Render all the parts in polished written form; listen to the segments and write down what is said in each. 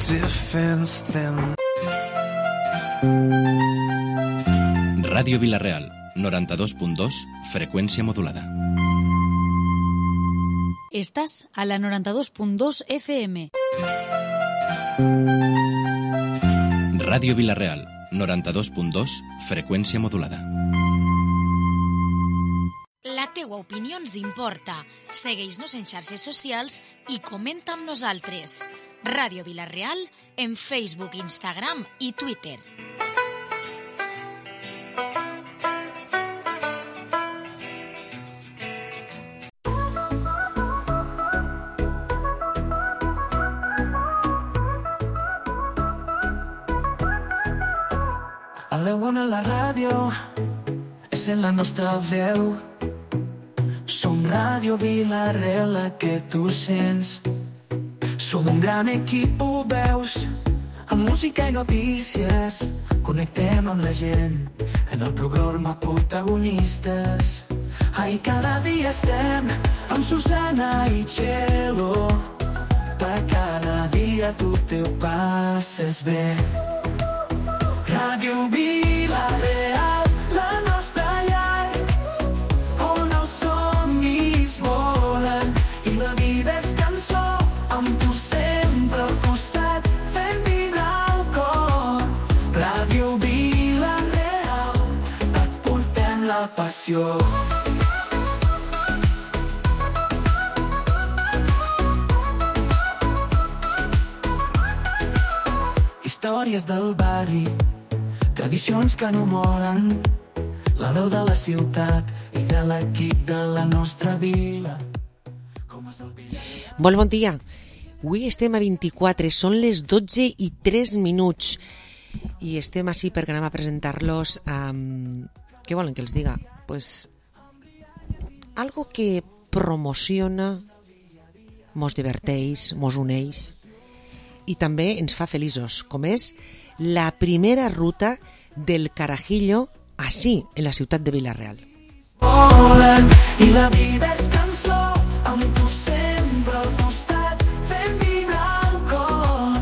defense then. Ràdio Vila-real, 92.2, freqüència modulada. Estàs a la 92.2 FM. Ràdio Vila-real, 92.2, freqüència modulada. La teua opinió ens importa. Segueix-nos en xarxes socials i comenta amb nosaltres. Ràdio Vila-real en Facebook, Instagram i Twitter. A l'Eona la ràdio és en la nostra veu. Som Ràdio Vila-real, la que tu sents. Som un gran equip, ho veus, amb música i notícies. Connectem amb la gent en el programa Protagonistes. Ai, cada dia estem amb Susana i Txelo. Per cada dia tu te ho passes bé. Ràdio Vila-real, la nostra llar, on els somnis volen i la vida és cançó, amb tu sempre al costat, fent vibrar el cor. Ràdio Vila-real, et portem la passió. Històries del barri, tradicions que no moren, la veu de la ciutat i de l'equip de la nostra vila. Molt bon dia. Avui estem a 24, són les 12:03 i estem així perquè anem a presentar-los. Què volen que els diga? Pues algo que promociona, mos diverteix, mos uneix i també ens fa feliços, com és la primera ruta del Carajillo així, en la ciutat de Vila-real. I la vida és cançó, amb tu sempre al costat, fent vibrar el cor.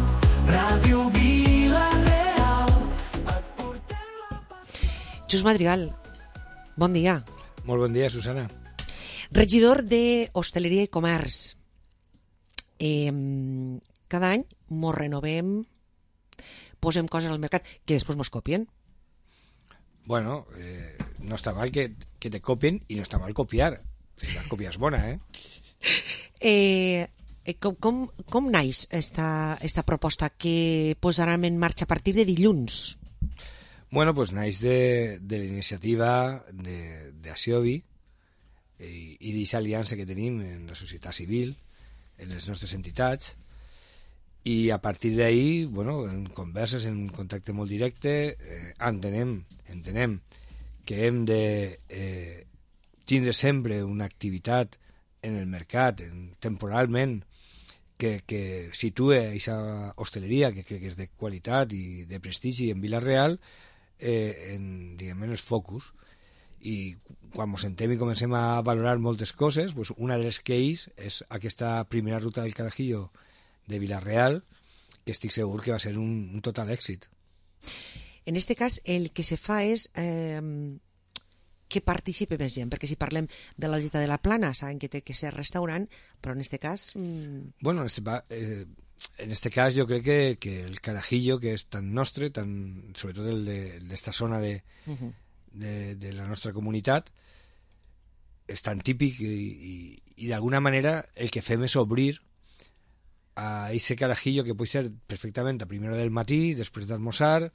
Ràdio Vila-real, et portem la passió. Xus Madrigal, bon dia. Molt bon dia, Susana. Regidor d'Hostaleria i Comerç. Cada any mos renovem, posem coses al mercat que després mos copien. Bueno, no està mal que te copien i no està mal copiar. Si la còpia és bona, Com naix esta proposta que posaran en marxa a partir de dilluns? Bueno, pues naix de la iniciativa d'Asiovi i d'aquesta aliança que tenim en la societat civil, en les nostres entitats, i a partir d'ahí, bueno, en converses, en un contacte molt directe, entenem que hem de tindre sempre una activitat en el mercat, temporalment, que situe aquesta hostaleria, que crec que és de qualitat i de prestigi en Vila-real, en els focus. I quan ens sentem i comencem a valorar moltes coses, pues una de les que és aquesta primera ruta del Carajillo de Vila-real, que estic segur que va ser un total èxit. En aquest cas, el que se fa és que participi més gent, perquè si parlem de la Llotja de la Plana, saben que té que ser restaurant, però en aquest cas... Bueno, en este cas jo crec que el Carajillo, que és tan nostre, sobretot el d'esta zona de la nostra comunitat, és tan típic i d'alguna manera el que fem és obrir a ese Carajillo que pot ser perfectament a primera del matí, després d'almoçar,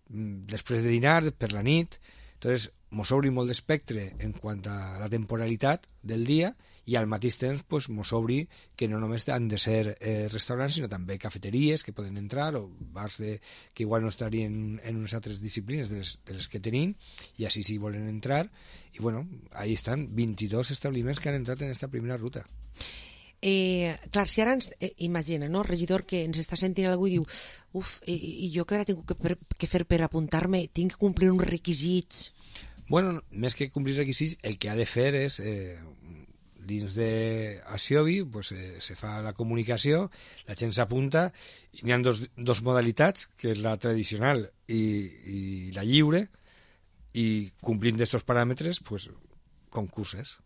després de dinar, per la nit. Entonces, mos obri molt d'espectre en quant a la temporalitat del dia i al mateix temps pues, mos obri que no només han de ser restaurants, sinó també cafeteries que poden entrar o bars que igual no estarien en unes altres disciplines de les que tenim, i així sí volen entrar. I bueno, ahí estan 22 establiments que han entrat en esta primera ruta. Clar, si ara ens imagina, no, regidor, que ens està sentint algú i diu i jo que ara tinc que fer per apuntar-me, tinc que complir uns requisits. Bueno, més que complir requisits, el que ha de fer és dins de Asiobi pues, se fa la comunicació, la gent s'apunta i n'hi ha dos modalitats, que és la tradicional i la lliure, i complint d'aquests paràmetres pues, concurses.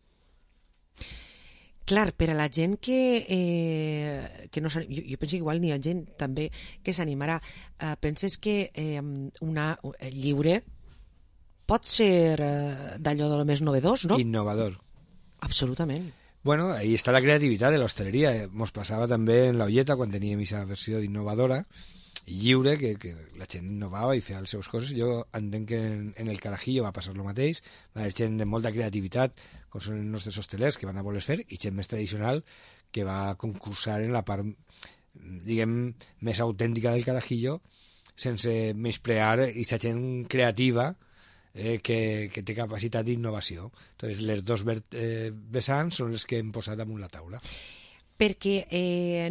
Clar, per a la gent que no s'anima, jo penso que igual n'hi ha gent també que s'animarà. Penses que lliure pot ser d'allò de lo més novedós, no? Innovador. Absolutament. Bueno, ahí está la creativitat de l'hostaleria. Mos passava també en la Olleta, quan teníem aquesta versió d'innovadora i lliure, que la gent innovava i feia les seves coses. Jo entenc que en el Carajillo va passar el mateix. Va haver gent de molta creativitat, com són els nostres hostelers, que van a voler fer, i gent més tradicional que va concursar en la part, diguem, més autèntica del Carajillo, sense menysprear aquesta gent creativa que té capacitat d'innovació. Entonces, les dos vessants són les que hem posat damunt la taula. Perquè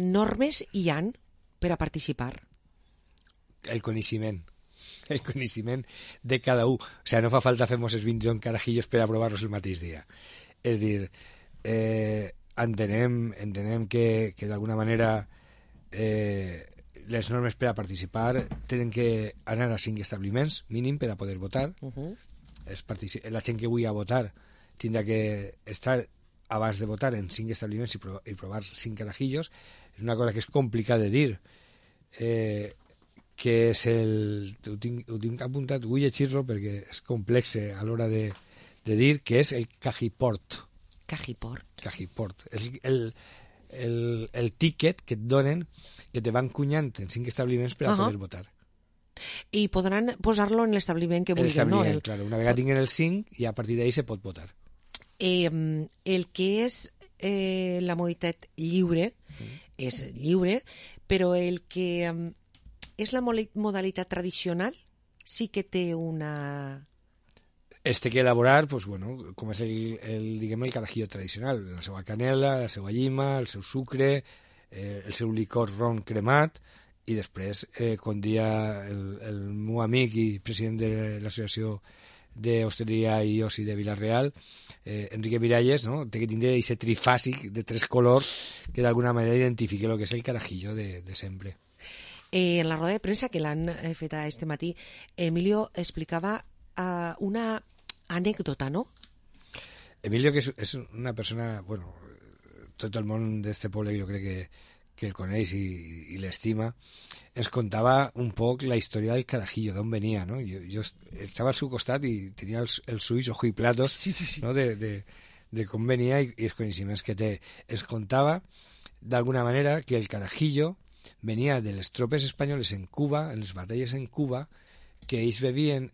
normes hi han per a participar. El coneixement de cada un. O sea, no fa falta fer els 21 carajillos per aprovar-los el mateix dia. És dir, entenem que d'alguna manera les normes per a participar tenen que anar a 5 establiments mínim per a poder votar. La gent que vulgui a votar tindrà que estar abans de votar en 5 establiments i provar 5 carajillos. És una cosa que és complicada de dir, que és ho tinc apuntat, vull llegir-lo perquè és complex a l'hora de dir, que és el Cajiport. Cajiport. És el tíquet que et donen, que te van cunyant en 5 establiments per a poder votar. I podran posar-lo en l'establiment que vulguin, no? Claro, una vegada tinguin el 5 i a partir d'ahí se pot votar. El que és la modalitat lliure és lliure, però el que és la modalitat tradicional sí que té una... Té que elaborar, pues, bueno, com és diguem, el carajillo tradicional, la seva canela, la seva llima, el seu sucre, el seu licor ron cremat, i després, com dia el meu amic i president de l'Associació d'Hostaleria i Oci de Vila-real, Enrique Miralles, no? Té que tindre aquest trifàsic de 3 colors que d'alguna manera identifiqui el que és el carajillo de sempre. En la roda de premsa que l'han fet este matí, Emilio explicava una anècdota, no? Emilio, que és una persona, bueno, tot el món d'este poble jo crec que el coneix i l'estima, ens contava un poc la història del carajillo, d'on venia, no? Jo estava al seu costat i tenia els ulls ojo i platos, sí. No? de com venia i els coneixements que té. Ens contava, d'alguna manera, que el carajillo venia de les tropes espanyoles en Cuba, en les batalles en Cuba, que ells bevien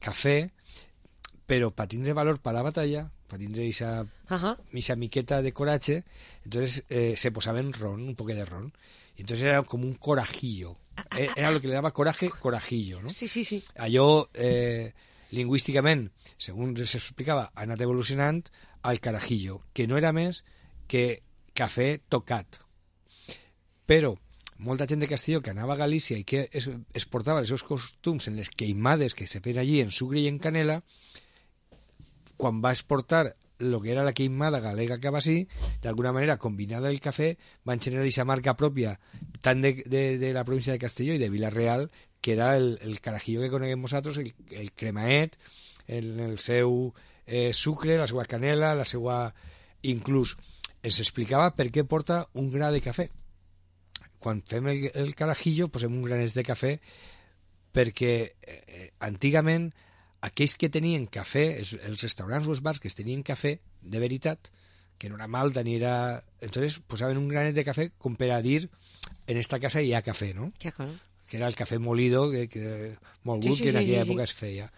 cafè, però per tindre valor per la batalla, per tindre esa miqueta de coratge, entonces se posaven ron, un poquet de ron. Y entonces era como un corajillo. Era lo que le daba coraje, corajillo, ¿no? Sí. Allò, lingüísticament, segons s'explicava, ha anat evolucionant al carajillo, que no era més que cafè tocat. Però molta gent de Castelló que anava a Galícia i que es portava els seus costums en les queimades que se feien allí en sucre i en canela, quan va exportar el que era la queimada galega que va ser, d'alguna manera, combinada el cafè, van generar aquesta marca pròpia tant de la província de Castelló i de Vila-real, que era el carajillo que coneguem nosaltres, el cremaet, el seu sucre, la seva canela, la seva... Inclús ens explicava per què porta un gra de cafè. Quan fem el carajillo posem un granet de cafè perquè antigament aquells que tenien cafè, els restaurants o els bars que tenien cafè de veritat, que no era malta ni era... Entonces posaven un granet de cafè com per a dir en esta casa hi ha cafè, no? Que era el cafè molido, molt gut, que en aquella època es feia.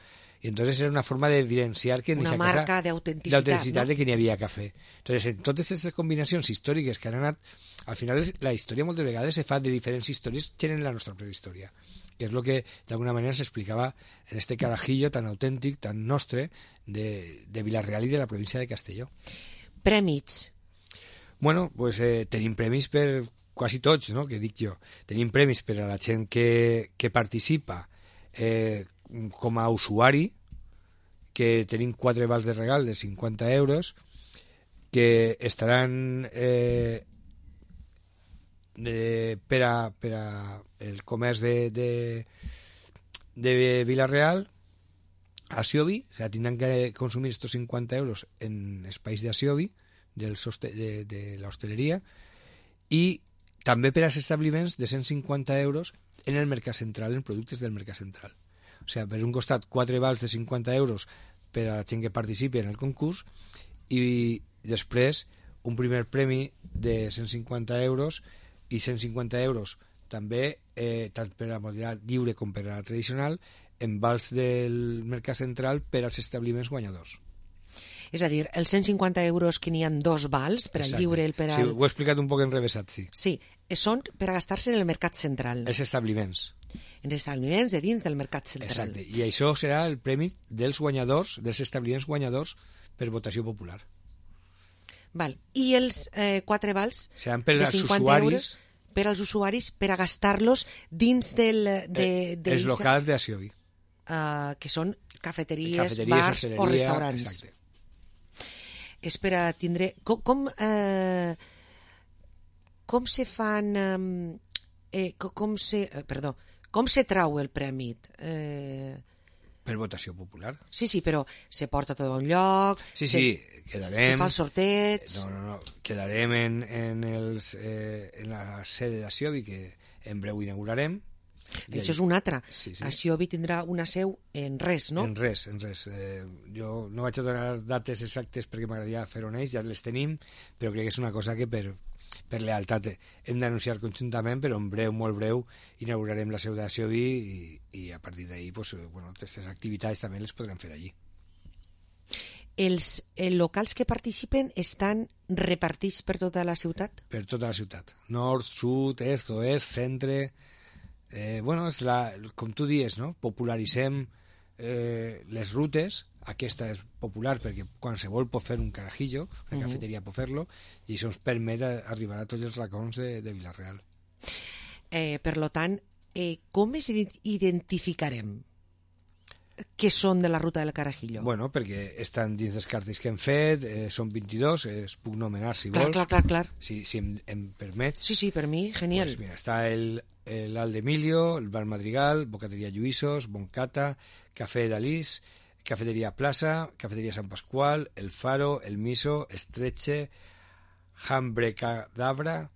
Y entonces era una forma de evidenciar que en esa casa... Una marca de autenticitat, ¿no? De que n'hi havia cafè. Entonces, en totes aquestes combinacions històriques que han anat... Al final, la història moltes vegades se fa de diferents històries que tenen la nostra prehistòria, que és el que d'alguna manera s'explicava en este carajillo tan autèntic, tan nostre, de Vila-real i de la província de Castelló. Prèmits. Bueno, pues tenim premis per quasi tots, no?, que dic jo. Tenim premis per a la gent que participa com a usuari, que tenim 4 vals de regal de 50 euros, que estaran per a el comerç de Vila-real a Siobi, o sea, tindran que consumir estos 50 euros en espais de Siobi, de la hosteleria, i també per als establiments de 150 euros en el mercat central, en productes del mercat central. O sigui, per un costat, 4 vals de 50 euros per a la gent que participi en el concurs i després un primer premi de 150 euros i 150 euros també, tant per a la modalitat lliure com per a la tradicional, en vals del mercat central per als establiments guanyadors. És a dir, els 150 euros que n'hi ha 2 vals, per al lliure, el per al... Sí, ho he explicat un poc enrevesat, sí. Sí, són per a gastar-se en el mercat central. Els establiments. En establiments de dins del mercat central. Exacte, i això serà el premi dels guanyadors, dels establiments guanyadors per votació popular. Val. I els 4 vals seran per de als 50 usuaris, euros per als usuaris per a gastar-los dins del... els locals de Asiobi. Que són cafeteries, bars o restaurants. Exacte. És per a tindre... Com se fan... com se trau el premi? Per votació popular. Sí, però se porta tot a un lloc... Sí, quedarem... Se fa el sorteig... No, quedarem en la sede d'Asiobi, que en breu inaugurarem. Això és una altra. Sí. Asiobi tindrà una seu en res, no? En res. Jo no vaig a donar dates exactes perquè m'agradaria fer-ho en ells, ja les tenim, però crec que és una cosa que per lealtat hem d'anunciar conjuntament, però en breu, molt breu, inaugurarem la seu d'Asiobi i a partir d'ahir aquestes activitats també les podrem fer allí. Els locals que participen estan repartits per tota la ciutat? Per tota la ciutat. Nord, sud, est, oest, centre... com tu dius, no? Popularitzem les rutes. Aquesta és popular perquè qualsevol pot fer un carajillo, una cafeteria pot fer-lo, i això ens permet arribar a tots els racons de Vila-real. Per tant, com es identificarem que són de la ruta del carajillo? Bueno, perquè estan dins dels cartells que hem fet, són 22, es puc nomenar si vols. Clar. Si em permets. Sí, per mi, genial. Pues mira, està l'Aldemilio, el Bar Madrigal, Bocateria Lluïsos, Boncata, Café Dalís, Cafeteria Plaza, Cafeteria Sant Pasqual, El Faro, El Miso, Estreche, Hambre Cadabra,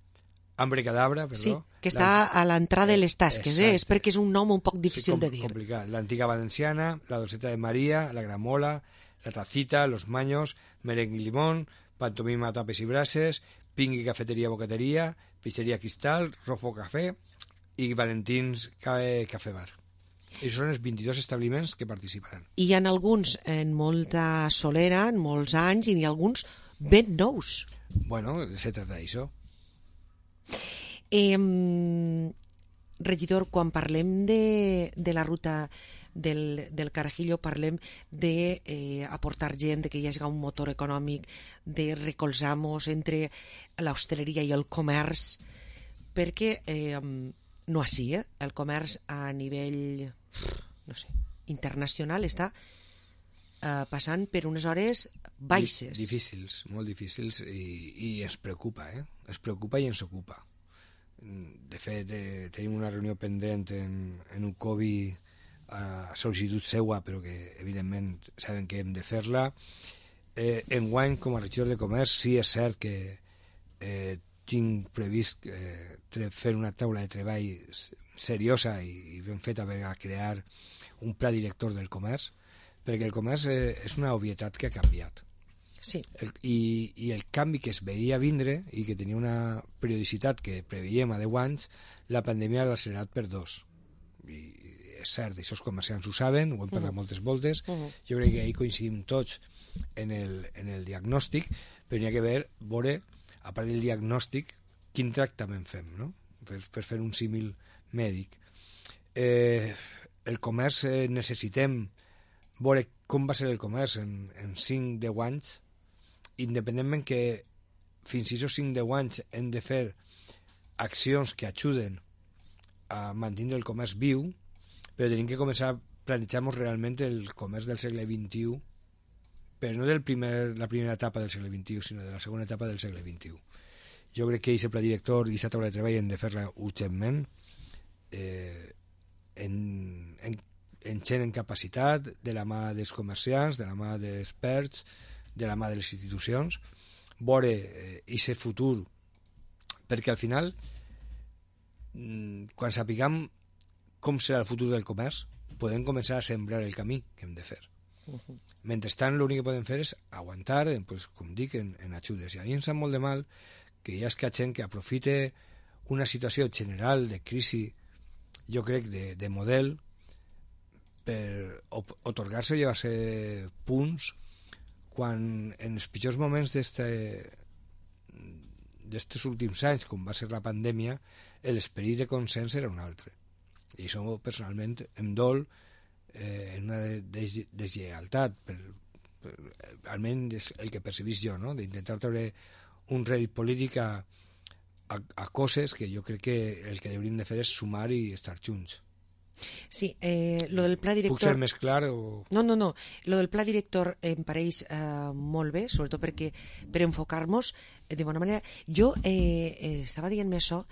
perdó. Sí, que està a l'entrada de les tasques, és perquè és un nom un poc difícil de dir. Complicat. L'Antiga Valenciana, la Dolceta de María, la Gramola, la Tacita, Los Maños, Merengue y Limón, Pantomima Tapes y Brases, Pingui Cafetería Bocatería, Pizzería Cristal, Rofo Café i Valentins Café Bar. I són els 22 establiments que participaran. I hi ha alguns en molta solera, en molts anys, i n'hi ha alguns ben nous. Bueno, se trata d'això. Regidor, quan parlem de la ruta del carajillo, parlem d'aportar gent, de que hi hagi un motor econòmic, de recolzar-nos entre l'hostaleria i el comerç, perquè no així, el comerç a nivell internacional està passant per unes hores baixes. Difícils, molt difícils, i ens preocupa, ens preocupa i ens ocupa. De fet, tenim una reunió pendent en un COBI a sol·licitud seua, però que evidentment saben que hem de fer-la. Enguany, com a regidor de comerç, sí és cert que tinc previst fer una taula de treball seriosa i ben feta per a crear un pla director del comerç, perquè el comerç és una obvietat que ha canviat. Sí. I el canvi que es veia vindre i que tenia una periodicitat que preveiem a 10 anys, la pandèmia l'ha accelerat per 2. I és cert, això els comerciants ho saben, ho hem parlat moltes voltes. Jo crec que ahir coincidim tots en el diagnòstic, però n'hi ha que veure, a part del diagnòstic, quin tractament fem, no? Per fer un símil mèdic. El comerç necessitem veure com va ser el comerç en 5-10 anys, independentment que fins i tot 5-10 anys hem de fer accions que ajuden a mantenir el comerç viu, però tenim que començar a plantejar-nos realment el comerç del segle XXI però no la primera etapa del segle XXI, sinó de la segona etapa del segle XXI. Jo crec que aquest pla director i aquesta taula de treball hem de fer-la urgentment, en gent en capacitat, de la mà dels comerciants, de la mà dels experts, de la mà de les institucions, veure aquest futur, perquè al final, quan sapiguem com serà el futur del comerç, podem començar a sembrar el camí que hem de fer. Mentrestant, l'únic que podem fer és aguantar, pues, com dic, en ajudes. I a mi em sap molt de mal que hi ha gent que aprofite una situació general de crisi, jo crec, de model, per otorgar-se o llevar-se punts quan en els pitjors moments d'estos últims anys, com va ser la pandèmia, l'esperit de consens era un altre. I això personalment em dol en una deslleialtat, almenys el que percebís jo, no? D'intentar treure un rèdit polític a coses que jo crec que el que hauríem de fer és sumar i estar junts. Sí, lo del pla director... Puc ser més clar o...? No. Lo del pla director em pareix molt bé, sobretot perquè per enfocar-nos de bona manera. Jo estava dient-me això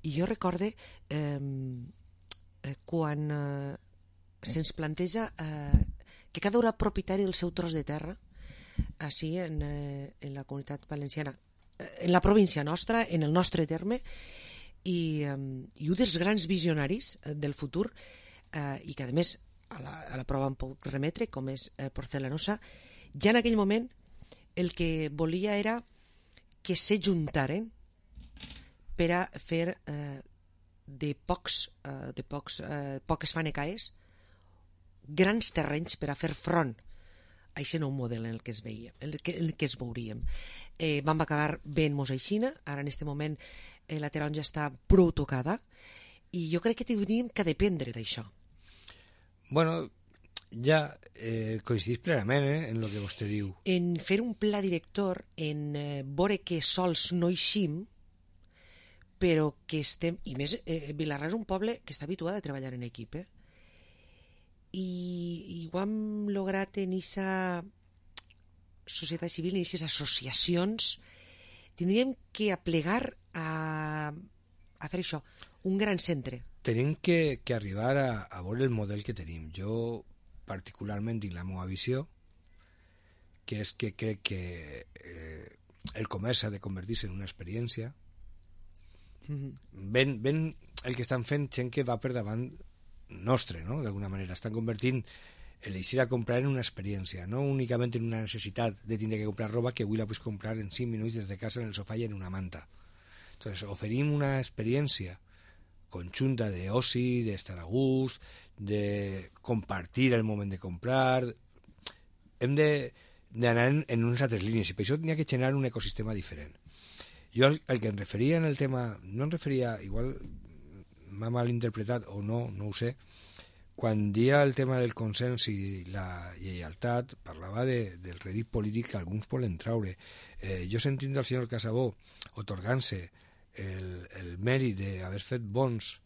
i jo recorde quan se'ns planteja que cada un propietari del seu tros de terra així en la comunitat valenciana, en la província nostra, en el nostre terme, i un dels grans visionaris del futur, i que a més a la prova em puc remetre, com és Porcelanosa, ja en aquell moment el que volia era que se juntaren per a fer de poques fanecaes grans terrenys per a fer front a aquest nou model en el que es veia, en el que es veuríem. Vam acabar veient-nos aixina, ara en aquest moment la taronja està prou tocada, i jo crec que hauríem que dependre d'això. Bueno, ja coincidís plenament en el que vostè diu. En fer un pla director, en veure que sols no eixim, però que estem... I més, Vilarrà és un poble que està habituat a treballar en equip, i ho hem lograt en aquesta societat civil, en aquestes associacions. Tindríem que aplegar a fer això, un gran centre. Tenim que arribar a veure el model que tenim. Jo particularment tinc la meva visió, que és que crec que el comerç ha de convertir-se en una experiència. Ben el que estan fent gent que va per davant nostre, no? D'alguna manera estan convertint l'eixir a comprar en una experiència, no únicament en una necessitat de tindre que comprar roba que avui la pots comprar en 5 minuts des de casa en el sofà i en una manta. Entonces, oferim una experiència conjunta d'oci, d'estar a gust, de compartir el moment de comprar. Hem d'anar en unes altres línies i per això n'hi ha que generar un ecosistema diferent. Jo el que em referia en el tema, no em referia, igual m'ha malinterpretat o no ho sé, quan dia el tema del consens i la lleialtat parlava del rèdit polític que alguns volen traure. Jo sentint del senyor Casabó otorgant-se el mèrit d'haver fet bons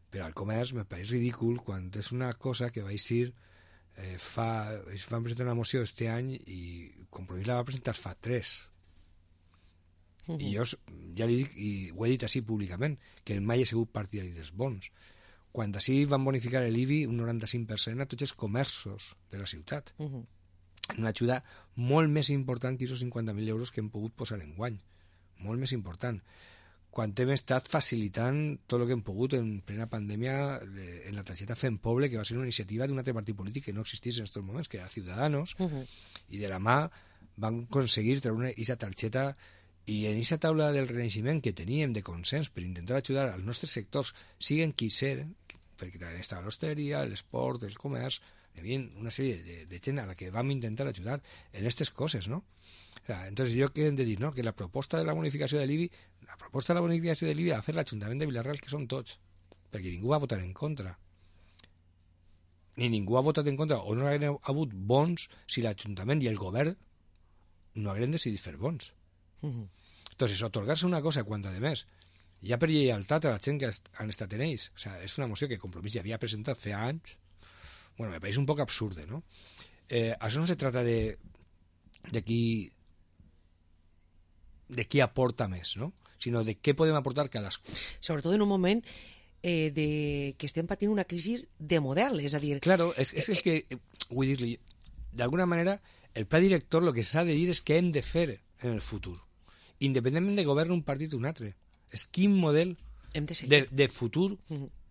per al comerç me pareix ridícul quan és una cosa que va eixir van presentar una moció este any i Compromís la va presentar fa 3. I jo ja li dic, i ho he dit així públicament, que mai he sigut partidari dels bons. Quan així van bonificar l'IBI un 95% a tots els comerços de la ciutat. Una ajuda molt més important que aquests 50.000 euros que hem pogut posar en guany. Molt més important. Quan hem estat facilitant tot el que hem pogut en plena pandèmia en la targeta Fem Poble, que va ser una iniciativa d'un altre partit polític que no existís en aquests moments, que era Ciudadanos, i de la mà van aconseguir treure aquesta targeta. I en aquesta taula del renaixement que teníem de consens per intentar ajudar als nostres sectors, siguen qui ser, perquè també estava l'hostaleria, l'esport, el comerç, hi havia una sèrie de gent a la que vam intentar ajudar en aquestes coses, no? O sea, entonces jo què hem de dir, no? Que la proposta de la bonificació de l'IBI, la va fer l'Ajuntament de Vilarreal, que són tots, perquè ningú va votar en contra. Ni ningú ha votat en contra, o no haguem hagut bons si l'Ajuntament i el govern no haguem decidit fer bons. Entonces, otorgar-se una cosa quan, a més, ja per lleialtat a la gent que han estat en ells, o sea, és una moció que Compromís ja havia presentat fa anys, bueno, me pareix un poc absurde, ¿no? Això no se trata de qui aporta més, no? Sinó de què podem aportar cadascú. Sobretot en un moment que estem patint una crisi de model, és a dir... Claro, és el que, vull dir-li, d'alguna manera, el pla director el que s'ha de dir és què hem de fer en el futur, independentment de govern un partit o un altre. És quin model de futur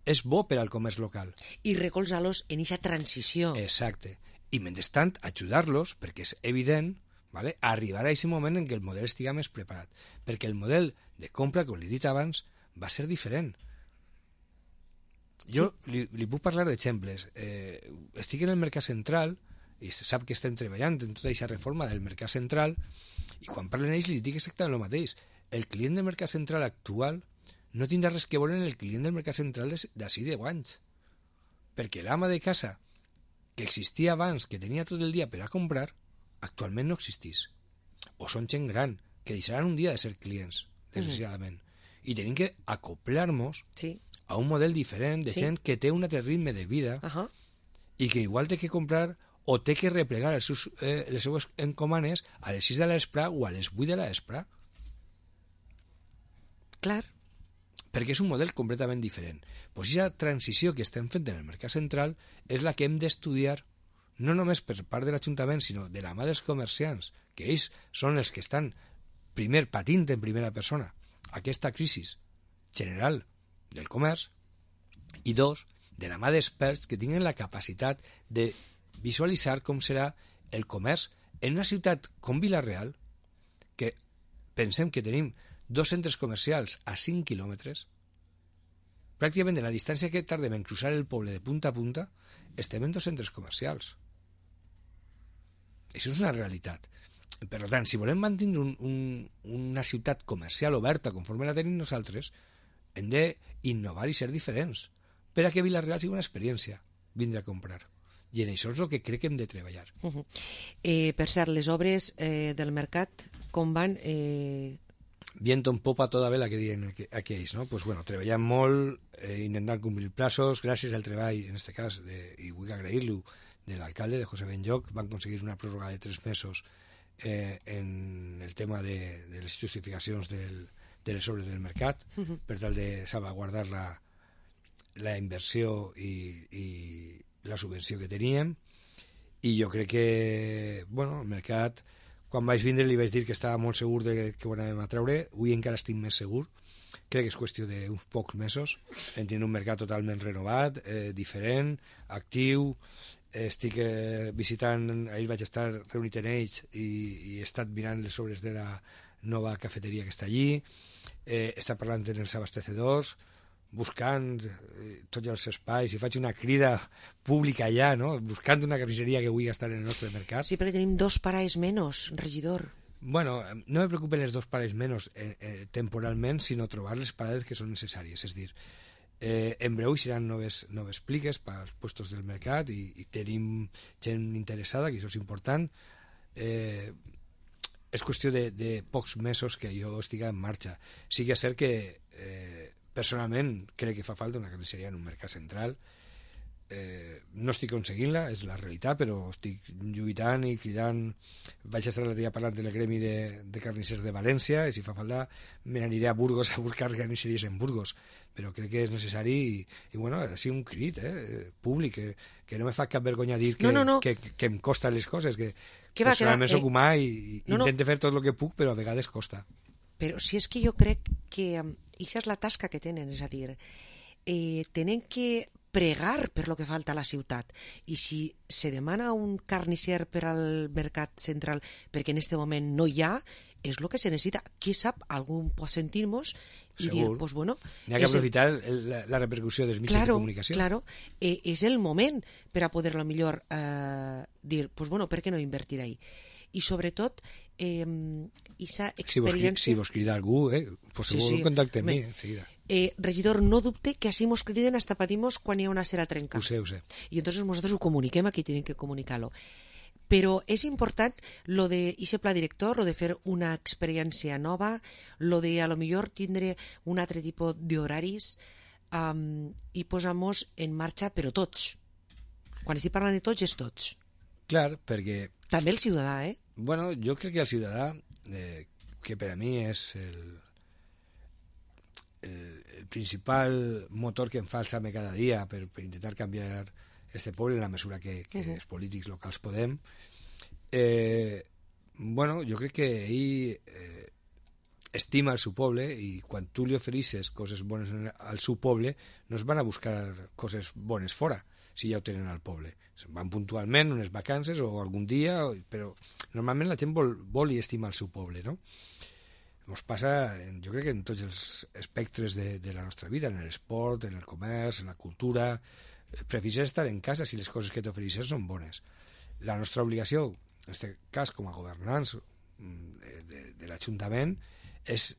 és bo per al comerç local. I recolzar-los en aquesta transició. Exacte. I mentrestant, ajudar-los, perquè és evident, ¿vale?, arribar a aquest moment en què el model estiga més preparat. Perquè el model de compra, com li he dit abans, va ser diferent. Jo li puc parlar d'exemples. Estic en el mercat central i sap que estem treballant en tota aquesta reforma del mercat central i quan parlen ells li dic exactament el mateix. El client del mercat central actual no tindrà res que veure en el client del mercat central d'ací 10 anys. Perquè l'ama de casa que existia abans, que tenia tot el dia per a comprar, actualment no existís. O són gent gran, que deixaran un dia de ser clients, desgraciadament. I tenim que acoplar-nos a un model diferent de gent que té un altre ritme de vida i que igual té que comprar o té que replegar les seues encomanes a les 6 de l'espre o a les 8 de l'espre. Clar. Perquè és un model completament diferent. Pues aquesta transició que estem fent en el mercat central és la que hem d'estudiar no només per part de l'Ajuntament, sinó de la mà dels comerciants, que ells són els que estan, primer, patint en primera persona aquesta crisi general del comerç, i dos, de la mà d'experts que tinguin la capacitat de visualitzar com serà el comerç en una ciutat com Vila-real, que pensem que tenim 2 centres comercials a 5 quilòmetres, pràcticament de la distància que tardem en cruzar el poble de punta a punta, estem en 2 centres comercials. Això és una realitat. Per tant, si volem mantenir una ciutat comercial oberta conforme la tenim nosaltres, hem d'innovar i ser diferents per a que Vila-real sigui una experiència vindre a comprar. I en això és el que crec que hem de treballar. Per cert, les obres del mercat, com van? Viento en popa toda vela, que diuen aquells, no? Pues bueno, treballant molt, intentant complir plazos, gràcies al treball, en aquest cas, i vull agrair-lo, de l'alcalde, de José Benlloch, van aconseguir una pròrroga de 3 mesos en el tema de les justificacions de les obres del mercat, per tal de salvaguardar la inversió i la subvenció que teníem. I jo crec que, bueno, el mercat, quan vaig vindre li vaig dir que estava molt segur de que ho anàvem a treure. Avui encara estic més segur. Crec que és qüestió d'uns pocs mesos. En tenir un mercat totalment renovat, diferent, actiu. Estic visitant, ahir vaig estar reunit en ells i he estat mirant les obres de la nova cafeteria que està allí. He estat parlant amb els abastecedors, buscant tots els espais, i faig una crida pública allà, no? Buscant una carnisseria que vulgui estar en el nostre mercat. Sí, perquè tenim 2 parades menys, regidor. Bueno, no me preocupen les 2 parades menys temporalment, sinó trobar les parades que són necessàries. És dir, en breu seran noves pliques pels puestos del mercat i tenim gent interessada, que això és important. És qüestió de pocs mesos que jo estigui en marxa. Sí que és cert que personalment crec que fa falta una carnisseria en un mercat central. No estic aconseguint-la, és la realitat, però estic lluitant i cridant. Vaig estar l'altre dia parlant del gremi de carnissers de València, i si fa falta me n'aniré a Burgos a buscar carnisseries en Burgos, però crec que és necessari i bueno, ha sigut un crit públic, que no me fa cap vergonya dir que em costa les coses, que personalment soc humà i intento fer tot el que puc, però a vegades costa. Però si és que jo crec que això és la tasca que tenen, és a dir, tenen que pregar per lo que falta a la ciutat, i si se demana un carnisser per al mercat central perquè en este moment no hi ha, és el que se necessita. Qui sap, algú pot sentir-nos i dir, pues bueno... N'hi ha que aprofitar la repercussió dels mitjans de comunicació. Claro, és el moment per a poder-lo millor dir, pues bueno, per què no invertir ahí? I sobretot, aquesta experiència... Si vos crida algú, pues segur contacte amb mi, enseguida. Regidor, no dubte que així mos criden hasta patimos quan hi ha una cera trenca. Ho sé. I entonces nosaltres ho comuniquem a qui tenim que comunicar-lo. Però és important lo de ese pla director, lo de fer una experiència nova, lo de a lo millor tindre un altre tipus d'horaris i posar-nos en marxa, però tots. Quan estic parlant de tots, és tots. Clar, perquè... També el ciutadà, Bueno, jo crec que el ciutadà, que per a mi és el principal motor que em fa alçar-me cada dia per intentar canviar este poble en la mesura que els polítics locals podem, bueno, jo crec que ell estima el seu poble i quan tu li ofereixes coses bones al seu poble no es van a buscar coses bones fora si ja ho tenen al poble. Se'n van puntualment unes vacances o algun dia, però normalment la gent vol i estima el seu poble, no? Ens passa, jo crec que en tots els espectres de la nostra vida, en l'esport, en el comerç, en la cultura. Prefereixes estar en casa si les coses que t'ofereixes són bones. La nostra obligació, en aquest cas com a governants de l'Ajuntament, és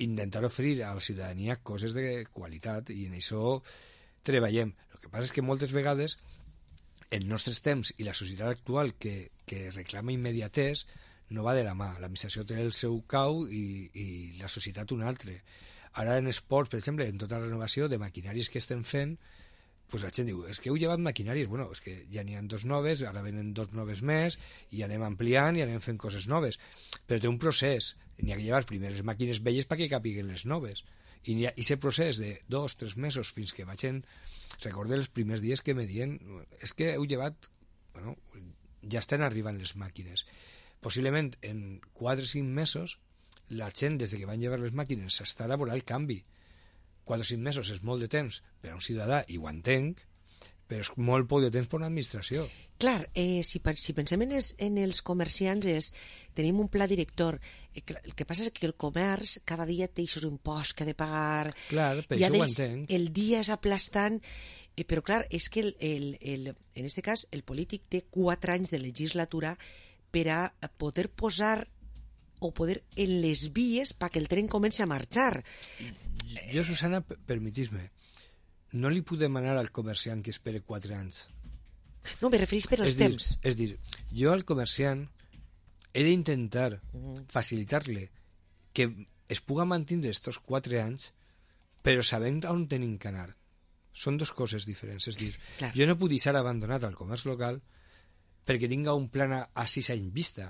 intentar oferir a la ciutadania coses de qualitat i en això treballem. El que passa és que moltes vegades en nostres temps i la societat actual que reclama immediatès no va de la mà. L'administració té el seu cau i la societat un altre. Ara en esports, per exemple, en tota la renovació de maquinaris que estem fent, pues la gent diu, és que heu llevat maquinaris. Bueno, és que ja n'hi ha 2 noves, ara venen 2 noves més, i anem ampliant i anem fent coses noves. Però té un procés. N'hi ha que llevar primer les màquines velles perquè capiguen les noves. I hi ha aquest procés de 2-3 mesos fins que vagin... Recordé els primers dies que me diuen, és que heu llevat... Bueno, ja estan arribant les màquines. Possiblement en 4 o 5 mesos la gent, des que van llevar les màquines, s'està elaborant el canvi. 4 o 5 mesos és molt de temps per a un ciutadà, i ho entenc, però és molt poc de temps per a una administració. Clar, si pensem en els comerciants, tenim un pla director. El que passa és que el comerç cada dia té aquests imposts que ha de pagar. Clar, per això ho entenc. El dia és aplastant, però clar, és que en aquest cas el polític té 4 anys de legislatura per a poder posar o poder en les vies perquè el tren comenci a marxar. Jo, Susana, permetís-me, no li puc demanar al comerciant que espere 4 anys. No, me referís per als temps. És dir, jo al comerciant he d'intentar facilitar-li que es puga mantenir estos 4 anys, però sabent on tenim que anar. Són 2 coses diferents. És dir, clar, jo no puc deixar abandonat al comerç local perquè tinga un plan a 6 anys vista.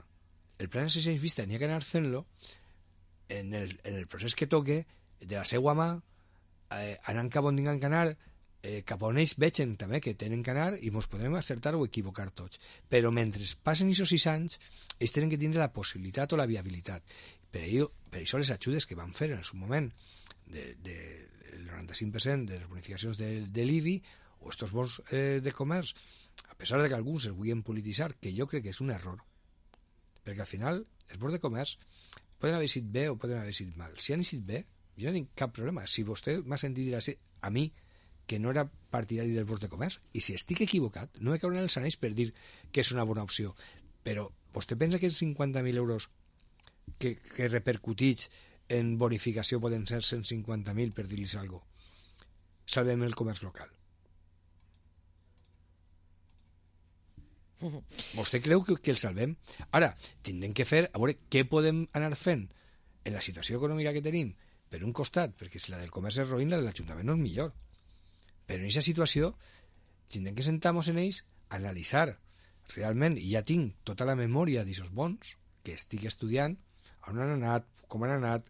El plan a 6 anys vista n'hi ha que anar fent-lo en el procés que toque, de la seva mà, anant cap on tinguem que anar, cap on ells vegen també que tenen que anar, i ens podrem acertar o equivocar tots. Però mentre passen aquests 6 anys, ells tenen que tindre la possibilitat o la viabilitat. Per això les ajudes que van fer en el seu moment del 95% de les bonificacions de l'IBI o estos bons de comerç, a pesar de que alguns es vulguin polititzar, que jo crec que és un error, perquè al final els bons de comerç poden haver sigut bé o poden haver sigut mal. Si han sigut bé, jo no tinc cap problema. Si vostè m'ha sentit dir a mi que no era partidari dels bons de comerç, i si estic equivocat, no me cauran els anells per dir que és una bona opció, però vostè pensa que els 50.000 euros que repercutits en bonificació poden ser 150.000, per dir-los alguna cosa? Salvem el comerç local. Vostè creu que el salvem? Ara, tindrem que fer, a veure què podem anar fent en la situació econòmica que tenim, per un costat, perquè si la del comerç és roïn, la de l'Ajuntament no és millor. Però en aquesta situació tindrem que sentar-nos en ells a analitzar realment, i ja tinc tota la memòria d'aquests bons que estic estudiant, on han anat, com han anat,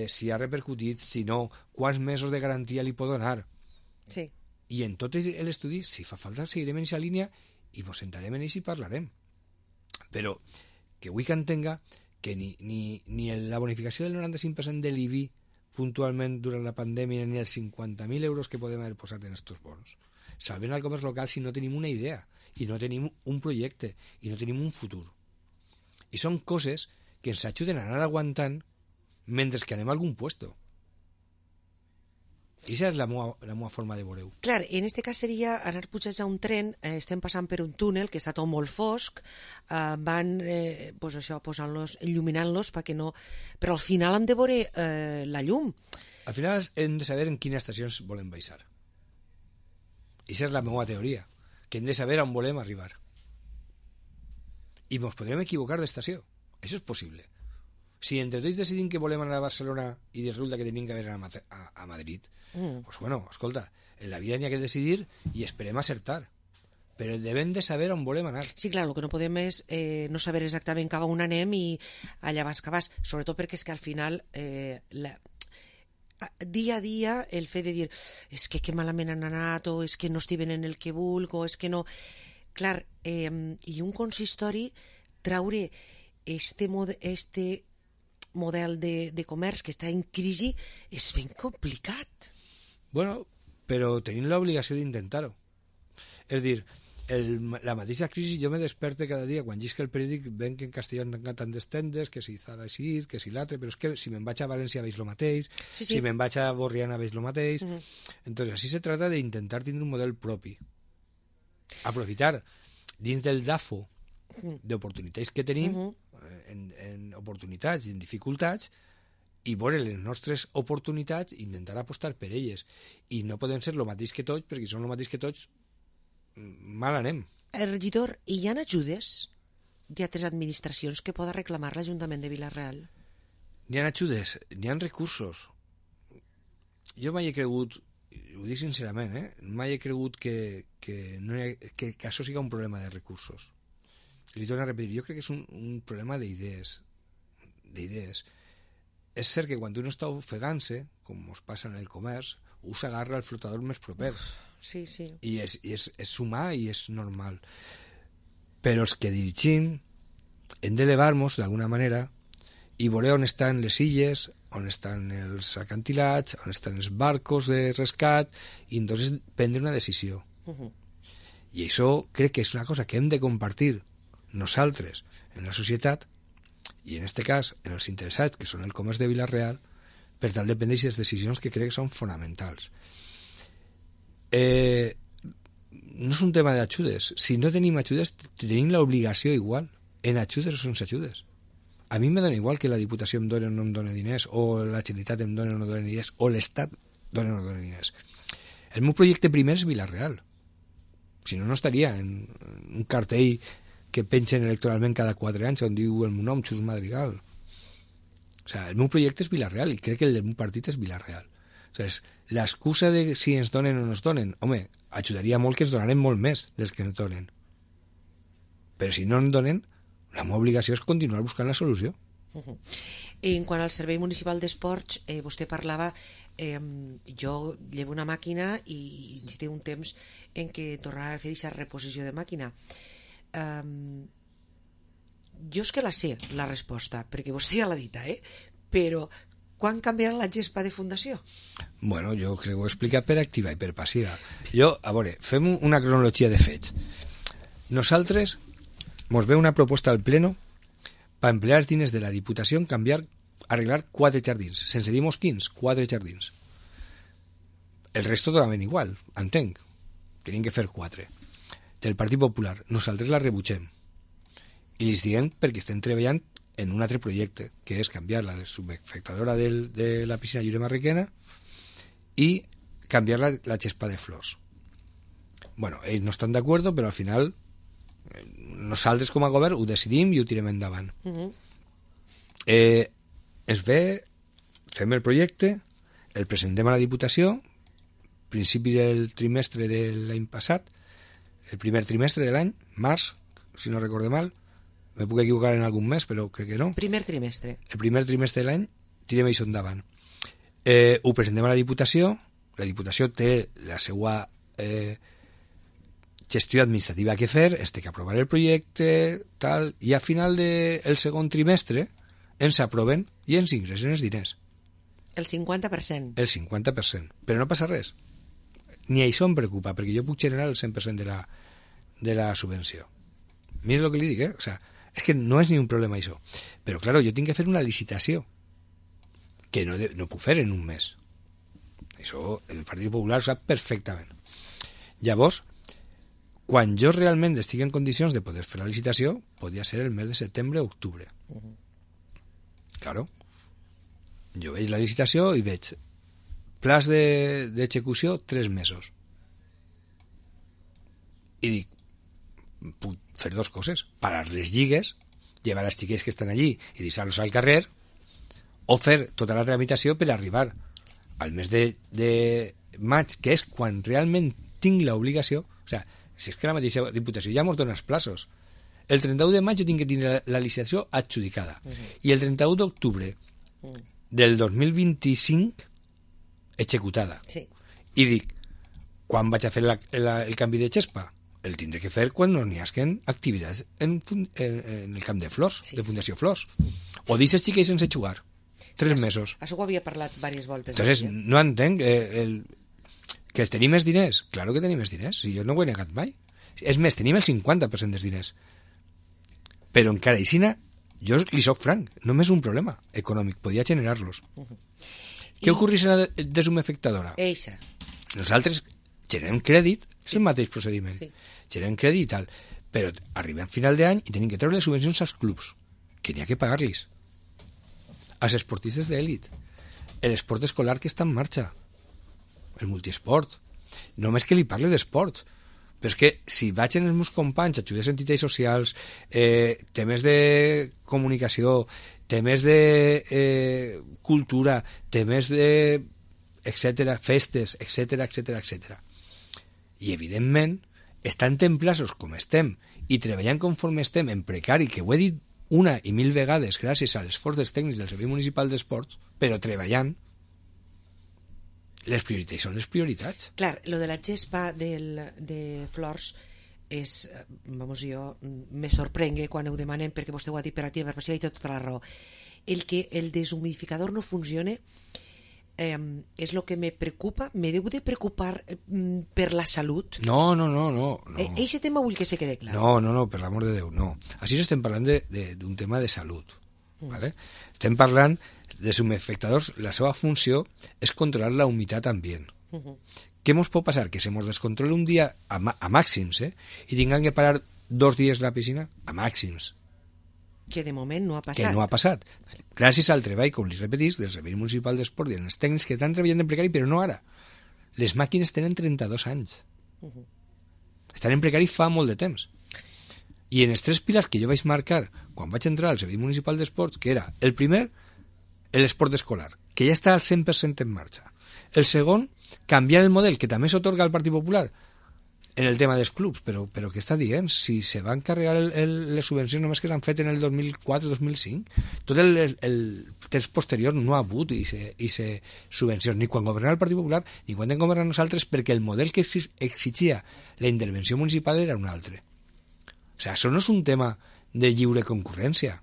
si ha repercutit, si no, quants mesos de garantia li pot donar. Sí. I en tot l'estudi, si fa falta, seguirem en aquesta línia i ens sentarem en ells i parlarem. Però que vull que entenga que ni la bonificació del 95% de l'IBI puntualment durant la pandèmia ni els 50.000 euros que podem haver posat en estos bons salven al comerç local si no tenim una idea i no tenim un projecte i no tenim un futur. I són coses que ens ajuden a anar aguantant mentre que anem a algun puesto. I aquesta és la meva forma de veure-ho. Clar, en aquest cas seria anar pujats a un tren, estem passant per un túnel que està tot molt fosc, van pues això, posant-los, il·luminant-los perquè no... Però al final hem de veure la llum. Al final hem de saber en quines estacions volem baixar. I aquesta és la meva teoria, que hem de saber on volem arribar. I ens podrem equivocar d'estació. Això és possible. Si entre tots decidim que volem anar a Barcelona i resulta que tenim que anar a Madrid, pues bueno, escolta, en la vida n'hi ha que decidir i esperem acertar. però devem de saber on volem anar. Sí, clar, el que no podem és no saber exactament cap a on anem i allà vas que vas, sobretot perquè és que al final dia a dia el fet de dir és que malament han anat o és que no estic venent el que vulc o és que no... Clar, i un consistori traure este model de comerç que està en crisi és ben complicat. Bueno, però tenim l'obligació d'intentar-ho. És dir, la mateixa crisi jo me desperte cada dia quan llisc el periòdic ven que en Castelló han tancat tantes tendes, que si Zara així, que si l'altre, però és que si me'n vaig a València veig lo mateix, sí. Si me'n vaig a Borriana veig lo mateix. Entonces, así se trata de intentar tindre un model propi. Aprofitar dins del DAFO d'oportunitats que tenim, en oportunitats i en dificultats, i veure les nostres oportunitats i intentar apostar per elles. I no podem ser lo mateix que tots, perquè si som lo mateix que tots, mal anem. Regidor, hi ha ajudes d'altres administracions que poda reclamar l'Ajuntament de Vila-real? N'hi ha ajudes, n'hi ha recursos. Jo mai he cregut, ho dic sincerament, mai he cregut que això sigui un problema de recursos. Li torno a repetir, jo crec que és un problema d'idees. És cert que quan uno està ofegant-se, com us passa en el comerç, us agarra el flotador més proper. Sí. I és humà i és normal. Però els que dirigim hem d'elevar-nos d'alguna manera i veure on estan les illes, on estan els acantilats, on estan els barcos de rescat, i entonces prendre una decisió. I això crec que és una cosa que hem de compartir nosaltres en la societat i en este cas en els interessats que són el comerç de Vila-real per tal de prendre aquestes decisions que crec que són fonamentals. No és un tema d'ajudes. Si no tenim ajudes, tenim l'obligació igual, en ajudes o sense ajudes. A mi me dona igual que la Diputació em doni o no em doni diners, o la Generalitat em doni o no doni diners, o l'Estat doni o no doni diners. El meu projecte primer és Vila-real. Si no, no estaria en un cartell que pengen electoralment cada 4 anys on diu el meu nom, Xus Madrigal. O sea, el meu projecte és Vila-real i crec que el del meu partit és Vila-real. O sigui, l'excusa de si ens donen o no ens donen, home, ajudaria molt que ens donaren molt més dels que ens donen. Però si no ens donen, la meva obligació és continuar buscant la solució. En quant al Servei Municipal d'Esports, vostè parlava, jo llevo una màquina i té un temps en què tornarà a fer aquesta reposició de màquina. Jo és que la sé, la resposta, perquè vostè ja l'ha dita, però quan canviarà la gespa de fundació? Bueno, jo crec que ho he explicat per activa i per passiva. Jo, a veure, fem una cronologia de fets. Nosaltres mos ve una proposta al pleno per emplear els diners de la Diputació en arreglar 4 jardins, sense dir quins, 4 jardins. El resto totalment igual, entenc. Tenim que fer 4. Del Partit Popular, nosaltres la rebutgem. I els diem perquè estem treballant en un altre projecte, que és canviar la subespectadora de la piscina Lliure Marriquena i canviar la gespa de flors. Bueno, ells no estan d'acord, però al final nosaltres com a govern ho decidim i ho tirem endavant. Es ve, fem el projecte, el presentem a la Diputació, principi del trimestre de l'any passat, el primer trimestre de l'any, març, si no recorde mal, me puc equivocar en algun mes, però crec que no. Primer trimestre. El primer trimestre de l'any, tirem això endavant. Ho presentem a la Diputació té la seva gestió administrativa que fer, té que aprovar el projecte, tal, i a final del segon trimestre ens aproven i ens ingressen els diners. El 50%. El 50%. Però no passa res. Ni això em preocupa, perquè jo puc generar el 100% de la subvenció. Mira el que li dic, O sea, és que no és ni un problema això. Però, claro, jo tinc que fer una licitació que no puc fer en un mes. Això el Partit Popular ho sap perfectament. Llavors, quan jo realment estic en condicions de poder fer la licitació, podria ser el mes de setembre o octubre. Claro. Jo veig la licitació i veig plaç d'execució 3 mesos. I dic, puc fer 2 coses. Parar les lligues, llevar els xiquets que estan allí i deixar-los al carrer, o fer tota la tramitació per arribar al mes de maig, que és quan realment tinc l'obligació. O sea, si és que la mateixa Diputació ja mos dona els plaços. El 31 de maig jo tinc que tenir la licitació adjudicada. I el 31 d'octubre del 2025 executada. Sí. I dic, quan vaig a fer el canvi de xespa? El tindré que fer quan no n'hi hagin activitats en el camp de flors, de Fundació Flors. O deixes xiquets sense jugar. 3 mesos. Això ho havia parlat diverses voltes. Entonces, no entenc que tenim més diners. Claro que tenim més diners, si jo no ho he negat mai. És més, tenim el 50% dels diners. Però encara aixina, jo li soc franc, només un problema econòmic, podia generar-los. Què ocorreix a la desumefectadora? Eixa. Nosaltres generem crèdit, és el mateix procediment. Sí. Generem crèdit i tal, però arribem a final d'any i tenim que treure les subvencions als clubs, que n'hi ha que pagar-los. Als esportistes d'èlit, l'esport escolar que està en marxa, el multiesport. Només que li parle d'esport. Però és que si vaig en els meus companys, ajudes a entitats socials, temes de comunicació, temes de cultura, temes de etcètera, festes, etcètera. I evidentment, estant en plaços com estem i treballant conforme estem en precari, que ho he dit una i mil vegades gràcies a l'esforç dels tècnics del Servei Municipal d'Esports, però treballant, les prioritats són les prioritats. Clar, lo de la gespa de flors és, vamos, jo me sorprengue quan ho demanem, perquè vostè ho ha dit per activa, per passiva, i té tota la raó. El que el deshumidificador no funcione és el que me preocupa, me deu de preocupar per la salut. No. Eixe tema vull que se quede clar. No, per l'amor de Déu, no. Així no estem parlant d'un tema de salut. ¿Vale? Estem parlant de deshumidificadors, la seva funció és controlar la humitat ambient. Què mos pot passar? Que se mos descontrole un dia a màxims, i tinguem que parar 2 dies la piscina a màxims. Que de moment no ha passat. Que no ha passat. Gràcies al treball, com li repetís, del Servei Municipal d'Esport i dels tècnics que estan treballant en precari, però no ara. Les màquines tenen 32 anys. Estan en precari fa molt de temps. I en els 3 pilars que jo vaig marcar quan vaig entrar al Servei Municipal d'Esports, que era el primer, l'esport escolar, que ja està al 100% en marxa. El segon, canviar el model, que també s'otorga al Partit Popular en el tema dels clubs, però què està dient? Si se van carregar les subvencions només que s'han fet en el 2004-2005, tot el temps posterior no ha hagut i se subvencions, ni quan governava el Partit Popular ni quan hem governat nosaltres, perquè el model que exigia la intervenció municipal era un altre. O sigui, això no és un tema de lliure concurrència,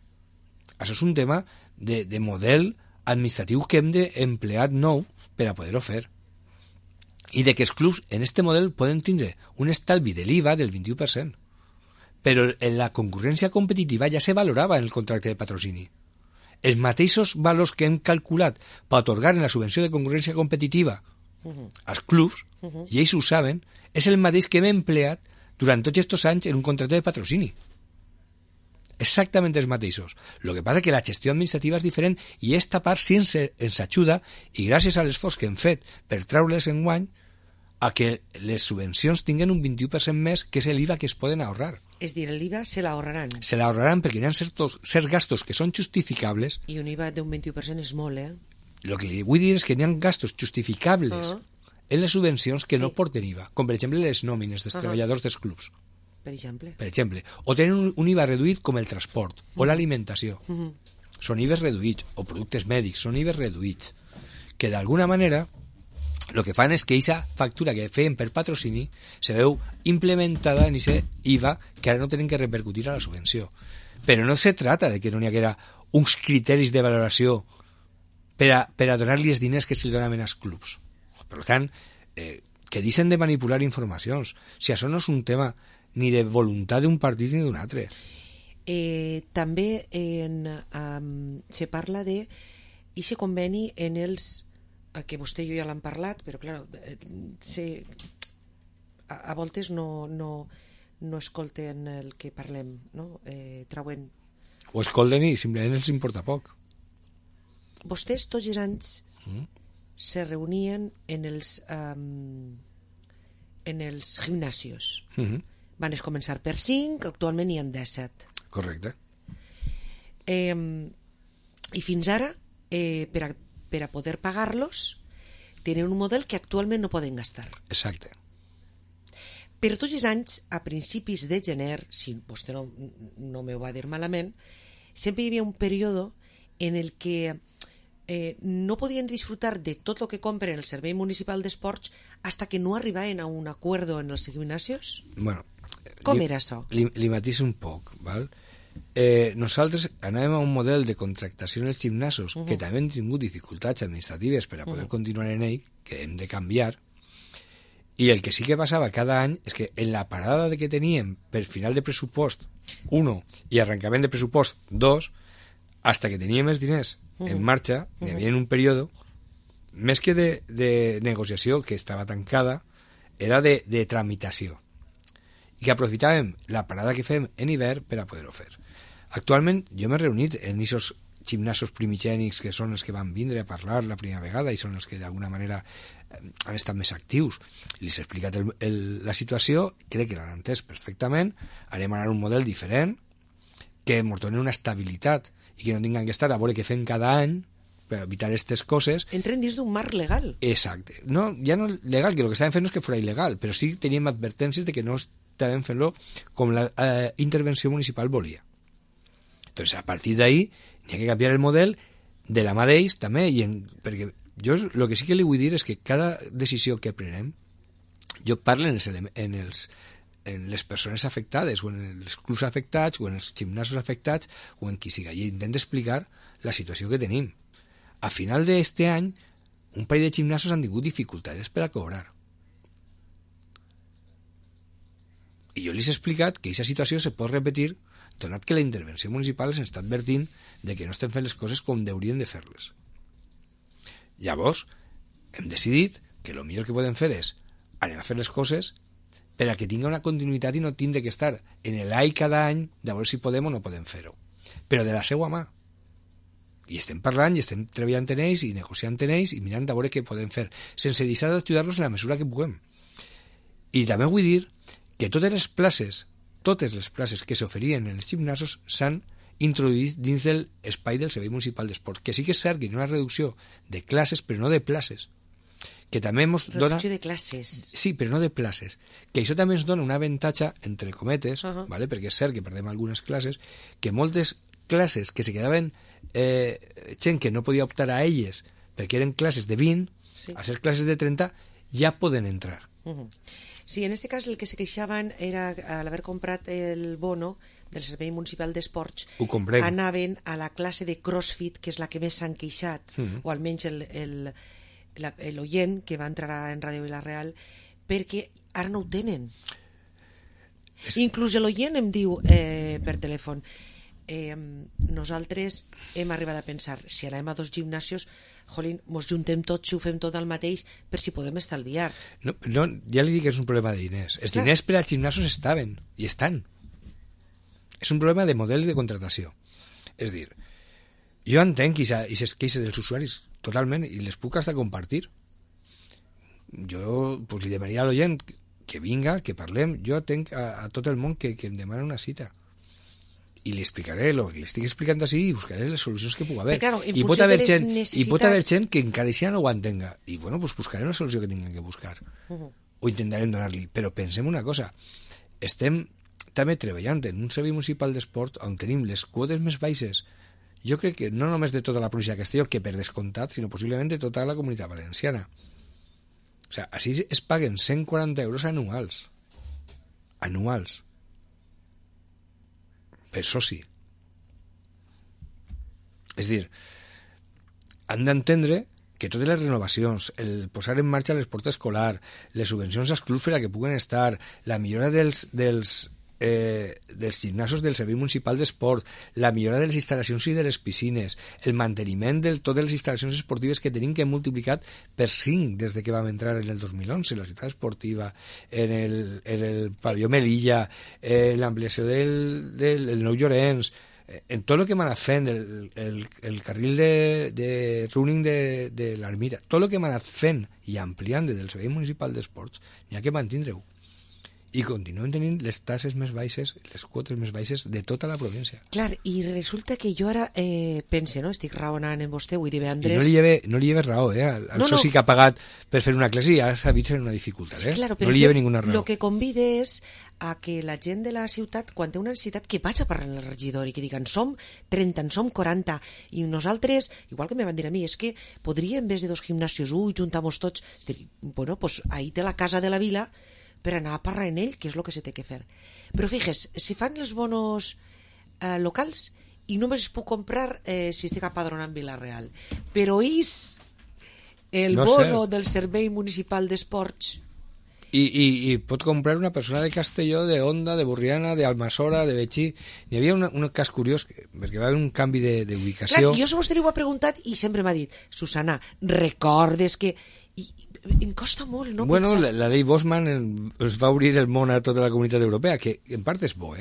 això és un tema de model administratiu que hem d'emplear nou per a poder-ho fer. I de que els clubs en este model poden tindre un estalvi de l'IVA del 21%. Però en la concurrència competitiva ja se valorava en el contracte de patrocini. Els mateixos valors que hem calculat per atorgar en la subvenció de concurrència competitiva als clubs, i ells ho saben, és el mateix que hem empleat durant tots aquests anys en un contracte de patrocini. Exactament els mateixos. El que passa és que la gestió administrativa és diferent i esta part sí ens ajuda, i gràcies a l'esforç que hem fet per treure-les en guany, a que les subvencions tinguen un 21% més, que és l'IVA que es poden ahorrar. És dir, l'IVA se l'ahorraran. Se l'ahorraran perquè hi ha certs gastos que són justificables. I un IVA d'un 21% és molt, El que li vull dir és que hi ha gastos justificables en les subvencions que no porten IVA, com per exemple les nòmines dels treballadors dels clubs. Per exemple. O tenen un IVA reduït com el transport o l'alimentació. Són IVAs reduïts, o productes mèdics, són IVAs reduïts, que d'alguna manera el que fan és que aquesta factura que feien per patrocini se veu implementada en aquest IVA que ara no tenen que repercutir a la subvenció. Però no se trata de que no n'hi haguera uns criteris de valoració per a donar-li els diners que se'ls donaven als clubs. Per tant, que deixen de manipular informacions. Si això no és un tema ni de voluntat d'un partit ni d'un altre. També se parla de aquest conveni en els que vostè i jo ja l'hem parlat, però clar, a voltes no escolten el que parlem, no? Trauen. O escolten i simplement els importa poc. Vostès tots els anys se reunien en els gimnasios. Van començar per 5, actualment hi ha 17. Correcte. I fins ara, per a poder pagar-los, tenen un model que actualment no poden gastar. Exacte. Però tots els anys, a principis de gener, si vostè no me ho va dir malament, sempre hi havia un període en el que no podien disfrutar de tot el que compren el Servei Municipal d'Esports hasta que no arribaven a un acuerdo en els gimnasios? Bueno, com era això? Li matiso un poc, val? Nosaltres anàvem a un model de contractació en els gimnasos que també hem tingut dificultats administratives per a poder continuar en ell, que hem de canviar, i el que sí que passava cada any és que en la parada que teníem per final de pressupost 1 i arrencament de pressupost 2, hasta que teníem els diners en marxa, hi havia un període, més que de negociació, que estava tancada, era de tramitació. I que aprofitàvem la parada que fem en hivern per a poder-ho fer. Actualment, jo m'he reunit en aquests gimnasos primigènics que són els que van vindre a parlar la primera vegada i són els que d'alguna manera han estat més actius. Les he explicat la situació, crec que l'han entès perfectament, anem a anar a un model diferent, que ens doni una estabilitat i que no tinguem que estar a veure què fem cada any per evitar aquestes coses. Entren dins d'un marc legal. Exacte. No, ja no legal, que el que estàvem fent no és que fos il·legal, però sí teníem advertències de que no estàvem fent-lo com la intervenció municipal volia. Entonces, a partir d'ahí, hi ha que canviar el model de la mà d'ells també, perquè jo el que sí que li vull dir és que cada decisió que prenem, jo parlo en les persones afectades o en els clubs afectats o en els gimnasos afectats o en qui siga, i intento explicar la situació que tenim. A final d'este any un parell de gimnasos han tingut dificultats per a cobrar, i jo els he explicat que aquesta situació se pot repetir donat que la intervenció municipal ens està advertint de que no estem fent les coses com haurien de fer-les. Llavors hem decidit que el millor que podem fer és anem a fer les coses per a que tingui una continuïtat i no tingui que estar en l'any cada any de veure si podem o no podem fer-ho, però de la seva mà. I estem parlant i estem treballant en ells i negociant en ells i mirant a veure què podem fer, sense deixar d'ajudar-los en la mesura que puguem. I també vull dir que totes les places que s'oferien en els gimnasos s'han introduït dins de l'espai del Servei Municipal d'Esport, que sí que és cert que hi ha una reducció de classes, però no de places, que també ens dona... Reducció de classes. Sí, però no de places. Que això també ens dona un avantatge, entre cometes, ¿vale? Perquè és cert que perdem algunes classes, que moltes classes que se quedaven gent que no podia optar a elles perquè eren classes de 20, sí, a ser classes de 30, ja poden entrar. Sí, en este cas el que se queixaven era, al haver comprat el bono del Servei Municipal d'Esports, anaven a la classe de CrossFit, que és la que més s'han queixat, o almenys l'oient que va entrar en Ràdio Vila-real, perquè ara no ho tenen. Inclús l'oient em diu per telèfon, nosaltres hem arribat a pensar, si anem a 2 gimnasios, jolín, mos juntem tots, ho fem tot al mateix, per si podem estalviar. No, ja li dic que és un problema de diners. Els diners per als gimnasos estaven, i estan. És un problema de model de contratació. És dir, jo entenc aquestes queixes dels usuaris totalment, i les puc hasta compartir. Jo pues, li demanaria a l'oient que vinga, que parlem. Jo entenc a tot el món que em demana una cita, i li explicaré el que li estic explicant així i buscaré les solucions que pugui haver. Claro, I pot haver gent que encara així no ho entenga, i bueno, pues buscarem la solució que tinguem que buscar, o intentarem donar-li. Però pensem una cosa, estem també treballant en un servei municipal d'esport on tenim les quotes més baixes, jo crec que no només de tota la província de Castelló, que per descomptat, sinó possiblement de tota la comunitat valenciana. O sigui, així es paguen 140 euros anuals per soci. És dir, han d'entendre que totes les renovacions, el posar en marxa l'esport escolar, les subvencions als clubs per a que puguen estar, la millora dels gimnasos del Servei Municipal d'Esport, la millora de les instal·lacions i de les piscines, el manteniment de totes les instal·lacions esportives que tenim, que hem multiplicat per 5 des de que vam entrar en el 2011, la ciutat esportiva, en el pavelló Melilla, l'ampliació del Nou Llorenç, en tot el que hem anat fent, el carril de running de l'Ermita, tot el que hem anat fent i ampliant des del Servei Municipal d'Esports, n'hi ha que mantindre-ho. i continuen tenint les taxes més baixes, les quotes més baixes de tota la província. Clar, i resulta que jo ara pense, no? Estic raonant en vostè, vull dir, Andrés... I no li lleve raó, al soci que ha pagat per fer una classe ja s'ha vist en una dificultat, sí, claro, no li lleve ninguna raó. Lo que convide és a que la gent de la ciutat, quan té una necessitat, que vaig a parlar amb el regidor i que diguen som 30, en som 40, i nosaltres, igual que me van dir a mi, és que podria, en vez de 2 gimnasios, juntar-nos tots, bueno, pues ahí té la casa de la vila, per anar a parlar en ell, que és el que se té que fer. Però fixes, si fan els bonos locals i només es puc comprar si estic apadronat en Vila-real. Però és el bono del Servei Municipal d'Esports. I pot comprar una persona de Castelló, de Onda, de Borriana, de Almassora, de Betxí. Hi havia un cas curiós, perquè va haver un canvi d'ubicació. Clar, jo a vostè li ho he preguntat i sempre m'ha dit, Susana, recordes que... em costa molt no bueno, pensar... la llei Bosman ens va obrir el món a tota la comunitat europea, que en part és bo,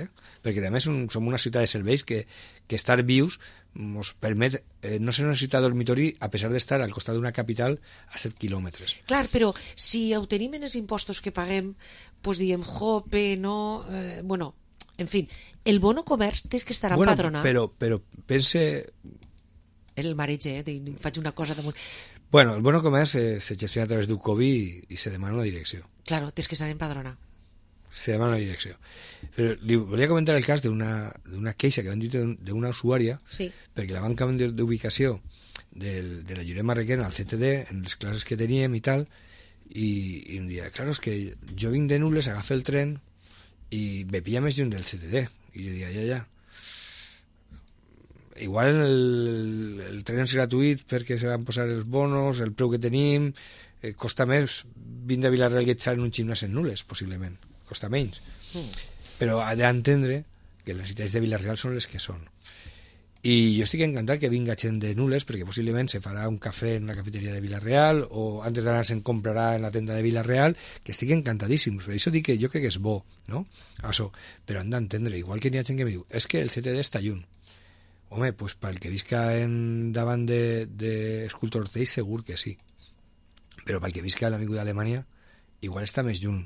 perquè a més som una ciutat de serveis que estar vius ens permet no ser una ciutat dormitori a pesar d'estar al costat d'una capital a 7 quilòmetres. Clar, però si ho tenim en els impostos que paguem, doncs diem, jope, no... bueno, en fi, el bono comerç té que estar empadronat. Però pense... El mareig, faig una cosa damunt... Bueno, el bono comerç se gestiona a través d'un COBI i se demana una direcció. Claro, tens que estar empadronat. Se demana una direcció. Però li volia comentar el cas d'una queixa que van dir d'una usuària, sí, perquè la van canviar d'ubicació de la Lloret Marrequena al CTD, en les classes que teníem i tal, i un dia, claro, és que jo vinc de Nules, agafo el tren i me pilla més lluny del CTD. I jo dia, ja. Igual el tren és gratuït perquè se van posar els bonos, el preu que tenim, costa més vindre a Vila-real que estar en un gimnàs en Nules, possiblement, costa menys. Però ha d'entendre que les necessitats de Vila-real són les que són. I jo estic encantat que vinga gent de Nules, perquè possiblement se farà un cafè en la cafeteria de Vila-real o antes d'anar se'n comprarà en la tenda de Vila-real, que estic encantadíssim. Per això dic que jo crec que és bo, no? Això. Però han d'entendre, igual que n'hi ha gent que me diu, és que el CTD està lluny. Home, pues pel que visca davant d'Escultor Orteix segur que sí, però pel que visca a l'amic d'Alemanya igual està més lluny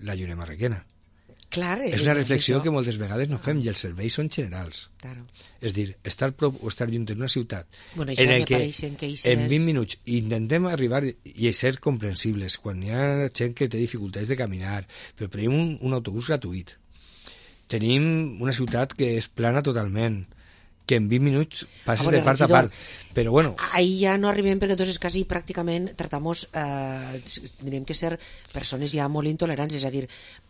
la Lloret Marrequena. Clar, és una reflexió que moltes vegades no fem i els serveis són generals. Claro. És dir, estar prop o estar lluny en una ciutat en el que en 20 minuts intentem arribar i ser comprensibles quan hi ha gent que té dificultats de caminar, però tenim un autobús gratuït, tenim una ciutat que és plana totalment, que en 20 minuts passes de part a part, però bueno... Ahí ja no arribem perquè entonces quasi pràcticament tratamos, tindríem que ser persones ja molt intolerants, és a dir,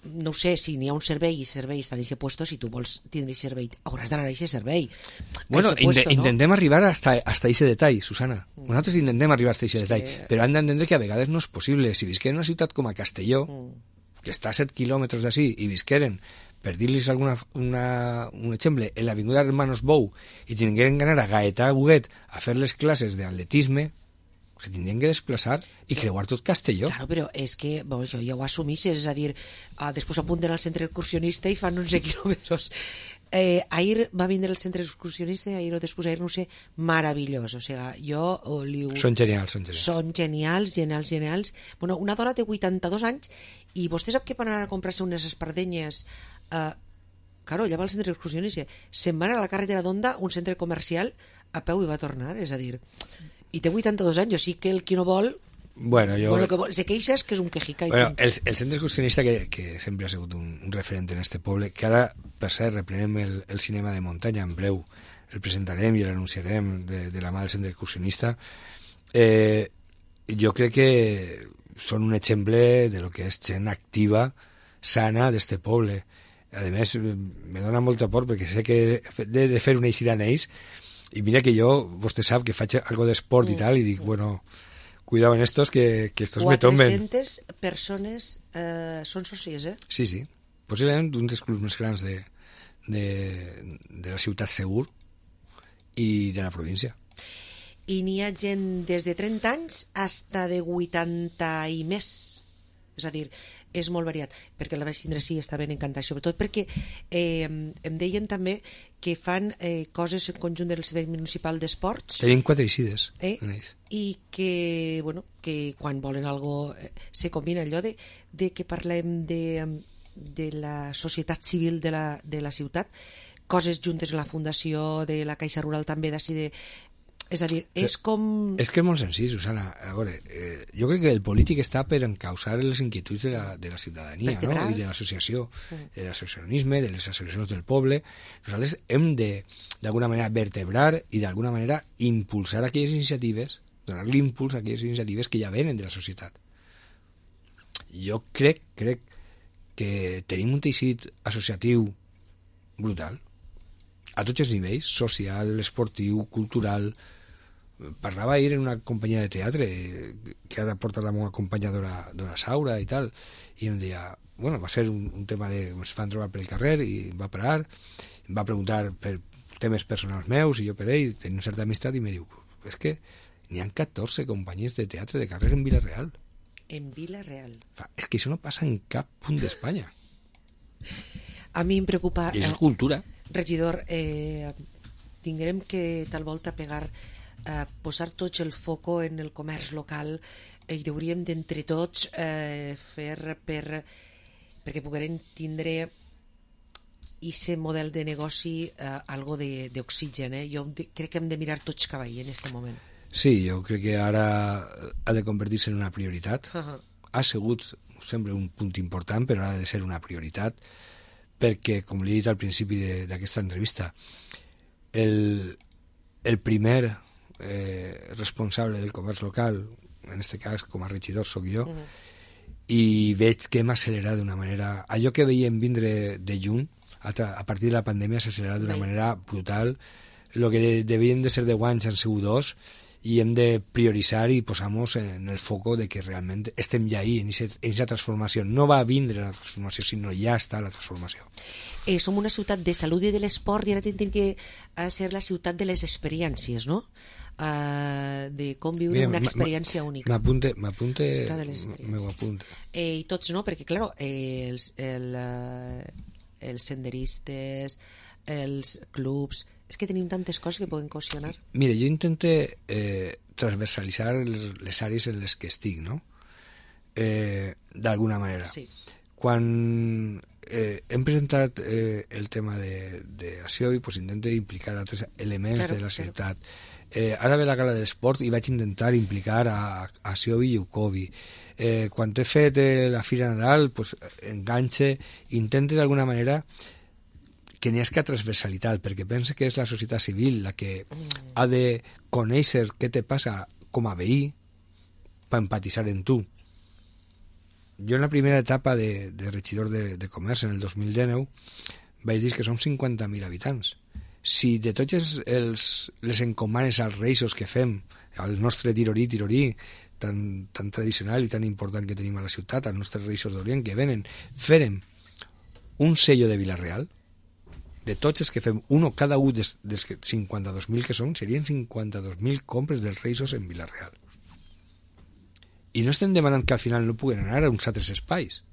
no sé, si n'hi ha un servei i servei estan en aquest puesto, si tu vols tindre servei, hauràs d'anar a aquest servei. Bueno, intentem arribar hasta ese detall, Susana. Nosaltres intentem arribar hasta ese detall, però han d'entendre que a vegades no és possible. Si visqueren en una ciutat com a Castelló, que està a 7 quilòmetres d'ací, i visqueren, per dir-los un exemple, en l'avinguda Hermanos Bou i tingueren que anar a Gaetà Huguet a fer les classes d'atletisme, se tindrien que desplaçar i creuar tot Castelló. Claro, però és que jo ja ho assumís, és a dir, després apunten al centre excursionista i fan 11 quilòmetres. Ahir va vindre el centre excursionista i ahir o després ahir, no sé, meravellós. O sigui, jo li... Són genials. Són genials. Bueno, una dona té 82 anys i vostè sap que per anar a comprar-se unes espardenyes... Claro, allà va al centre excursionista, se'n va anar a la carretera d'Onda, un centre comercial, a peu i va tornar, és a dir, i té 82 anys, o sigui que el qui no vol... Bueno, se queixa és que és un quejica. Bueno, el centre excursionista que sempre ha sigut un referent en este poble, que ara, per cert, reprenem el cinema de muntanya en breu, el presentarem i l'anunciarem de la mà del centre excursionista, jo crec que són un exemple de lo que és gent activa, sana d'este poble. A més, me dona molta por perquè sé que he de fer una eixida en ells i mira que jo, vostè sap que faig algo d'esport i tal, i dic, bueno, cuidado en estos que estos me tomben. 400 persones són socis, Sí, possiblement un dels clubs més grans de la ciutat segur i de la província. I n'hi ha gent des de 30 anys hasta de 80 i més, és a dir, és molt variat, perquè la vaig tindre sí, està ben encantat, sobretot perquè em deien també que fan coses en conjunt del Servei Municipal d'Esports. Tenim 4 eixides en ells. I que, bueno, que quan volen algo se combina allò de que parlem de la societat civil de la ciutat, coses juntes en la fundació de la Caixa Rural també d'ací és a dir, és com... És que és molt senzill, Susana. A veure, jo crec que el polític està per encausar les inquietuds de la ciutadania, no? I de l'associació, de l'associacionisme, de les associacions del poble. Nosaltres hem de, d'alguna manera, vertebrar i d'alguna manera impulsar aquelles iniciatives, donar l'impuls a aquelles iniciatives que ja venen de la societat. Jo crec que tenim un teixit associatiu brutal, a tots els nivells, social, esportiu, cultural. Parlava ahir en una companyia de teatre que ara porta la meva companyadora Saura i tal, i em deia, bueno, va ser un tema de... ens van trobar per el carrer i em va parar, em va preguntar per temes personals meus i jo per ell tenim certa amistat i me diu, és que n'hi ha 14 companyies de teatre de carrer en Vila-real. En Vila-real. És que això no passa en cap punt d'Espanya. A mi em preocupa... I és cultura. Regidor, tindrem que tal volta posar tots el foco en el comerç local i hauríem d'entre tots fer perquè puguem tindre aquest model de negoci algo d'oxigen. Jo crec que hem de mirar tots cap ahí en aquest moment. Sí, jo crec que ara ha de convertir-se en una prioritat. Ha sigut sempre un punt important, però ha de ser una prioritat perquè, com li he dit al principi d'aquesta entrevista, el primer responsable del comerç local, en aquest cas com a regidor sóc jo, i veig que hem accelerat d'una manera... Allò que veiem vindre de lluny, a partir de la pandèmia s'ha accelerat d'una manera brutal. El que devien de ser 10 anys han sigut 2, i hem de prioritzar i posar-nos en el foco de que realment estem ja ahí, en aquesta transformació. No va vindre la transformació, sinó ja està la transformació. Som una ciutat de salut i de l'esport i ara tenim que ser la ciutat de les experiències, no? De com viure una experiència única. M'apunte. I tots, no? Perquè, clar, els senderistes, els clubs... És que tenim tantes coses que poden cohesionar. Mira, jo intento transversalitzar les àrees en les que estic, no? D'alguna manera. Sí. Quan hem presentat el tema d'Aciovi, pues intento implicar altres elements de la ciutat. Ara ve la gala de l'esport i vaig intentar implicar a Aciovi i Ucovi. Quan he fet la Fira Nadal, pues, enganxe, intento d'alguna manera que n'hi hagi transversalitat, perquè pensa que és la societat civil la que ha de conèixer què te passa com a veí per empatitzar en tu. Jo en la primera etapa de regidor de comerç, en el 2019, vaig dir que som 50.000 habitants. Si de totes les encomanes als reixos que fem, al nostre tirorí, tan tradicional i tan important que tenim a la ciutat, als nostres reixos d'Orient que venen, fèrem un sello de Vila-real, de tots els que fem cada un dels 52.000 que són, serien 52.000 compres dels reixos en Vila-real. I no estem demanant que al final no puguen anar a uns altres espais,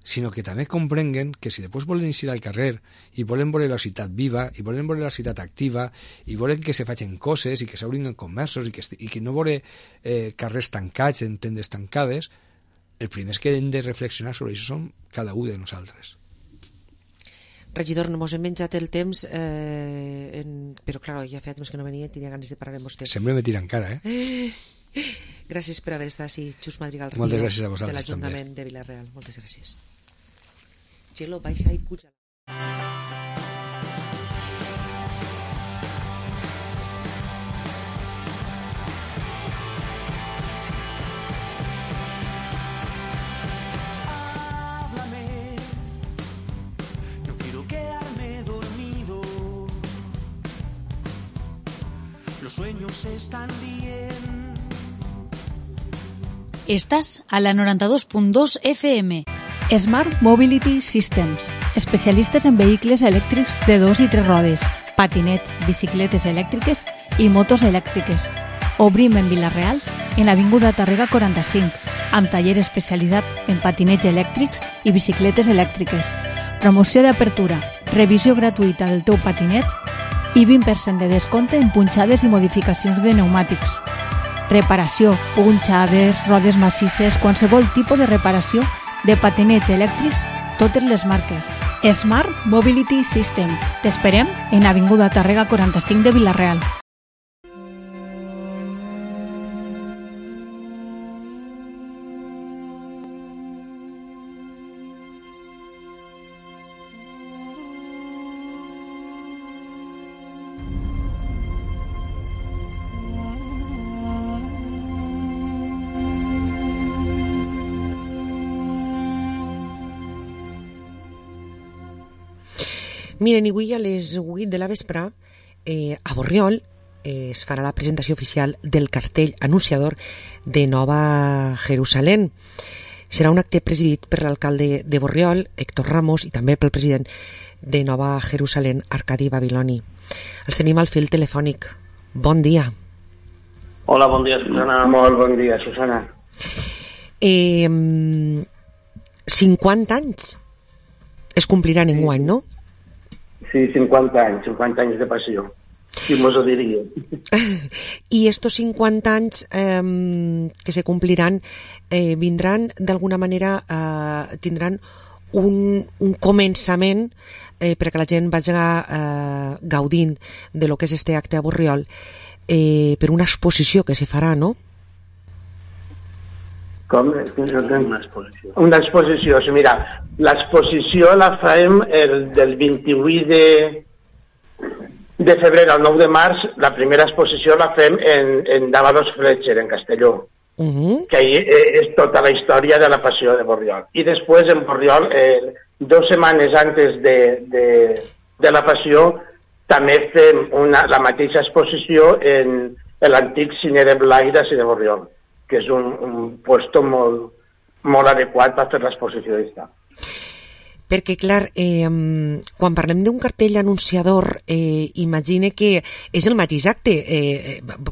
sinó que també comprenguen que si després volen eixir al carrer i volen veure la ciutat viva, i volen veure la ciutat activa, i volen que se facin coses i que s'obrin comerços i que no veure carrers tancats, en tendes tancades, els primers que hem de reflexionar sobre això som cada un de nosaltres. Regidor, no mos hem menjat el temps, però clar, ja feia temps que no venia i tenia ganes de parlar amb vostè. Sempre me tira encara, Gràcies per haver estat així, Xus Madrigal, regidor de l'Ajuntament de Vila-real. Moltes gràcies. Txelo, baixa i puja. Sueños están bien. Estás a la 92.2 FM. Smart Mobility Systems, especialistes en vehicles elèctrics de 2 i 3 rodes, patinets, bicicletes elèctriques i motos elèctriques. Obrim en Vila-real, en l'avinguda Tàrrega 45, amb taller especialitzat en patinets elèctrics i bicicletes elèctriques. Promoció d'apertura, revisió gratuïta del teu patinet i 20% de descompte en punxades i modificacions de pneumàtics. Reparació, punxades, rodes massisses, qualsevol tipus de reparació de patinets elèctrics, totes les marques. Smart Mobility System. T'esperem en Avinguda Tàrrega 45 de Vila-real. Miren, avui a les 8 de la vespre a Borriol es farà la presentació oficial del cartell anunciador de Nova Jerusalem. Serà un acte presidit per l'alcalde de Borriol, Héctor Ramos, i també pel president de Nova Jerusalem, Arcadi Babiloni. Els tenim al fil telefònic. Bon dia. Hola, bon dia, Susana. Molt bon dia, Susana. 50 anys es compliran enguany, no? Sí, 50 anys de passió. Qui mos ho diria? I estos 50 anys que se compliran vindran d'alguna manera, tindran un començament perquè la gent vagi gaudint de lo que és este acte a Borriol per una exposició que se farà, no? Com? Una exposició. Sí, mira, l'exposició la farem del 28 de febrer al 9 de març. La primera exposició la fem en Dávalos Fletcher, en Castelló, que ahí és tota la història de la passió de Borriol. I després en Borriol, 2 setmanes antes de la passió, també fem la mateixa exposició en l'antic cine de Blai de Borriol, que és un puesto molt adequat per fer l'exposició d'esta. Perquè, clar, quan parlem d'un cartell anunciador, imagine que és el mateix acte,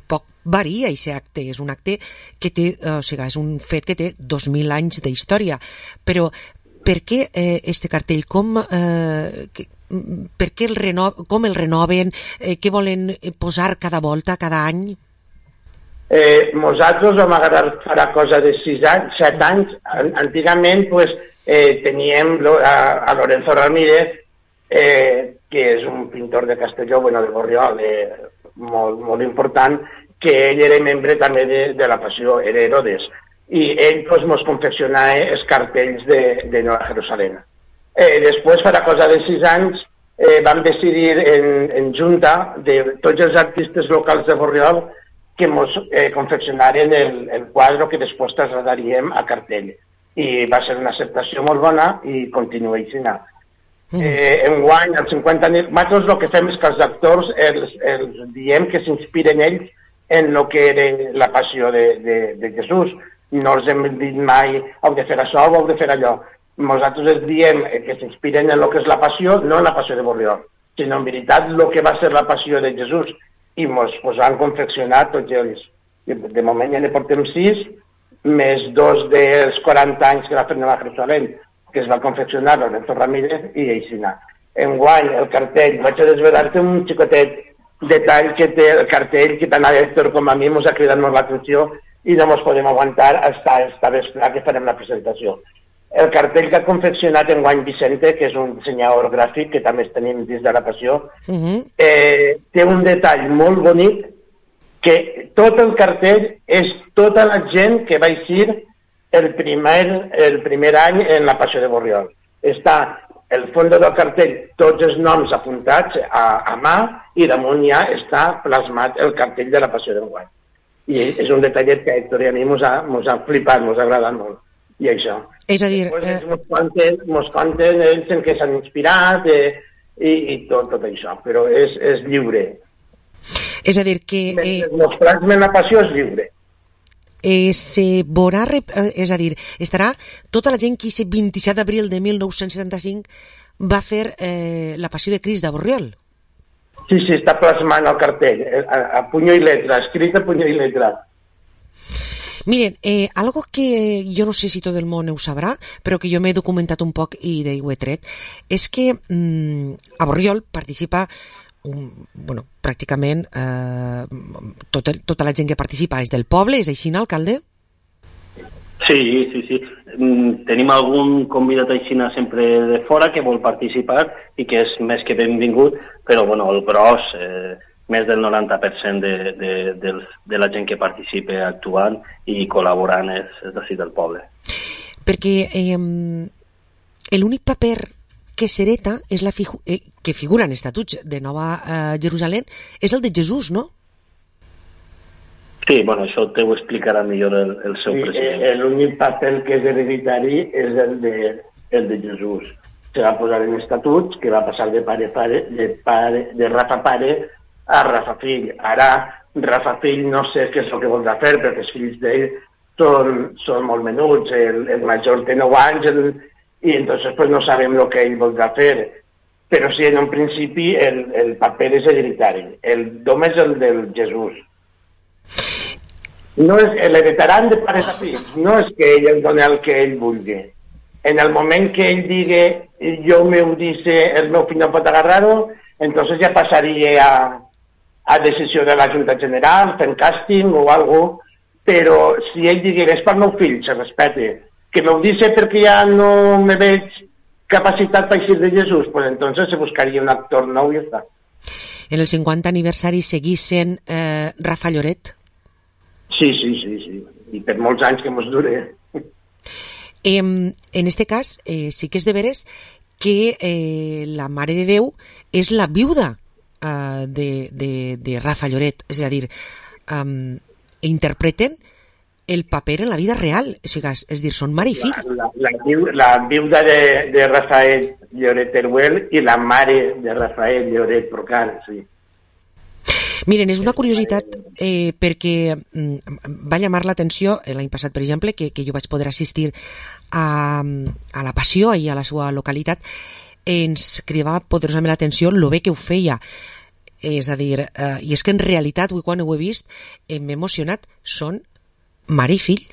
poc varia aquest acte, és un acte que té, o sigui, és un fet que té 2.000 anys d'història, però per què este cartell? Com el renoven? Què volen posar cada volta, cada any? Nosaltres vam agarrar farà cosa de 6 anys, 7 anys. Antigament teníem a Lorenzo Ramírez, que és un pintor de Castelló, de Borriol, molt important, que ell era membre també de la passió, era Herodes, i ell ens confeccionava els cartells de Nova Jerusalem. Després, farà cosa de 6 anys, vam decidir en junta de tots els artistes locals de Borriol que ens confeccionaren el quadre que després trasladaríem a cartell. I va ser una acceptació molt bona i continua així. Enguany, als 50 anys, nosaltres el que fem és que els actors els diem que s'inspiren ells en el que era la passió de Jesús. No els hem dit mai, heu de fer això o heu de fer allò. Nosaltres els diem que s'inspiren en el que és la passió, no en la passió de Borriol, sinó en veritat el que va ser la passió de Jesús. I ens han confeccionat tots ells. De moment ja ne portem 6, més 2 dels 40 anys que va fer Nova Jerusalem, que es va confeccionar Lorenzo Ramírez i Eixina. Enguany, el cartell, vaig a desvelar-te un xicotet detall que té el cartell, que tant a Héctor com a mi ens ha cridat molt l'atenció i no ens podem aguantar esta vespre que farem la presentació. El cartell que ha confeccionat enguany Vicente, que és un dissenyador gràfic que també tenim dins de la passió, té un detall molt bonic, que tot el cartell és tota la gent que va eixir el primer any en la passió de Borriol. Està el fons del cartell, tots els noms apuntats a mà, i damunt ja està plasmat el cartell de la passió d'enguany. I és un detallet que a Héctor i a mi ens ha flipat, ens ha agradat molt. I això. És a dir... Ens conten ells en què s'han inspirat i tot això, però és lliure. És a dir que... Els plasmen la passió és lliure. Se veurà, és a dir, estarà tota la gent que aquest 27 d'abril de 1975 va fer la passió de Crist de Borriol. Sí, està plasmant el cartell, a puño i letra, escrit a puño i letra. Miren, algo que jo no sé si tot el món ho sabrà, però que jo m'he documentat un poc i ho he tret, és que a Borriol participa pràcticament tota la gent que participa és del poble, és així, no, alcalde? Sí. Tenim algun convidat així sempre de fora que vol participar i que és més que benvingut, però bueno, el gros, més del 90% de la gent que participa actuant i col·laborant és d'ací del poble. Perquè l'únic paper que s'hereta és que figura en estatuts de Nova Jerusalem és el de Jesús, no? Sí, bueno, això te ho explicarà millor el seu president. L'únic paper que és hereditari és el de Jesús. Se va posar en estatuts que va passar de Rafa pare a Rafa fill. Ara, Rafa fill no sé què és el que voldrà fer, perquè els fills d'ell són molt menuts. El major té 9 anys i entonces pues no sabem el que ell voldrà fer. Però sí, en un principi el paper és hereditari. El dom és el del Jesús. No és l'heretaran de pares a fills, no és que ell el doni el que ell vulgui. En el moment que ell digui jo meu dice el meu fill no pot agarrar-ho, entonces ja passaria a decisió de la Junta General, fent càsting o alguna cosa, però si ell digui és pel meu fill, se respecte. Que m'ho dice perquè ja no me veig capacitat per eixir de Jesús, pues entonces se buscaria un actor nou i ja està. En el 50 aniversari seguís sent Rafa Lloret? Sí. I per molts anys que mos dure. En este cas, sí que és de veres que la Mare de Déu és la viuda de Rafa Lloret. És a dir, interpreten el paper en la vida real. És a dir, són mare i fill. La viuda de Rafael Lloret Teruel i la mare de Rafael Lloret Procar, sí. Miren, és una curiositat perquè va llamar l'atenció l'any passat, per exemple, que jo vaig poder assistir a la Passió i a la seva localitat. Ens cridava poderosament l'atenció el bé que ho feia. És a dir, i és que en realitat, avui quan ho he vist, m'he emocionat, són mare i fill.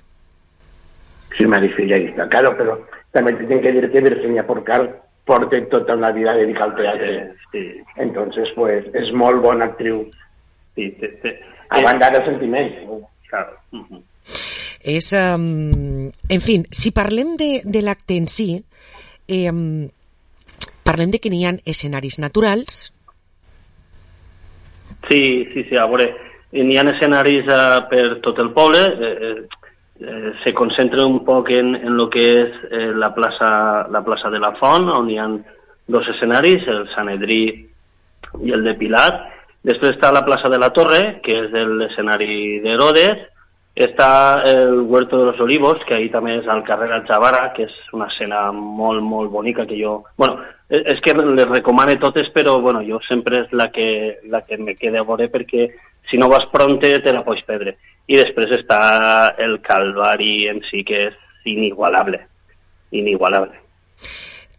Sí, mare i fill, ahí está, claro, però també tinc que dir que Virginia Porcar porta tota una vida dedicada al teatre. Sí. Entonces, pues, és molt bona actriu. Sí, a banda de sentiments. Claro. És, en fi, si parlem de l'acte en si, parlem de que n'hi ha escenaris naturals. Sí, a veure, n'hi ha escenaris per tot el poble, se concentra un poc en lo que és la plaça de la Font, on hi ha 2 escenaris, el Sanedrí i el de Pilat. Després està la plaça de la Torre, que és l'escenari d'Herodes. Està el Huerto de los Olivos, que ahí també és al carrer Alchavara, que és una escena molt, molt bonica que jo... Bueno, és que les recomane totes, però bueno, jo sempre és la que me queda a veure, perquè si no vas pronte te la pots perdre. I després està el Calvari en si, que és inigualable.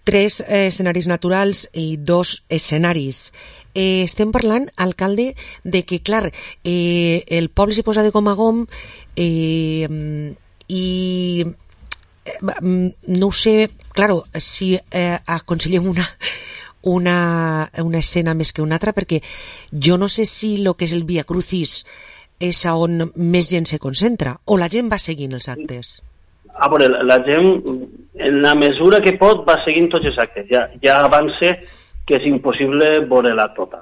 3 escenaris naturals i 2 escenaris. Estem parlant, alcalde, de que, clar, el poble se posa de gom a gom i no ho sé, claro, si aconsellem una escena més que una altra, perquè jo no sé si el que és el Via Crucis és on més gent se concentra, o la gent va seguint els actes? A veure, la gent, en la mesura que pot, va seguint tots els actes. Ja avança que és impossible veure-la tota.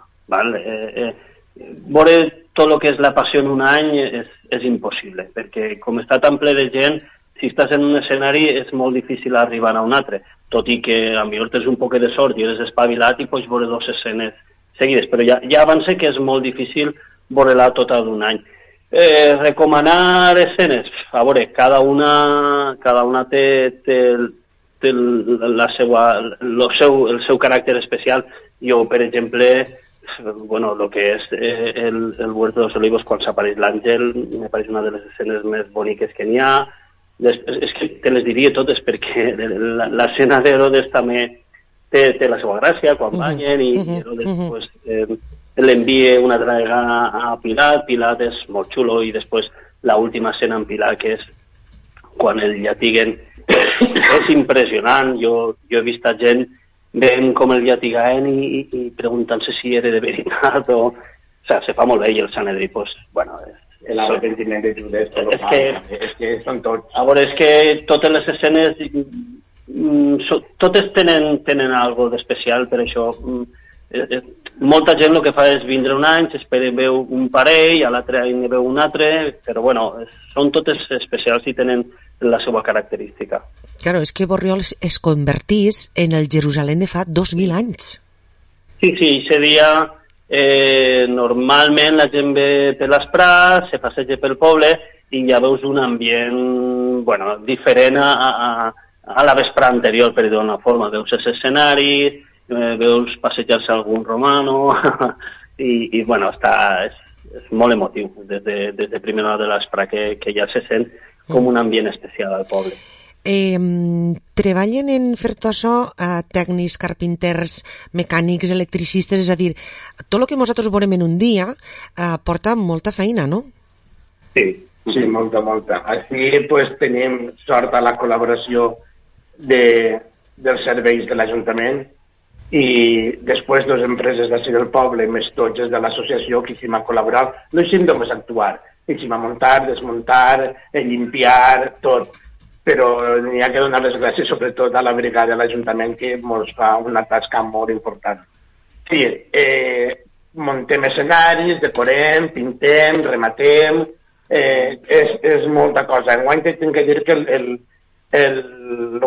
Veure tot el que és la Passió en un any és impossible, perquè com està tan ple de gent, si estàs en un escenari és molt difícil arribar a un altre, tot i que a millor tens un poc de sort i eres espavilat i pots veure 2 escenes seguides, però ja avança que és molt difícil veure-la tota d'un any. Recomanar escenes, a veure, cada una té el seu caràcter especial. Jo, per exemple, el que és el Huerto de los Olivos, quan s'apareix l'àngel, me pareix una de les escenes més boniques que n'hi ha. És que te les diria totes, perquè l'escena d'Herodes també té la seva gràcia, quan ballen, i Herodes l'envia una altra vegada a Pilat. Pilat és molt xulo, i després l'última escena en Pilat, que és quan el llatiguen, és impressionant. Jo he vist a gent veient com el llatigaven i preguntant-se si era de veritat o... O sigui, se fa molt bé, i el Sanedrí, l'arrepentiment de Judes, és que són tots. A veure, és que totes les escenes, totes tenen algo d'especial, per això molta gent el que fa és vindre un any, s'espera veu un parell, a l'altre any veu un altre, però bueno, són totes especials i tenen la seva característica. Claro, és que Borriol es convertís en el Jerusalem de fa 2000 anys. Sí, aquest dia normalment la gent ve per les prats, se passeja pel poble i ja veus un ambient diferent a la vespre anterior, per dir d'una forma. Veus els escenaris, veus passejar-se algun romano i és molt emotiu des de primera hora de l'espre que ja se sent com un ambient especial al poble. Treballen en fer tot això tècnics, carpinters, mecànics, electricistes, és a dir, tot el que nosaltres veurem en un dia porta molta feina, no? Sí, molta. Així pues, tenim sort a la col·laboració dels serveis de l'Ajuntament i després dues empreses d'ací del poble, més tots de l'associació que hi han col·laborat, no hi hem només actuar, hi hem a muntar, desmuntar, limpiar, tot. Però n'hi ha que donar les gràcies sobretot a la brigada de l'Ajuntament que ens fa una tasca molt important. Sí, muntem escenaris, decorem, pintem, rematem, és molta cosa. Enguany tinc que dir que el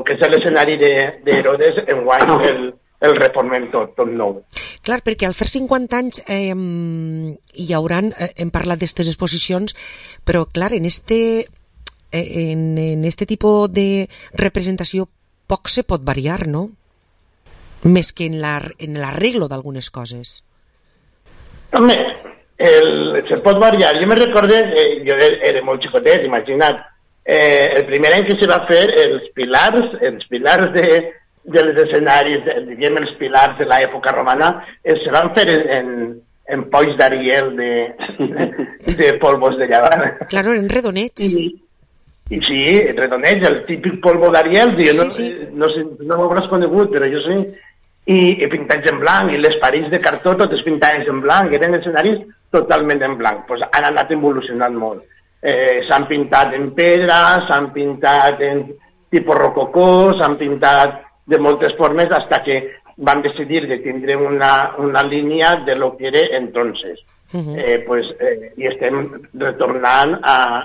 que és l'escenari d'Herodes, enguany el reformem tot nou. Clar, perquè al fer 50 anys hi hauran, hem parlat d'aquestes exposicions, però clar, en este tipus de representació poc se pot variar, no? Més que en l'arreglo d'algunes coses. Home, se pot variar. Jo me recorde, jo era molt xicotet, imagina't, el primer any que se va fer els pilars dels escenaris, diguem els pilars de l'època romana, se van fer en polls d'Ariel de polvos de llevar. Claro, eren redonets. I sí, redonets, el típic polvo d'Ariel, no ho hauràs conegut, però jo sé, i pintats en blanc, i les parets de cartó totes pintades en blanc, eren escenaris totalment en blanc. Pues han anat evolucionant molt. S'han pintat en pedra, s'han pintat en tipus rococó, s'han pintat de moltes formes, fins que van decidir de tindre una línia de lo que era entonces. I estem retornant a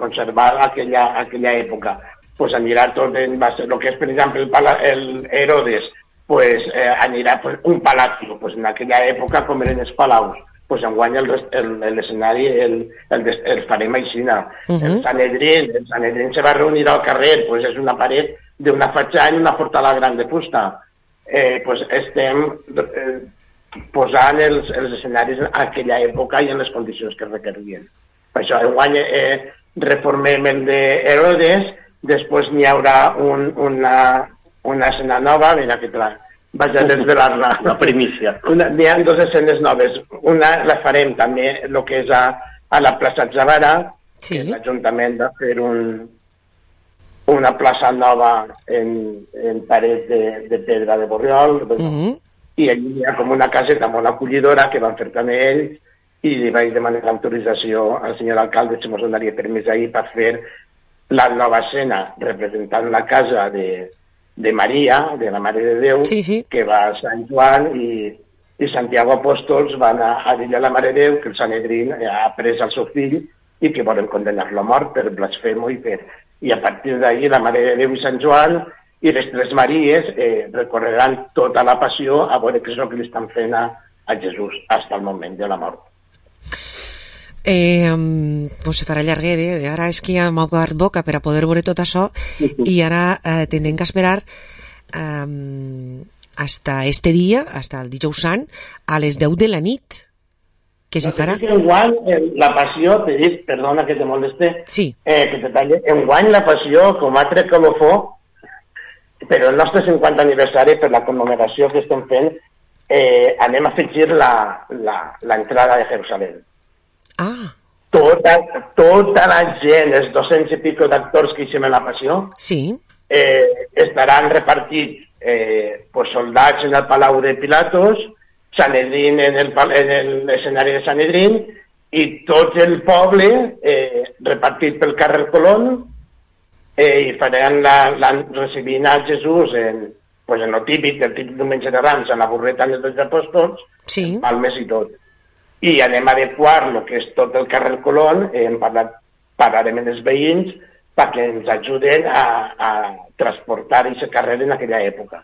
conservar aquella època. Pues anirà tot en base, el que és, per exemple, el Herodes, pues anirà un palacio, pues en aquella època com eren els palaus, pues enguany l'escenari el farem aixina. El Sanedrín se va reunir al carrer, pues és una paret d'una fatxada i una portada gran de fusta. Pues estem posant els escenaris en aquella època i en les condicions que requerien. Per això enguany reformem el d'Herodes, després n'hi haurà una escena nova, mira que vaig a desvelar-la. La primícia. N'hi ha dues escenes noves. Una la farem també, el que és a la plaça Zavara, que l'Ajuntament va fer una plaça nova en paret de pedra de Borriol, i allí hi ha com una caseta molt acollidora que van fer també ells, i li vaig demanar l'autorització al senyor alcalde si ens donaria permís ahir per fer la nova escena representant la casa de Maria, de la Mare de Déu, que va a Sant Joan i Santiago Apòstols van a dir a la Mare de Déu que el Sanedrín ha pres el seu fill i que volen condenar-lo a mort per blasfemo i a partir d'ahir la Mare de Déu i Sant Joan i les tres Maries recorreran tota la passió a veure què és el que li estan fent a Jesús fins al moment de la mort. Pues se farà llarguer, ara és que ja m'ha obert boca per a poder veure tot això i ara tindrem que esperar hasta este dia, hasta el dijous sant, a les 10 de la nit, que se farà. Enguany, la passió, t'he dit, perdona que te moleste, que te talle, enguany la passió, com a altre colofó, però el nostre 50 aniversari, per la commemoració que estem fent, anem a afegir l'entrada de Jerusalem. Tota la gent, els 200 i pico d'actors que hicim en la passió, estaran repartits soldats en el Palau de Pilatos, Sanedrín en l'escenari de Sanedrín i tot el poble repartit pel carrer Colón i faran recibint a Jesús en el típic diumenge de Rams, en la burreta dels 12 apòstols, sí. palmes i tot. I anem a adequar el que és tot el carrer Colón, parlarem amb els veïns perquè ens ajuden a transportar aquest carrer en aquella època.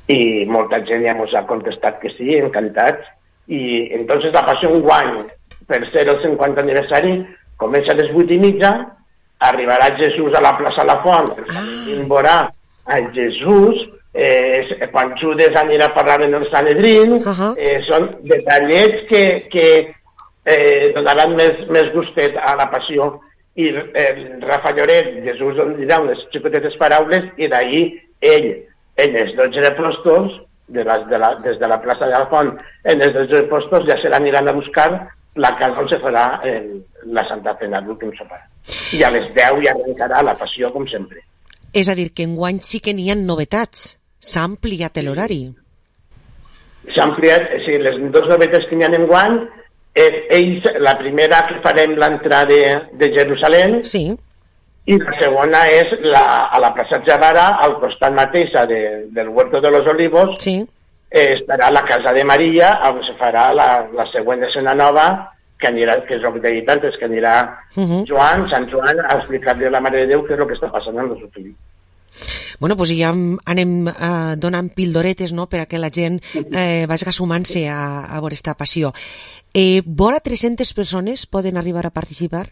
I molta gent ja ens ha contestat que sí, encantats. I entonces la passió enguany, per ser el 50 aniversari, comença a les 8:30, arribarà Jesús a la plaça La Font, i veurà a Jesús, quan Judes anirà a parlar en el Sanedrín, són detallets que donaran més gustet a la passió. I el Rafa Lloret, Jesús dirà unes xicotetes paraules i d'ahir ell, en els 12 apòstols, des de la plaça de la Font, en els 12 apòstols ja se l'aniran a buscar la casa on se farà la Santa Cena, l'últim sopar. I a les 10 ja arrencarà la passió, com sempre. És a dir, que enguany sí que n'hi ha novetats. S'ha ampliat l'horari. S'ha ampliat, sí, les dues novetats que n'hi ha enguany, la primera que farem l'entrada de Jerusalem, sí. I la segona és a la plaça Javara, al costat mateix del Huerto de los Olivos, sí. Estarà la casa de Maria, on se farà la següent escena nova, que és el que t'he dit antes, que anirà Sant Joan, a explicar-li a la Mare de Déu què és el que està passant amb el seu fill. Bueno, doncs ja anem donant pildoretes, no?, per a que la gent vagi sumant-se a veure aquesta passió. Vora 300 persones poden arribar a participar?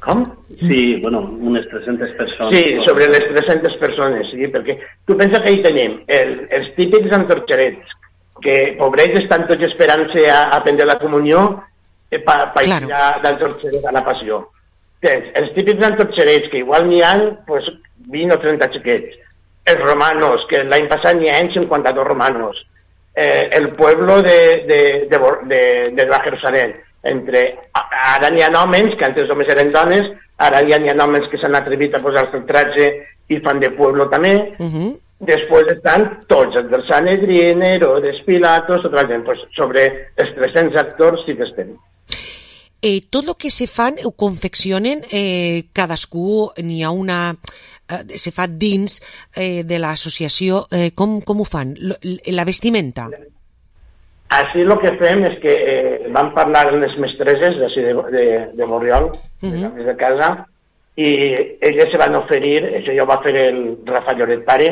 Com? Sí, bueno, unes 300 persones. Sí, sobre les 300 persones, sí, perquè tu pensa que hi tenim els típics antorxerets, que pobrets estan tots esperant-se a prendre la comunió per ir d'antorxeret a la passió. Tens els típics antorxerets, que igual n'hi ha 20 o 30 xiquets. Els romanos, que l'any passat n'hi ha 52 romanos. El pueblo de la Jerusalén. Ara n'hi ha homes, que antes només eren dones, ara ja n'hi ha homes que s'han atrevit a posar-se el traje i fan de pueblo també. Després estan tots, els del Sanedrín, Herodes, Pilatos, tota la gent. Sobre els 300 actors sí que estem. Tot el que se fan ho confeccionen, cadascú n'hi ha una... se fa dins de l'associació. Com ho fan? La vestimenta? Així el que fem és que vam parlar amb les mestreses de Borriol, de casa, i elles se van oferir, això ja ho va fer el Rafa Lloret pare,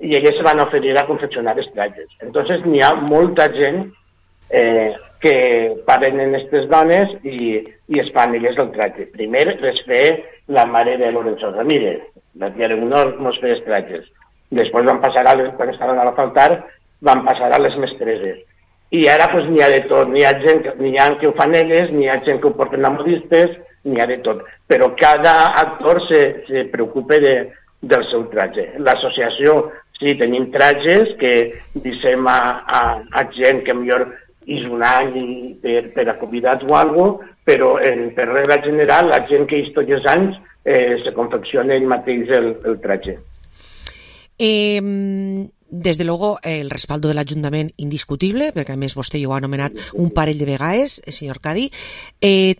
i elles se van oferir a confeccionar els trajes. Entonces n'hi ha molta gent que paren en aquestes dones i es fan elles el traje. Primer les fe la mare de Lorenzo Ramírez, la tia Leonor mos feia els trajes. Després van passar, quan estaven a l'altar, van passar a les mestreses. I ara n'hi ha de tot, n'hi ha que ho fan elles, n'hi ha gent que ho porten a modistes, n'hi ha de tot. Però cada actor se preocupa del seu traje. L'associació, sí, tenim trajes que dissem a gent que millor és un any per a convidats o alguna cosa, però per regla general la gent que és tots els anys se confecciona ell mateix el traje. Desde luego, el respaldo de l'Ajuntament indiscutible, perquè a més vostè ja ho ha anomenat un parell de vegades, senyor Cadi.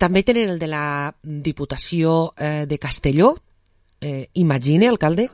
També tenen el de la Diputació de Castelló, imagine, alcalde?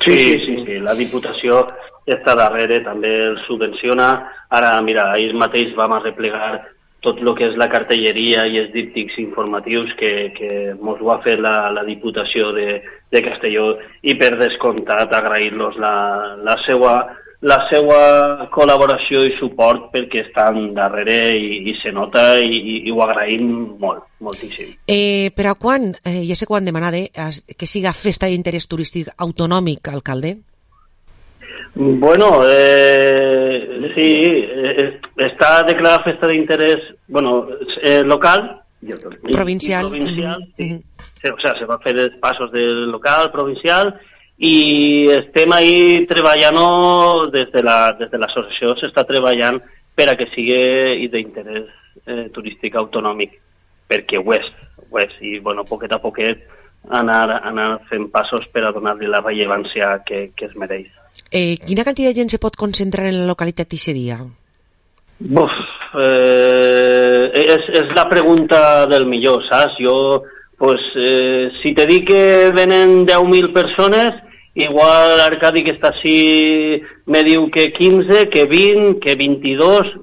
Sí, la Diputació està darrere, també el subvenciona. Ara, mira, ahir mateix vam arreplegar tot el que és la cartelleria i els díptics informatius que mos ho ha fet la Diputació de Castelló, i per descomptat agrair-los la seva col·laboració i suport, perquè estan darrere i se nota i ho agraïm moltíssim. Per a quan, ja sé quan demanar que siga festa d'interès turístic autonòmic, alcalde? Bueno, sí, està declarada festa d'interès local, provincial, sí. O sea, se va fer els passos del local, provincial, i estem ahí treballant, des de l'associació s'està treballant per a que sigui d'interès turístic autonòmic, perquè ho és, i poquet a poquet anar fent passos per a donar-li la rellevància que es mereix. Quina quantitat de gent se pot concentrar en la localitat aquest dia? és la pregunta del millor, saps? Jo, pues, si te dic que venen 10.000 persones, igual l'Arcadi que està així me diu que 15, que 20, que 22,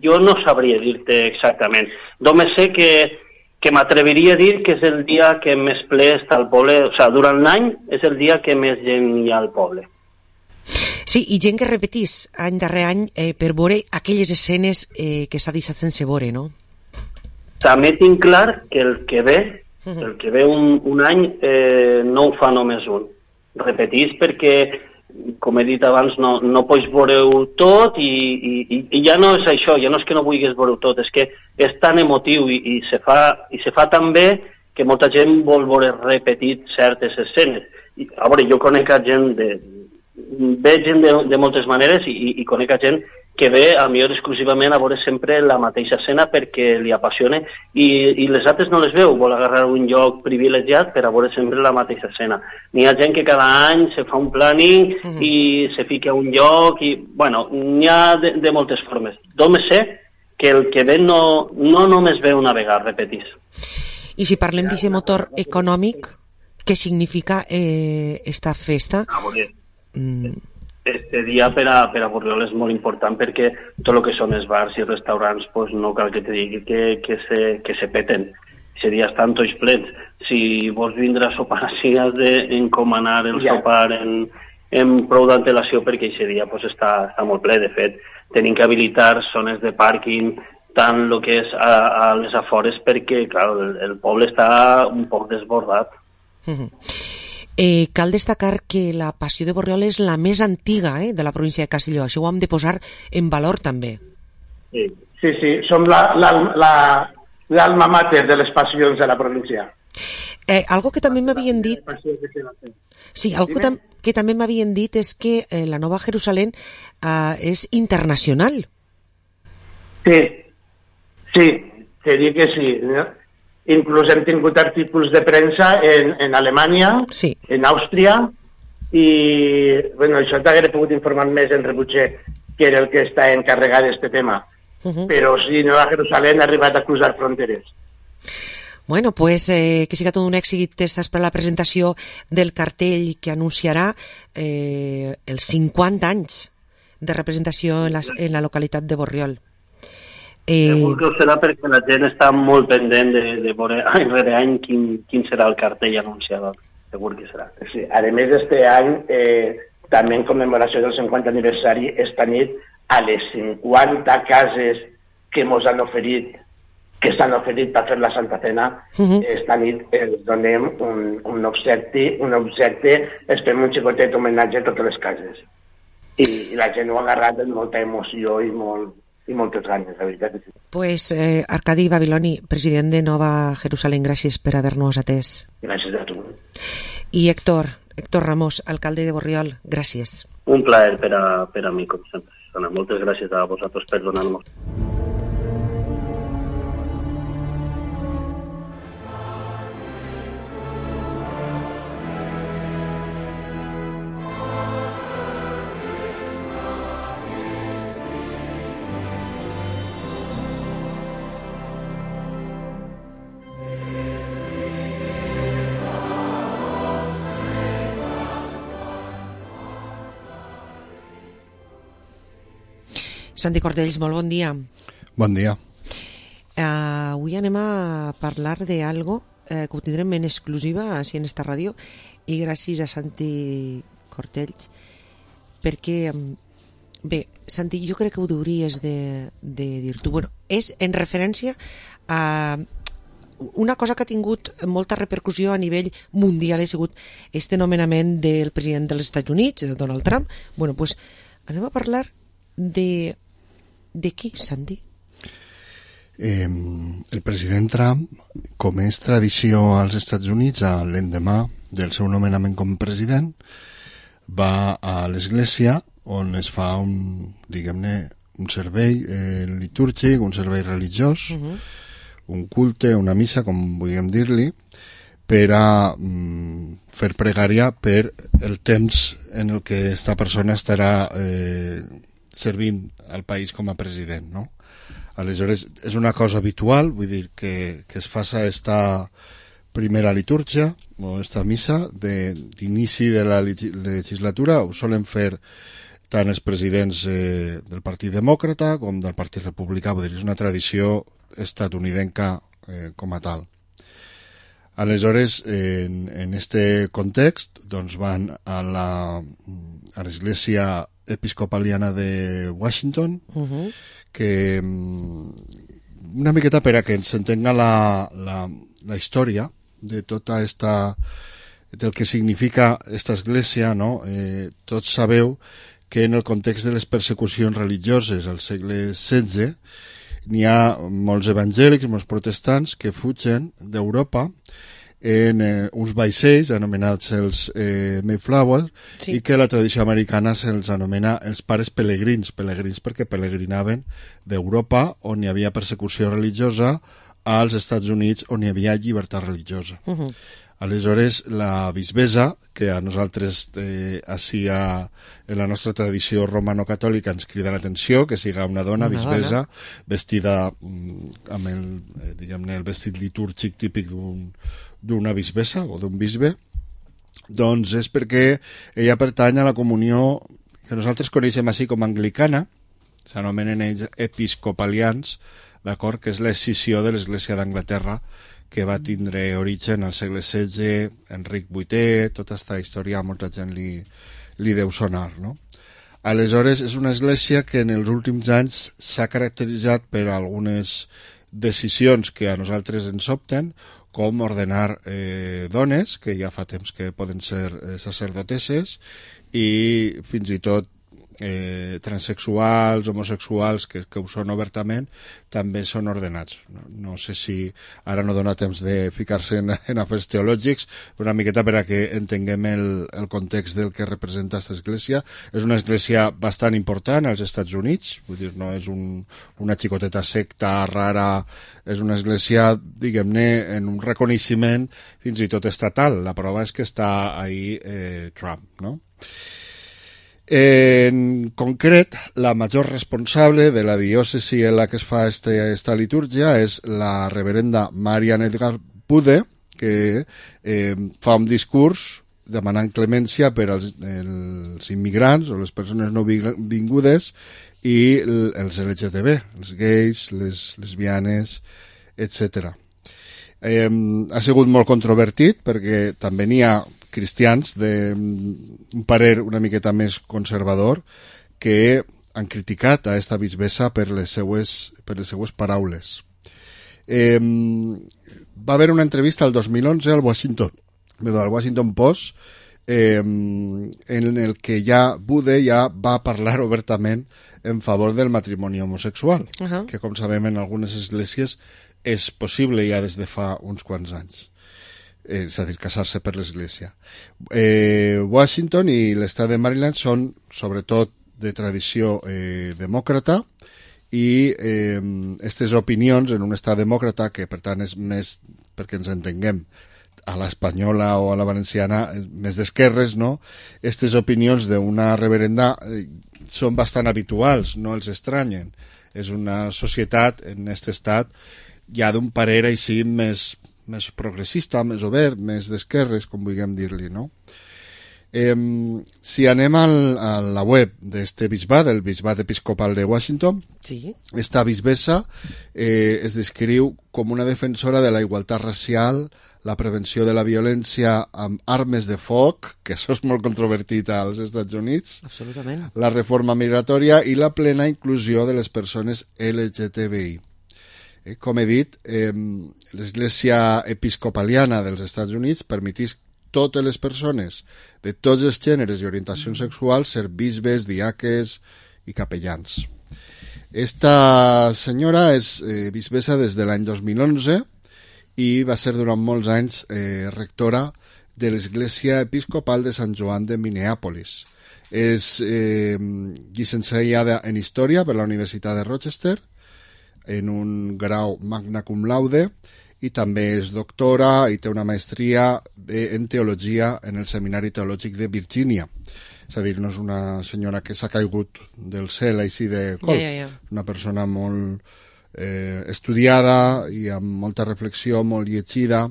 jo no sabria dir-te exactament. Només sé que m'atreviria a dir que és el dia que més ple està al poble, o sigui, durant l'any és el dia que més gent hi ha al poble. Sí, i gent que repetís any darrere any per veure aquelles escenes que s'ha deixat sense veure, no? També tinc clar que el que ve un any no ho fa només un. Repetís perquè, com he dit abans, no pots veure-ho tot i ja no és això, ja no és que no vulguis veure-ho tot, és que és tan emotiu i se fa tan bé que molta gent vol veure repetit certes escenes. A veure, jo conec gent veig gent de moltes maneres i conec gent que ve a millor exclusivament a veure sempre la mateixa escena perquè li apassiona i les altres no les veu, vol agarrar un lloc privilegiat per a veure sempre la mateixa escena. N'hi ha gent que cada any se fa un planning i se fica a un lloc i, bueno, n'hi ha de moltes formes. Només sé que el que ve no només ve una vegada, repetís. I si parlem d'aquest motor econòmic, què significa esta festa? Este dia per a Borriol és molt important perquè tot el que són els bars i restaurants pues, no cal que te digui que se peten. Aquest dia estan tots plens. Si vols vindre a sopar així has d'encomanar el sopar en prou d'antelació perquè aquest dia pues, està molt ple. De fet, tenim que habilitar zones de pàrquing tant el que és a les afores perquè clar, el poble està un poc desbordat. Cal destacar que la Passió de Borriol és la més antiga de la província de Castelló. Això ho hem de posar en valor també. Sí, som l'alma mater de les passions de la província. Algo que també m'havien dit... Sí, algo que també m'havien dit és que la Nova Jerusalem és internacional. Sí, te dic que sí, no? Inclús hem tingut artículos de premsa en Alemanya, sí. En Àustria, i bueno, això t'hagués pogut informar més en Rebutxer, que era el que està encarregat d'aquest tema. Però sí, Nova Jerusalem ha arribat a cruzar fronteres. Bueno, pues que siga tot un èxit. Estàs per la presentació del cartell que anunciarà els 50 anys de representació en la localitat de Borriol. Segur que ho serà perquè la gent està molt pendent de veure any rere any quin serà el cartell anunciat. Segur que serà. Sí, a més d'este any, també en commemoració del 50 aniversari, esta nit, a les 50 cases que ens han oferit, que s'han oferit per fer la Santa Cena, esta nit els donem un objecte, es fem un xicotet homenatge a totes les cases. I la gent ho ha agarrat amb molta emoció i moltes ganes, la veritat. Pues Arcadi Babiloni, president de Nova Jerusalem, gràcies per haver-nos atès. Gràcies a tu. I Héctor Ramos, alcalde de Borriol, gràcies. Un plaer per a mi, com sempre. Moltes gràcies a vosaltres per donar-nos. Santi Cordells, molt bon dia. Bon dia. Avui anem a parlar d'algo que ho tindrem en exclusiva així en esta ràdio i gràcies a Santi Cordells perquè, bé, Santi, jo crec que ho hauries de dir tu. Bueno, és en referència a una cosa que ha tingut molta repercussió a nivell mundial, ha sigut este nomenament del president dels Estats Units, de Donald Trump. Bueno, pues anem a parlar de qui, Santi? El president Trump, com és tradició als Estats Units, l'endemà del seu nomenament com a president, va a l'església on es fa un servei litúrgic, un servei religiós, un culte, una missa, com vulguem dir-li, per a fer pregària per el temps en el que esta persona estarà servint al país com a president, no? Aleshores, és una cosa habitual, vull dir, que es faça esta primera litúrgia o esta missa d'inici de la legislatura. Ho solen fer tant els presidents del Partit Demòcrata com del Partit Republicà, vull dir, és una tradició estatunidenca com a tal. Aleshores, en este context, doncs van a l'Església Episcopaliana de Washington, que una miqueta per a que ens entenga la història de tota esta, del que significa esta església, no? Tots sabeu que en el context de les persecucions religioses al segle XVI n'hi ha molts evangèlics, molts protestants que fugen d'Europa en uns vaixells anomenats els Mayflower, sí, i que la tradició americana se'ls anomena els pares pelegrins perquè pelegrinaven d'Europa, on hi havia persecució religiosa, als Estats Units, on hi havia llibertat religiosa. Aleshores, la bisbessa, que a nosaltres així en la nostra tradició romano-catòlica ens crida l'atenció, que siga una dona bisbessa, vestida amb el vestit litúrgic típic d'una bisbessa o d'un bisbe, doncs és perquè ella pertany a la comunió que nosaltres coneixem així com anglicana, s'anomenen ells episcopalians, d'acord, que és l'escissió de l'Església d'Anglaterra, que va tindre origen al segle XVI, Enric VIII, tota aquesta història a molta gent li deu sonar, no? Aleshores, és una església que en els últims anys s'ha caracteritzat per algunes decisions que a nosaltres ens sobten, com ordenar dones, que ja fa temps que poden ser sacerdotesses, i fins i tot transexuals, homosexuals, que ho són obertament, també són ordenats. No sé si ara no dona temps de ficar-se en afers teològics, però una miqueta per a que entenguem el context del que representa aquesta església. És una església bastant important als Estats Units, vull dir, no és una xicoteta secta rara, és una església, diguem-ne, en un reconeixement fins i tot estatal. La prova és que està ahí Trump, no? En concret, la major responsable de la diòcesi en la que es fa esta litúrgia és la reverenda Marian Edgar Bude, que fa un discurs demanant clemència per als immigrants o les persones no vingudes i els LGTB, els gais, les lesbianes, etc. Ha sigut molt controvertit perquè també n'hi ha cristians d'un parer una miqueta més conservador que han criticat a esta bisbessa per les seues paraules. Va haver una entrevista el 2011 al Washington Post en el que Bude ja va parlar obertament en favor del matrimoni homosexual, que com sabem en algunes esglésies és possible ja des de fa uns quants anys. És a dir, casar-se per l'església. Washington i l'estat de Maryland són sobretot de tradició demòcrata i aquestes opinions en un estat demòcrata, que per tant és més, perquè ens entenguem, a l'espanyola o a la valenciana, més d'esquerres, no? Aquestes opinions d'una reverenda són bastant habituals, no els estranyen. És una societat, en aquest estat, ja d'un parer així més progressista, més obert, més d'esquerres, com vulguem dir-li, no? Si anem a la web d'este bisbat, el bisbat episcopal de Washington, sí, esta bisbessa es descriu com una defensora de la igualtat racial, la prevenció de la violència amb armes de foc, que això és molt controvertit als Estats Units, absolutament, la reforma migratòria i la plena inclusió de les persones LGTBI. Com he dit, l'Església Episcopaliana dels Estats Units permetís totes les persones de tots els gèneres i orientacions sexuals ser bisbes, diaques i capellans. Esta senyora és bisbessa des de l'any 2011 i va ser durant molts anys rectora de l'Església Episcopal de Sant Joan de Minneapolis. És llicenciada en Història per la Universitat de Rochester, en un grau magna cum laude, i també és doctora i té una maestria en teologia en el Seminari Teològic de Virgínia. és a dir, no és una senyora que s'ha caigut del cel així de col, una persona molt estudiada i amb molta reflexió, molt llegida.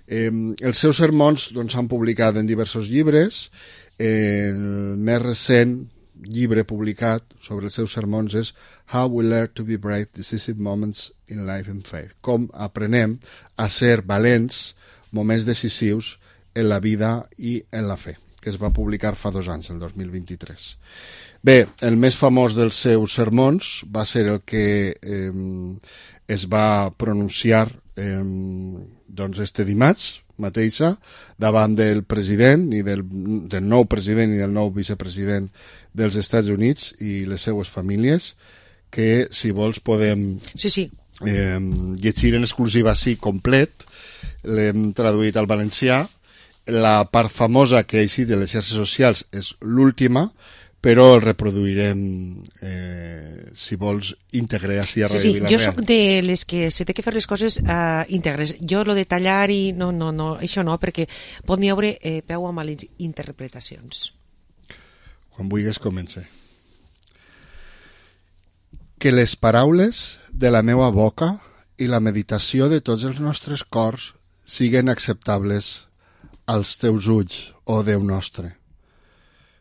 Els seus sermons doncs, s'han publicat en diversos llibres. El més recent llibre publicat sobre els seus sermons és How We Learn to Be Brave, Decisive Moments in Life and Faith. Com aprenem a ser valents moments decisius en la vida i en la fe, que es va publicar fa 2 anys, el 2023. Bé, el més famós dels seus sermons va ser el que es va pronunciar doncs este dimarts mateixa davant del president i del nou president i del nou vicepresident dels Estats Units i les seues famílies, que si vols podem llegir en exclusiva així complet. L'hem traduït al valencià. La part famosa que ha eixit de les xarxes socials és l'última, però el reproduirem, si vols, íntegre així a Ràdio Vila-real. Jo soc de les que se té que fer les coses íntegres. Jo lo de tallar i no, això no, perquè pot n'hi haure peu a malinterpretacions. Quan vulguis comença. Que les paraules de la meva boca i la meditació de tots els nostres cors siguen acceptables als teus ulls, ó Déu nostre,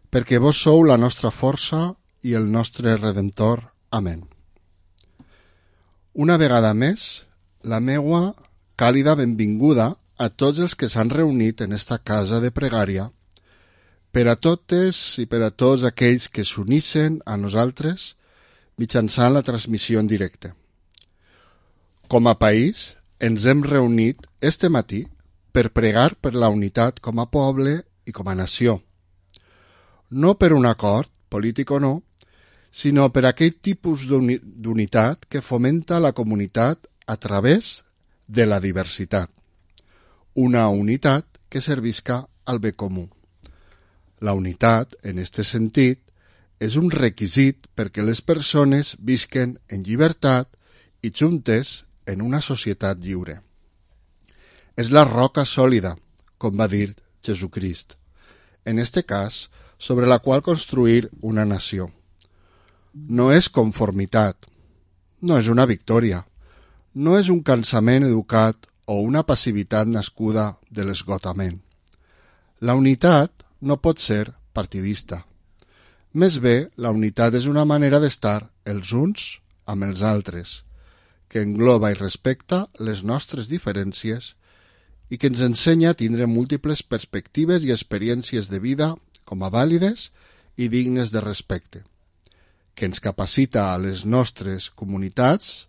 perquè vos sou la nostra força i el nostre Redentor. Amén. Una vegada més, la meua càlida benvinguda a tots els que s'han reunit en esta casa de pregària, per a totes i per a tots aquells que s'unixen a nosaltres mitjançant la transmissió en directe. Com a país, ens hem reunit este matí per pregar per la unitat com a poble i com a nació. No per un acord, polític o no, sinó per aquell tipus d'unitat que fomenta la comunitat a través de la diversitat. Una unitat que servisca al bé comú. La unitat, en este sentit, és un requisit perquè les persones visquen en llibertat i juntes en una societat lliure. És la roca sòlida, com va dir Jesucrist, en este cas, sobre la qual construir una nació. No és conformitat, no és una victòria, no és un cansament educat o una passivitat nascuda de l'esgotament. La unitat no pot ser partidista. Més bé, la unitat és una manera d'estar els uns amb els altres, que engloba i respecta les nostres diferències i que ens ensenya a tindre múltiples perspectives i experiències de vida com a vàlides i dignes de respecte, que ens capacita a les nostres comunitats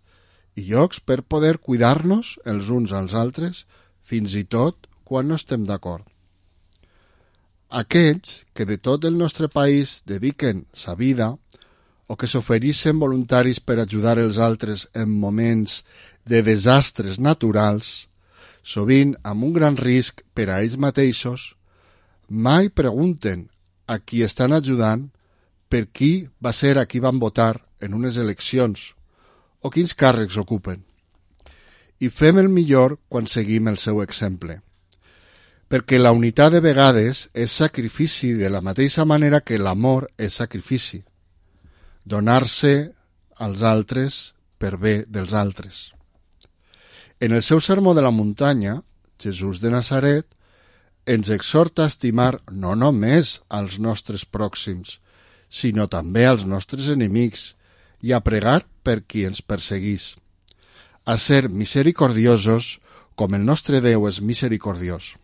i llocs per poder cuidar-nos els uns als altres, fins i tot quan no estem d'acord. Aquells que de tot el nostre país dediquen sa vida o que s'ofereixen voluntaris per ajudar els altres en moments de desastres naturals, sovint amb un gran risc per a ells mateixos, mai pregunten a qui estan ajudant per qui va ser a qui van votar en unes eleccions o quins càrrecs ocupen. I fem el millor quan seguim el seu exemple, perquè la unitat de vegades és sacrifici de la mateixa manera que l'amor és sacrifici, donar-se als altres per bé dels altres. En el seu sermó de la muntanya, Jesús de Nazaret ens exhorta a estimar no només als nostres pròxims, sinó també als nostres enemics i a pregar per qui ens perseguís, a ser misericordiosos com el nostre Déu és misericordiós,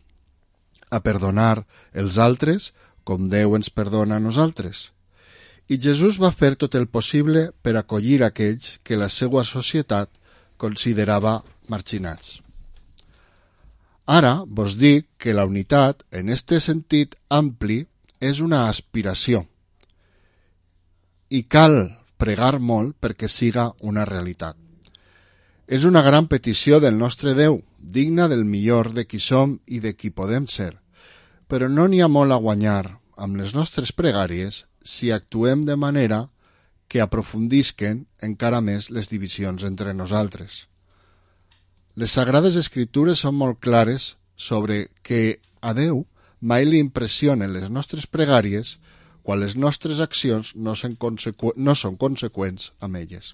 a perdonar els altres com Déu ens perdona a nosaltres. I Jesús va fer tot el possible per acollir aquells que la seva societat considerava marginats. Ara vos dic que la unitat, en este sentit ampli, és una aspiració i cal pregar molt perquè siga una realitat. És una gran petició del nostre Déu, digna del millor de qui som i de qui podem ser, però no n'hi ha molt a guanyar amb les nostres pregàries si actuem de manera que aprofundisquen encara més les divisions entre nosaltres. Les Sagrades Escritures són molt clares sobre que a Déu mai li impressionen les nostres pregàries quan les nostres accions no són conseqüents amb elles.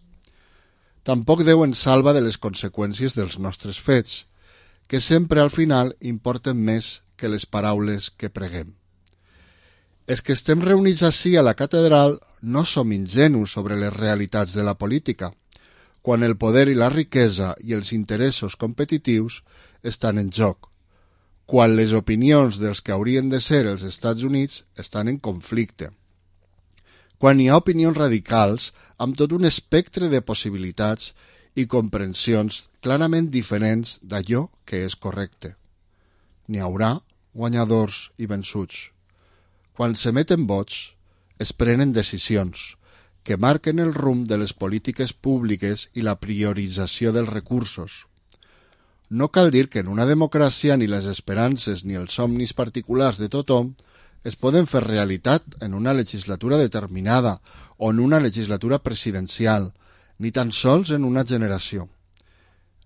Tampoc Déu ens salva de les conseqüències dels nostres fets, que sempre al final importen més que les paraules que preguem. Els que estem reunits ací a la catedral no som ingenus sobre les realitats de la política, quan el poder i la riquesa i els interessos competitius estan en joc, quan les opinions dels que haurien de ser els Estats Units estan en conflicte, quan hi ha opinions radicals amb tot un espectre de possibilitats i comprensions clarament diferents d'allò que és correcte. N'hi haurà guanyadors i vençuts. Quan s'emeten vots, es prenen decisions que marquen el rumb de les polítiques públiques i la priorització dels recursos. No cal dir que en una democràcia ni les esperances ni els somnis particulars de tothom es poden fer realitat en una legislatura determinada o en una legislatura presidencial, ni tan sols en una generació.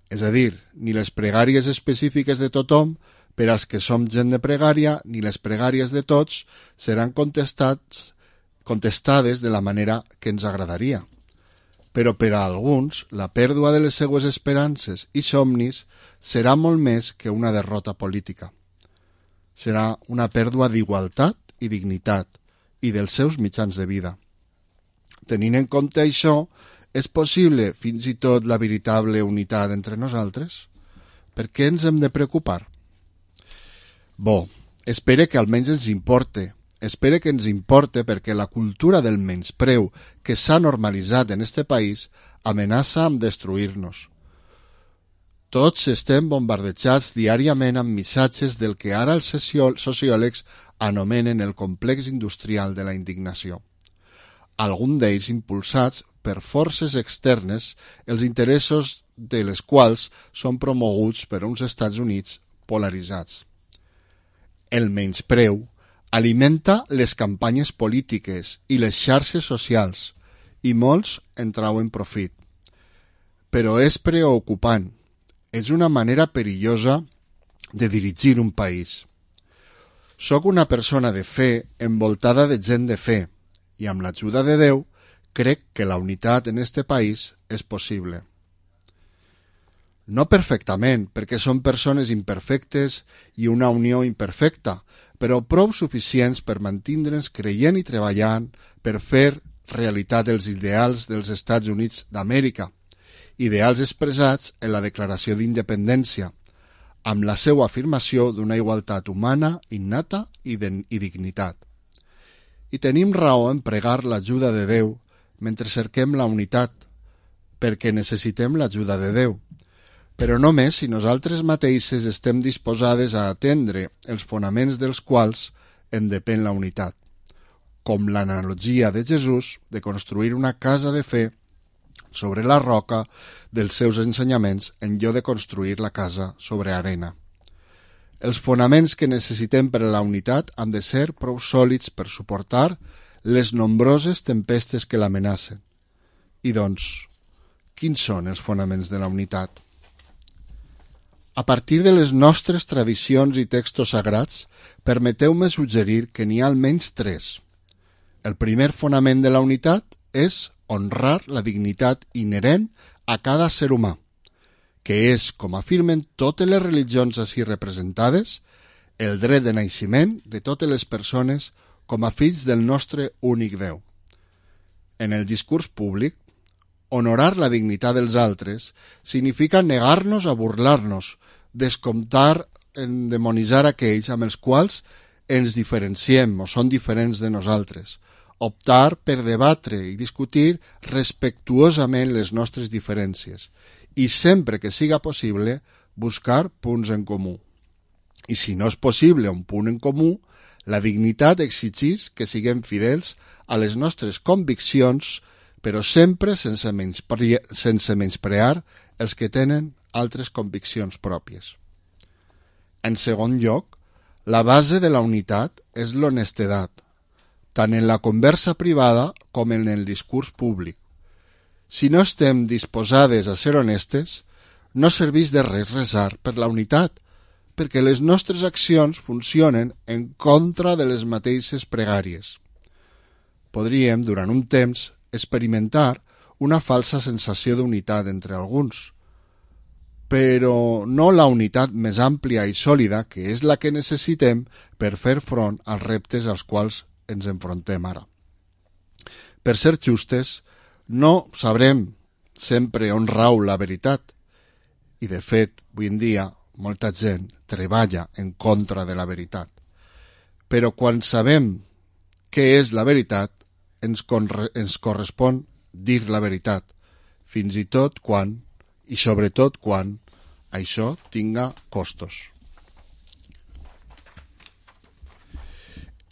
És a dir, ni les pregàries específiques de tothom per als que som gent de pregària, ni les pregàries de tots seran contestades de la manera que ens agradaria. Però per a alguns, la pèrdua de les seues esperances i somnis serà molt més que una derrota política. Serà una pèrdua d'igualtat i dignitat i dels seus mitjans de vida. Tenint en compte això, és possible fins i tot la veritable unitat entre nosaltres? Per què ens hem de preocupar? Bo, espere que almenys ens importe. Espere que ens importe perquè la cultura del menyspreu que s'ha normalitzat en este país amenaça amb destruir-nos. Tots estem bombardejats diàriament amb missatges del que ara els sociòlegs anomenen el complex industrial de la indignació. Alguns d'ells impulsats per forces externes, els interessos de les quals són promoguts per uns Estats Units polaritzats. El menyspreu alimenta les campanyes polítiques i les xarxes socials i molts en trauen profit. Però és preocupant. És una manera perillosa de dirigir un país. Soc una persona de fe envoltada de gent de fe i amb l'ajuda de Déu crec que la unitat en este país és possible. No perfectament, perquè són persones imperfectes i una unió imperfecta, però prou suficients per mantindre'ns creient i treballant per fer realitat els ideals dels Estats Units d'Amèrica, ideals expressats en la Declaració d'Independència, amb la seva afirmació d'una igualtat humana, innata i dignitat. I tenim raó en pregar l'ajuda de Déu mentre cerquem la unitat, perquè necessitem l'ajuda de Déu, però només si nosaltres mateixes estem disposades a atendre els fonaments dels quals en depèn la unitat, com l'analogia de Jesús de construir una casa de fe sobre la roca dels seus ensenyaments en lloc de construir la casa sobre arena. Els fonaments que necessitem per a la unitat han de ser prou sòlids per suportar les nombroses tempestes que l'amenacen. I doncs, quins són els fonaments de la unitat? A partir de les nostres tradicions i textos sagrats, permeteu-me suggerir que n'hi ha almenys 3. El primer fonament de la unitat és honrar la dignitat inherent a cada ser humà, que és, com afirmen totes les religions així representades, el dret de naixement de totes les persones com a fills del nostre únic Déu. En el discurs públic, honorar la dignitat dels altres significa negar-nos a burlar-nos, descomptar, endemonitzar aquells amb els quals ens diferenciem o són diferents de nosaltres, optar per debatre i discutir respectuosament les nostres diferències i sempre que siga possible buscar punts en comú. I si no és possible un punt en comú, la dignitat exigeix que siguem fidels a les nostres conviccions, però sempre sense menysprear els que tenen altres conviccions pròpies. En segon lloc, la base de la unitat és l'honestedat, tant en la conversa privada com en el discurs públic. Si no estem disposades a ser honestes, no serveix de res resar per la unitat, perquè les nostres accions funcionen en contra de les mateixes pregàries. podríem, durant un temps, experimentar una falsa sensació d'unitat entre alguns, però no la unitat més àmplia i sòlida que és la que necessitem per fer front als reptes als quals ens enfrontem ara. Per ser justes, no sabrem sempre on rau la veritat, i de fet, avui en dia, molta gent treballa en contra de la veritat. Però quan sabem què és la veritat, ens correspon dir la veritat, fins i tot quan, i sobretot quan, això tinga costos.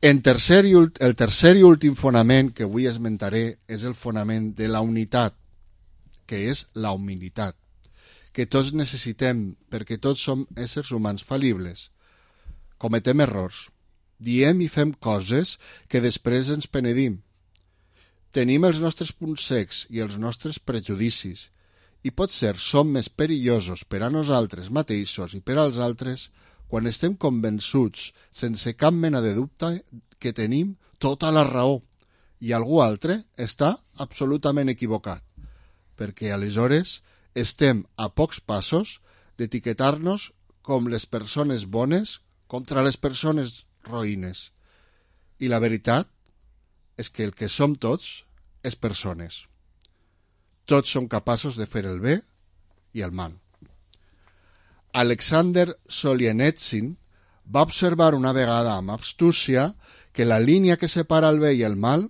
El tercer i últim fonament que avui esmentaré és el fonament de la unitat, que és la humilitat, que tots necessitem perquè tots som éssers humans fal·libles. Cometem errors, diem i fem coses que després ens penedim. Tenim els nostres punts cecs i els nostres prejudicis, i potser som més perillosos per a nosaltres mateixos i per als altres quan estem convençuts, sense cap mena de dubte, que tenim tota la raó i algú altre està absolutament equivocat, perquè aleshores estem a pocs passos d'etiquetar-nos com les persones bones contra les persones roïnes. I la veritat és que el que som tots és persones. Tots som capaços de fer el bé i el mal. Alexander Solzhenitsyn va observar una vegada amb astúcia que la línia que separa el bé i el mal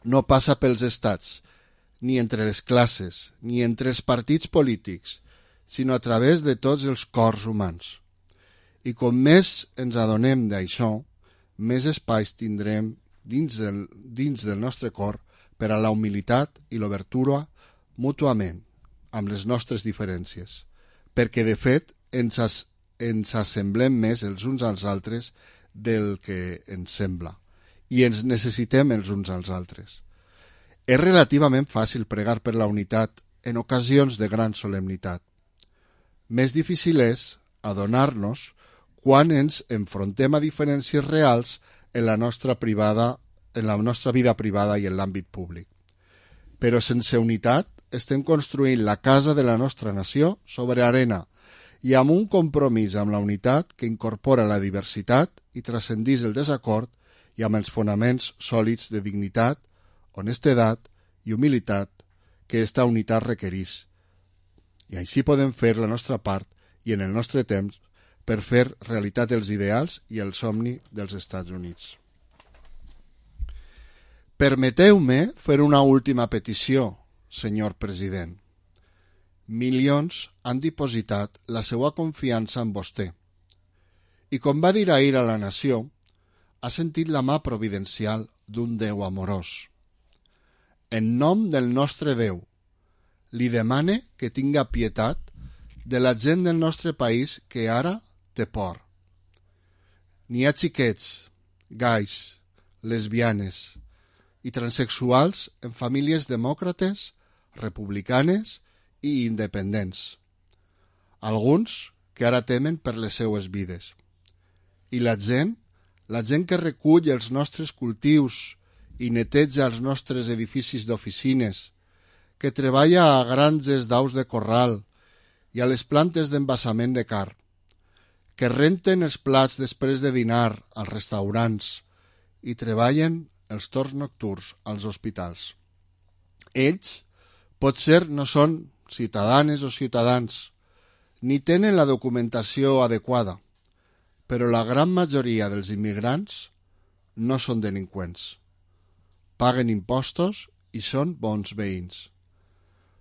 no passa pels estats, ni entre les classes, ni entre els partits polítics, sinó a través de tots els cors humans. I com més ens adonem d'això, més espais tindrem dins del nostre cor per a la humilitat i l'obertura mútuament amb les nostres diferències, perquè de fet ens assemblem més els uns als altres del que ens sembla i ens necessitem els uns als altres. És relativament fàcil pregar per la unitat en ocasions de gran solemnitat. Més difícil és adonar-nos quan ens enfrontem a diferències reals en la nostra vida privada i en l'àmbit públic. Però sense unitat estem construint la casa de la nostra nació sobre arena i amb un compromís amb la unitat que incorpora la diversitat i transcendís el desacord i amb els fonaments sòlids de dignitat, honestedat i humilitat que esta unitat requerís. I així podem fer la nostra part i en el nostre temps per fer realitat els ideals i el somni dels Estats Units. Permeteu-me fer una última petició, senyor president. Milions han dipositat la seva confiança en vostè. I com va dir ahir a la nació, ha sentit la mà providencial d'un Déu amorós. En nom del nostre Déu, li demane que tinga pietat de la gent del nostre país que ara té por. N'hi ha xiquets, gais, lesbianes i transexuals en famílies demòcrates, republicanes i independents. Alguns que ara temen per les seues vides. I la gent que recull els nostres cultius i neteja els nostres edificis d'oficines, que treballa a granges d'aus de corral i a les plantes d'embassament de carn, que renten els plats després de dinar als restaurants i treballen els torns nocturns als hospitals. Ells potser no són ciutadanes o ciutadans, ni tenen la documentació adequada, però la gran majoria dels immigrants no són delinqüents. Paguen impostos i són bons veïns.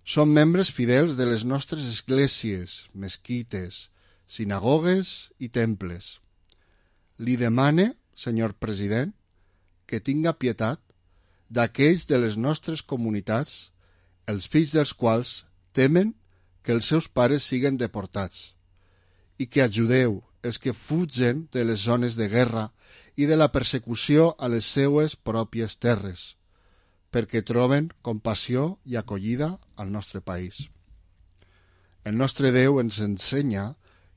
Són membres fidels de les nostres esglésies, mesquites, sinagogues i temples. Li demane, senyor president, que tinga pietat d'aquells de les nostres comunitats, els fills dels quals temen que els seus pares siguen deportats, i que ajudeu els que fugen de les zones de guerra i de la persecució a les seues pròpies terres, perquè troben compassió i acollida al nostre país. El nostre Déu ens ensenya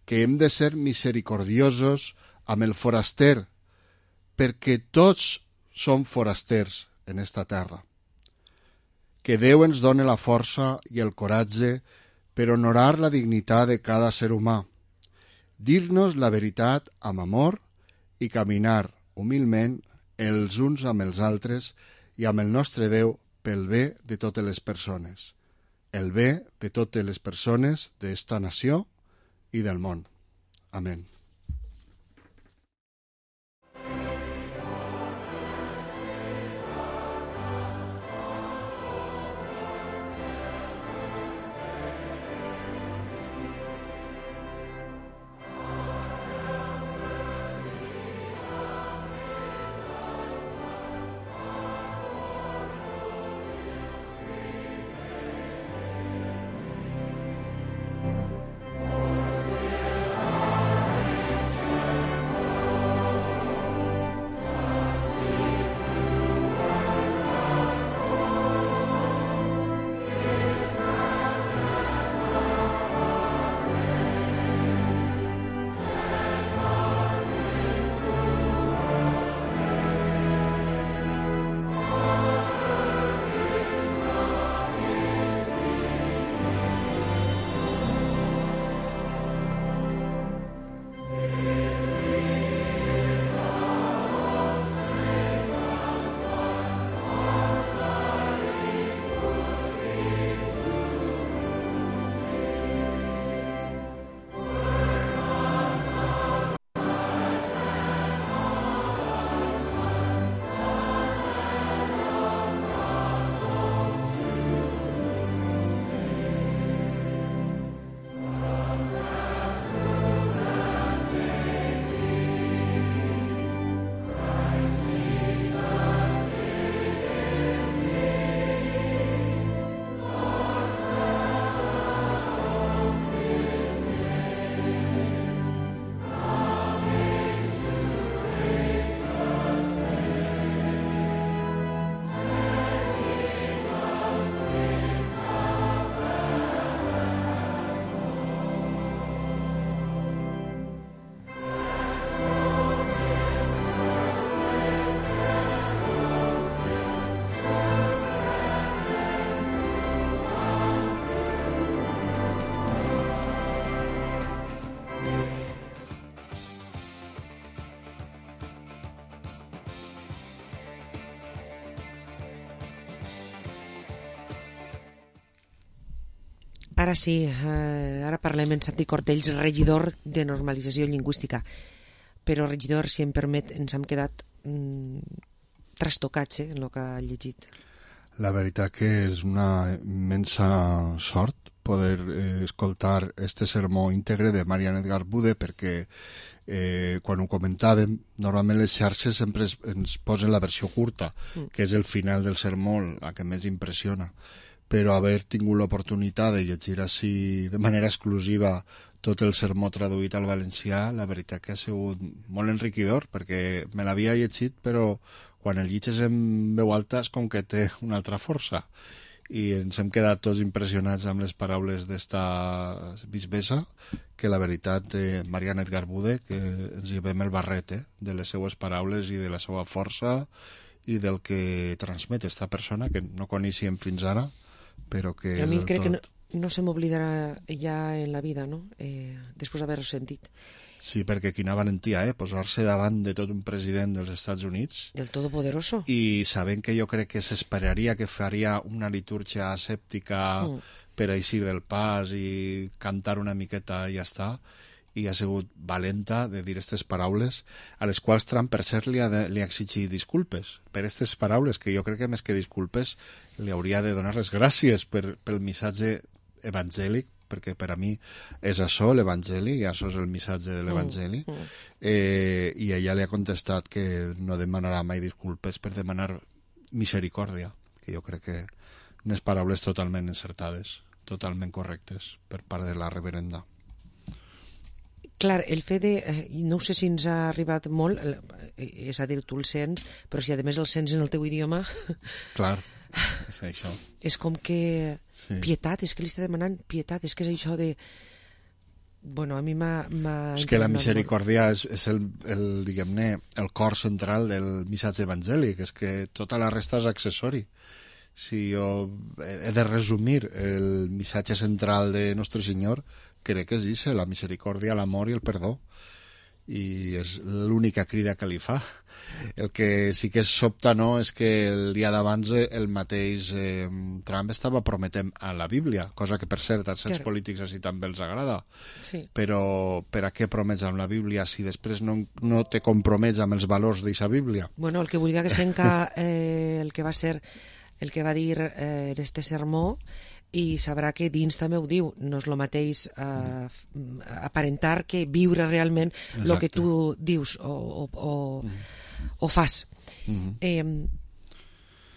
que hem de ser misericordiosos amb el foraster, perquè tots som forasters en esta terra. Que Déu ens done la força i el coratge per honorar la dignitat de cada ser humà, dir-nos la veritat amb amor i caminar humilment els uns amb els altres i amb el nostre Déu pel bé de totes les persones, el bé de totes les persones d'esta nació i del món. Amén. Ara sí, ara parlem en Santi Cortells, regidor de normalització lingüística. Però, regidor, si em permet, ens hem quedat trastocats en el que ha llegit. La veritat que és una immensa sort poder escoltar este sermó íntegre de Marian Edgar Bude, perquè quan ho comentàvem, normalment les xarxes sempre ens posen la versió curta, que és el final del sermó, la que més impressiona. Però haver tingut l'oportunitat de llegir així de manera exclusiva tot el sermó traduït al valencià, la veritat que ha sigut molt enriquidor, perquè me l'havia llegit, però quan el llitges en veu alta és com que té una altra força. I ens hem quedat tots impressionats amb les paraules d'esta bisbessa, que la veritat de Marian Edgar Bude, que ens llevem el barret de les seues paraules i de la seva força i del que transmet esta persona, que no coneixíem fins ara, però que... A mi crec que no se m'oblidarà ja en la vida, no? Després d'haver-ho sentit. Sí, perquè quina valentia, posar-se davant de tot un president dels Estats Units. Del Todopoderoso. I sabent que jo crec que s'esperaria que faria una litúrgia asèptica per eixir del pas i cantar una miqueta i ja està, i ha sigut valenta de dir aquestes paraules, a les quals Trump, per cert, li ha exigit disculpes per aquestes paraules, que jo crec que més que disculpes li hauria de donar les gràcies pel missatge evangèlic, perquè per a mi és això l'evangeli, i això és el missatge de l'evangeli, i ella li ha contestat que no demanarà mai disculpes per demanar misericòrdia, que jo crec que unes paraules totalment encertades, totalment correctes per part de la reverenda. Clar, el fet de... no sé si ens ha arribat molt, és a dir, tu el sents, però si a més el sents en el teu idioma... Clar, és això. És com que... Sí. Pietat, és que li està demanant pietat, és que és això de... bueno, a mi m'ha... És que la misericòrdia és diguem-ne, el cor central del missatge evangèlic, és que tota la resta és accessori. Si jo he de resumir el missatge central de Nostre Senyor, crec que és la misericòrdia, l'amor i el perdó. I és l'única crida que li fa. El que sí que sobta, no?, és que el dia d'abans el mateix Trump estava prometent a la Bíblia, cosa que, per cert, als certs polítics així també els agrada. Sí. Però per a què promets amb la Bíblia si després no te compromets amb els valors d'aquesta Bíblia? Bueno, el que volia que senca el que va ser, el que va dir en este sermó, i sabrà que dins també ho diu, no és el mateix aparentar que viure realment el que tu dius o fas.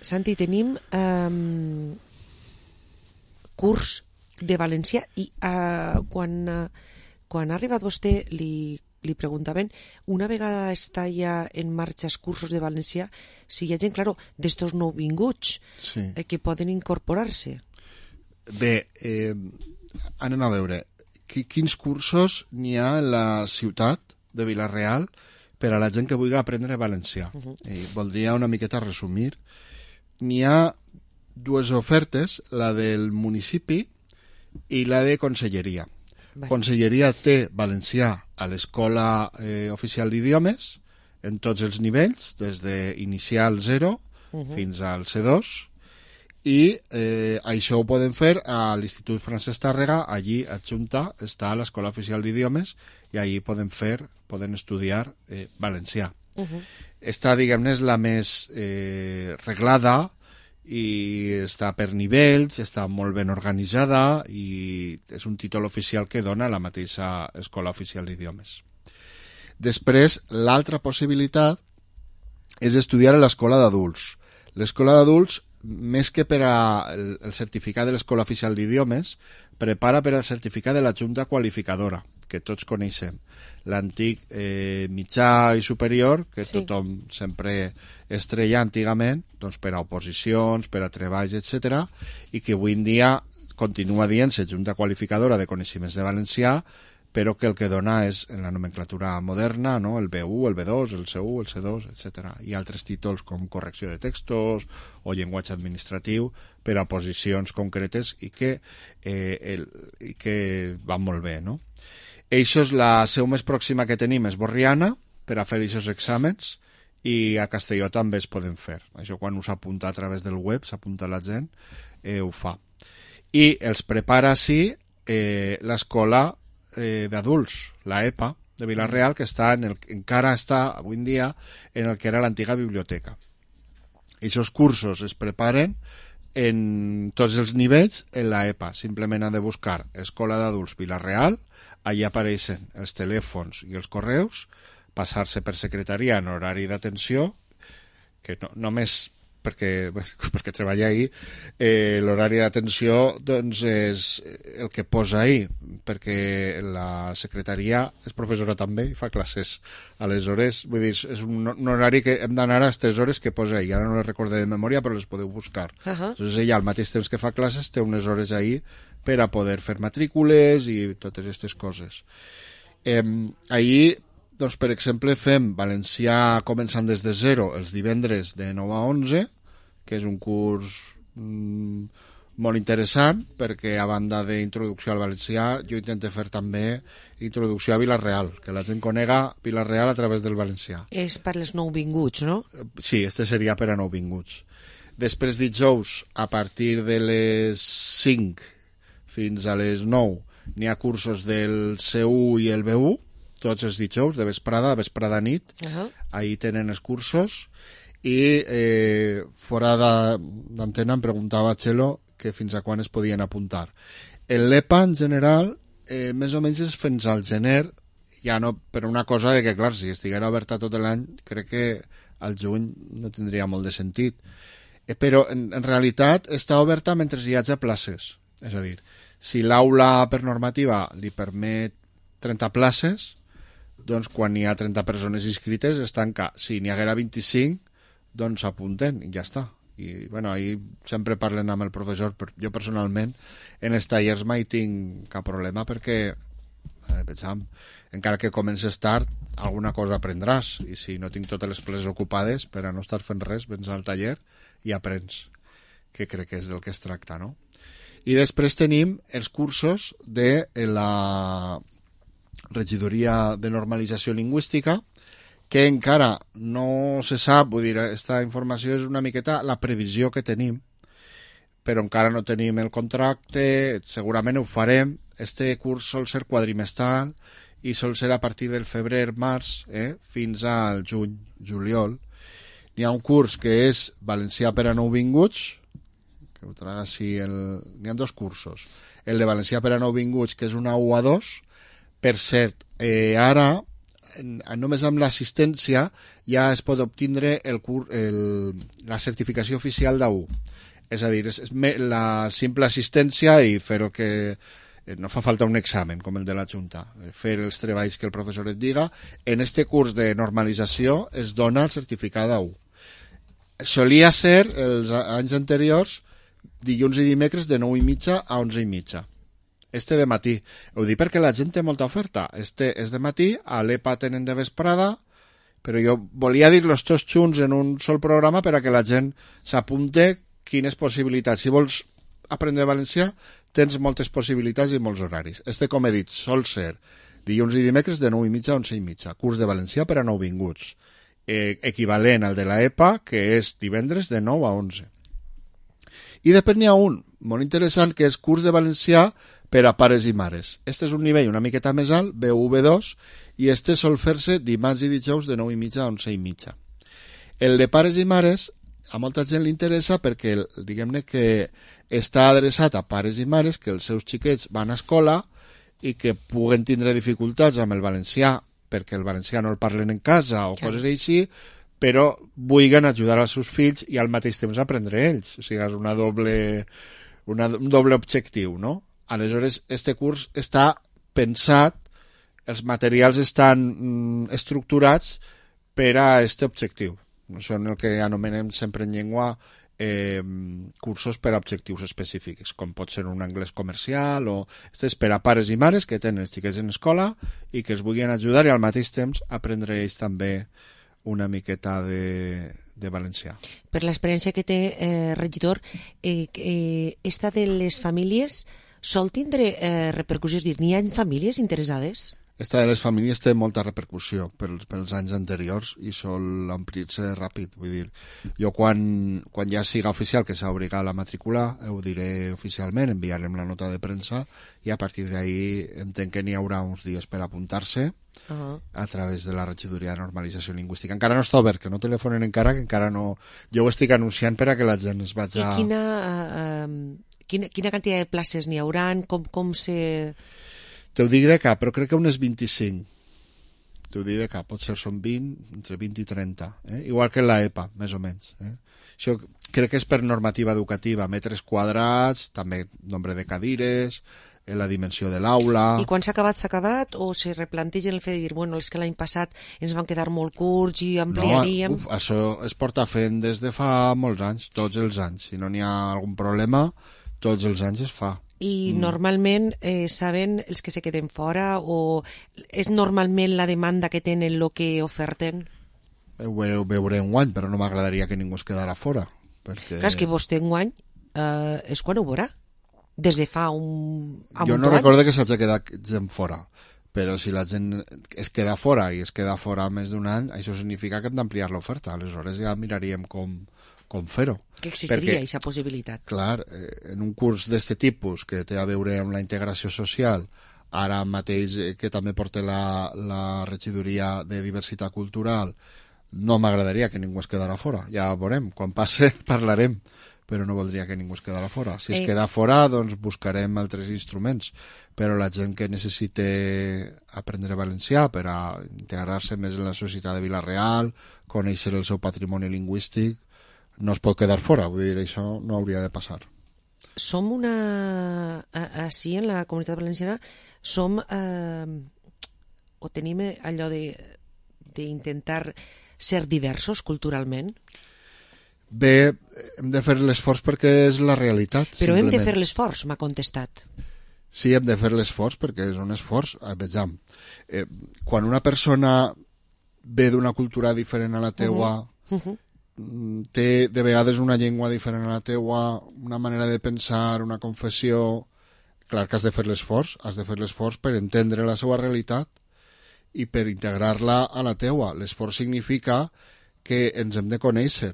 Santi, tenim curs de valencià i quan ha arribat vostè li preguntaven, una vegada està ja en marxa els cursos de valencià, si hi ha gent, claro, d'estos nouvinguts que poden incorporar-se. Bé, anem a veure quins cursos n'hi ha a la ciutat de Vila-real per a la gent que vulgui aprendre valencià. Voldria una miqueta resumir. N'hi ha dues ofertes, la del municipi i la de conselleria. Conselleria té valencià a l'Escola Oficial d'Idiomes en tots els nivells, des d'inicial 0 fins al C2, i això ho poden fer a l'Institut Francesc Tàrrega, allí adjunta està l'Escola Oficial d'Idiomes, i allí poden estudiar valencià. Esta, diguem-ne, és la més reglada i està per nivells, està molt ben organitzada i és un títol oficial que dona la mateixa Escola Oficial d'Idiomes. Després, l'altra possibilitat és estudiar a l'Escola d'Adults. L'Escola d'Adults, més que per al certificat de l'Escola Oficial d'Idiomes, prepara per al certificat de la Junta Qualificadora, que tots coneixem. L'antic mitjà i superior, que tothom sempre estrella antigament, doncs per a oposicions, per a treballs, etc., i que avui en dia continua dient-se Junta Qualificadora de Coneixements de Valencià, però que el que dona és, en la nomenclatura moderna, no?, el B1, el B2, el C1, el C2, etc. I altres títols com correcció de textos o llenguatge administratiu per a posicions concretes i que van molt bé, no? Això és la seu més pròxima que tenim, és Borriana, per a fer aquests exàmens, i a Castelló també es poden fer. Això quan us apunta a través del web, s'apunta la gent, ho fa. I els prepara, sí, l'escola d'adults, la EPA de Vila-real, que encara està avui en dia en el que era l'antiga biblioteca. Aquests cursos es preparen en tots els nivells en la EPA. Simplement han de buscar Escola d'Adults Vila-real, allà apareixen els telèfons i els correus, passar-se per secretaria en horari d'atenció, que només perquè treballa ahir, l'horari d'atenció doncs és el que posa ahir, perquè la secretaria és professora també i fa classes a les hores, vull dir, és un horari que hem d'anar a aquestes hores que posa ahir, ara no les recordé de memòria però les podeu buscar. Doncs ella al mateix temps que fa classes té unes hores ahir per a poder fer matrícules i totes aquestes coses. Ahir, doncs, per exemple, fem valencià començant des de 0 els divendres de 9 a 11, que és un curs molt interessant, perquè a banda d'introducció al valencià, jo intento fer també introducció a Vila-real, que la gent conega Vila-real a través del valencià. És per als nouvinguts, no? Sí, este seria per a nouvinguts. Després dijous, a partir de les 5 fins a les 9, n'hi ha cursos del C1 i el B1, tots els dijous, de vesprada nit, ahir tenen els cursos, i fora d'antena em preguntava Txelo que fins a quan es podien apuntar. En l'EPA, en general, més o menys és fins al gener, ja no, per una cosa de que, clar, si estiguera oberta tot l'any, crec que al juny no tindria molt de sentit. Però, en realitat, està oberta mentre hi hagi places. És a dir, si l'aula per normativa li permet 30 places, doncs quan hi ha 30 persones inscrites es tanca. Si n'hi haguera 25, doncs s'apunten i ja està. I bueno, ahir sempre parlen amb el professor, però jo personalment en els tallers mai tinc cap problema perquè Pensam, encara que comences tard, alguna cosa aprendràs, i si no tinc totes les places ocupades, per a no estar fent res, vens al taller i aprens, que crec que és del que es tracta, no? I després tenim els cursos de la Regidoria de Normalització Lingüística, que encara no se sap, vull dir, aquesta informació és una miqueta la previsió que tenim, però encara no tenim el contracte, segurament ho farem. Este curs sol ser quadrimestral i sol ser a partir del febrer-març fins al juny-juliol. N'hi ha un curs que és valencià per a nouvinguts, que ho traga així n'hi ha dos cursos. El de valencià per a nouvinguts, que és una U2. Per cert, ara, només amb l'assistència, ja es pot obtindre la certificació oficial d'A1. És a dir, és la simple assistència i fer el que... No fa falta un examen, com el de la Junta. Fer els treballs que el professor et diga. En este curs de normalització es dona el certificat d'A1. Solia ser, els anys anteriors, dilluns i dimecres de 9:30 a 11:30. Este de matí. Ho dic perquè la gent té molta oferta. Este és de matí, a l'EPA tenen de vesprada, però jo volia dir-los tots junts en un sol programa per a que la gent s'apunte quines possibilitats. Si vols aprendre valencià, tens moltes possibilitats i molts horaris. Este, com he dit, sol ser dilluns i dimecres de 9:30 a 11:30. Curs de valencià per a nouvinguts. Equivalent al de la EPA, que és divendres de 9 a 11. I després n'hi ha un molt interessant, que és curs de valencià per a pares i mares. Este és un nivell una miqueta més alt, B1-B2, i este sol fer-se dimarts i dijous de 9:30 a 11:30. El de pares i mares a molta gent li interessa perquè, diguem-ne, que està adreçat a pares i mares que els seus xiquets van a escola i que puguen tindre dificultats amb el valencià perquè el valencià no el parlen en casa o coses així, però vulguin ajudar als seus fills i al mateix temps aprendre ells. O sigui, és un doble objectiu, no? Aleshores, este curs està pensat, els materials estan estructurats per a aquest objectiu. Són el que anomenem sempre en llengua cursos per a objectius específics, com pot ser un anglès comercial o... Este és per a pares i mares que tenen els xiquets en escola i que els vulguin ajudar i al mateix temps aprendre ells també una miqueta de valencià. Per l'experiència que té, regidor, esta de les famílies sol tindre repercussió? És dir, n'hi ha famílies interessades? Esta de les famílies té molta repercussió pels anys anteriors i sol omplir-se ràpid. Vull dir, jo quan ja siga oficial que s'ha obligat a matricular, ho diré oficialment, enviarem la nota de premsa i a partir d'ahí entenc que n'hi haurà uns dies per apuntar-se a través de la Regidoria de Normalització Lingüística. Encara no està obert, que no telefonen encara, que encara no... Jo ho estic anunciant per a que la gent es vagi a... I quina quantitat de places n'hi hauran? Com se... T'ho dic de cap, però crec que unes 25. T'ho dic de cap, potser són 20, entre 20 i 30. Igual que en l'EPA, més o menys. Això crec que és per normativa educativa, metres quadrats, també nombre de cadires, la dimensió de l'aula... I quan s'ha acabat, o se replantegen el fet de dir, bueno, és que l'any passat ens van quedar molt curts i ampliaríem... No, això es porta fent des de fa molts anys, tots els anys. Si no n'hi ha algun problema, tots els anys es fa. I normalment saben els que se queden fora o és normalment la demanda que tenen el que oferten? Ho veuré enguany, però no m'agradaria que ningú es quedara fora. Perquè... Clar, és que vostè enguany és quan ho veurà? Des de fa un... Jo no recordo que s'hagi quedat gent fora, però si la gent es queda fora i es queda fora més d'un any, això significa que hem d'ampliar l'oferta. Aleshores ja miraríem com fer-ho. Que existiria aquesta possibilitat. Clar, en un curs d'aquest tipus que té a veure amb la integració social, ara mateix que també porta la Regidoria de Diversitat Cultural, no m'agradaria que ningú es quedara fora. Ja veurem, quan passe parlarem, però no voldria que ningú es quedara fora. Si es queda fora, doncs buscarem altres instruments, però la gent que necessite aprendre valencià per a integrar-se més en la societat de Vila-real, conèixer el seu patrimoni lingüístic, no es pot quedar fora, vull dir, això no hauria de passar. Som així en la Comunitat Valenciana, o tenim allò d'intentar ser diversos culturalment? Bé, hem de fer l'esforç perquè és la realitat. Però hem de fer l'esforç, m'ha contestat. sí, hem de fer l'esforç perquè és un esforç. Vejam, quan una persona ve d'una cultura diferent a la teua, té de vegades una llengua diferent a la teua, una manera de pensar, una confessió, clar que has de fer l'esforç per entendre la seva realitat i per integrar-la a la teua. L'esforç significa que ens hem de conèixer.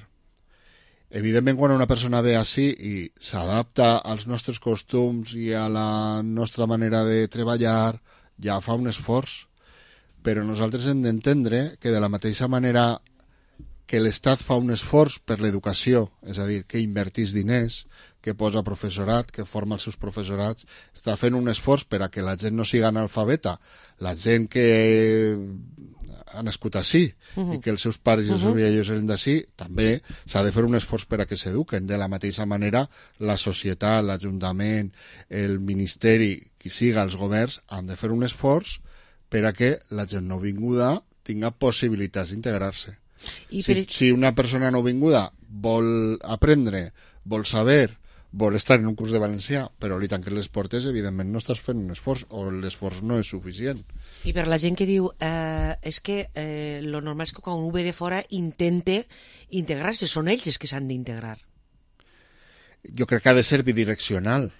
Evidentment, quan una persona ve així i s'adapta als nostres costums i a la nostra manera de treballar, ja fa un esforç. Però nosaltres hem d'entendre que de la mateixa manera que l'Estat fa un esforç per l'educació, és a dir, que invertís diners, que posa professorat, que forma els seus professorats, està fent un esforç per a que la gent no siga analfabeta, la gent que ha nascut així i que els seus pares i els seus vellers eren d'ací, també s'ha de fer un esforç per a que s'eduquen. De la mateixa manera, la societat, l'Ajuntament, el Ministeri, qui siga, els governs, han de fer un esforç per a que la gent nouvinguda tinga possibilitats d'integrar-se. Si una persona nouvinguda vol aprendre, vol saber, vol estar en un curs de valencià, però li tanquen les portes, evidentment no estàs fent un esforç, o l'esforç no és suficient. I per la gent que diu és que lo normal és que quan un ve de fora intente integrar-se, són ells els que s'han d'integrar. Jo crec que ha de ser bidireccional.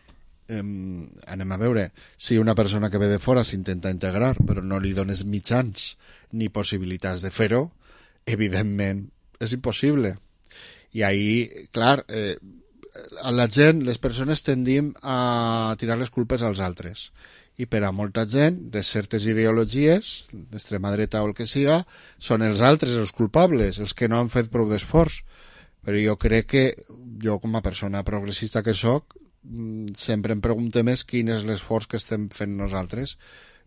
Anem a veure, si una persona que ve de fora s'intenta integrar però no li dones mitjans ni possibilitats de fer-ho, evidentment és impossible. I ahí, clar, a la gent, les persones tendim a tirar les culpes als altres. I per a molta gent, de certes ideologies, d'extrema dreta o el que siga, són els altres els culpables, els que no han fet prou d'esforç. Però jo crec que, jo com a persona progressista que sóc, sempre em pregunto més quin és l'esforç que estem fent nosaltres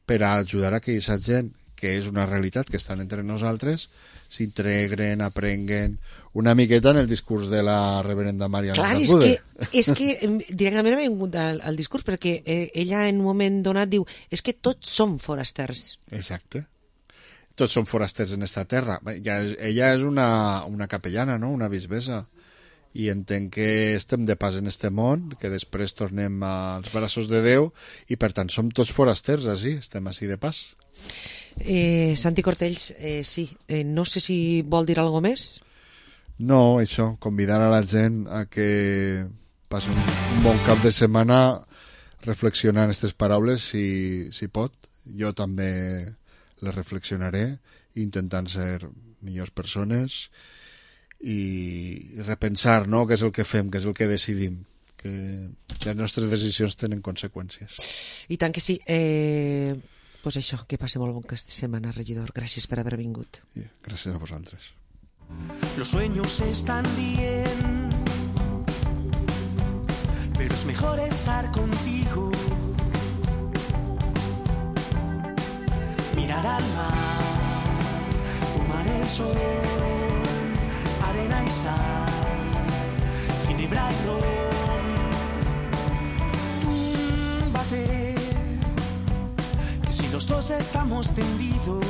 per a ajudar a que aquesta gent, que és una realitat que estan entre nosaltres, s'integren, aprenguen una miqueta en el discurs de la reverenda Mariana Zagude. Clar, és que directament ha vingut al discurs perquè ella en un moment donat diu és que tots som forasters. Exacte. Tots som forasters en esta terra. Ella és una capellana, no? Una bisbessa. I entenc que estem de pas en este món, que després tornem als braços de Déu i per tant som tots forasters així, estem així de pas. Santi Cortells, sí, no sé si vol dir alguna més. No, això, convidar a la gent a que passi un bon cap de setmana reflexionant aquestes paraules si pot. Jo també les reflexionaré intentant ser millors persones i repensar, no?, què és el que fem, què és el que decidim, que les nostres decisions tenen conseqüències. I tant que sí. Pues això, que passi molt bon aquesta setmana, regidor. Gràcies per haver vingut. Gràcies a vosaltres. Los sueños están bien, pero es mejor estar contigo. Mirar al mar, fumar el sol, arena y sal, ginebra y ron. Túmbate, que si los dos estamos tendidos,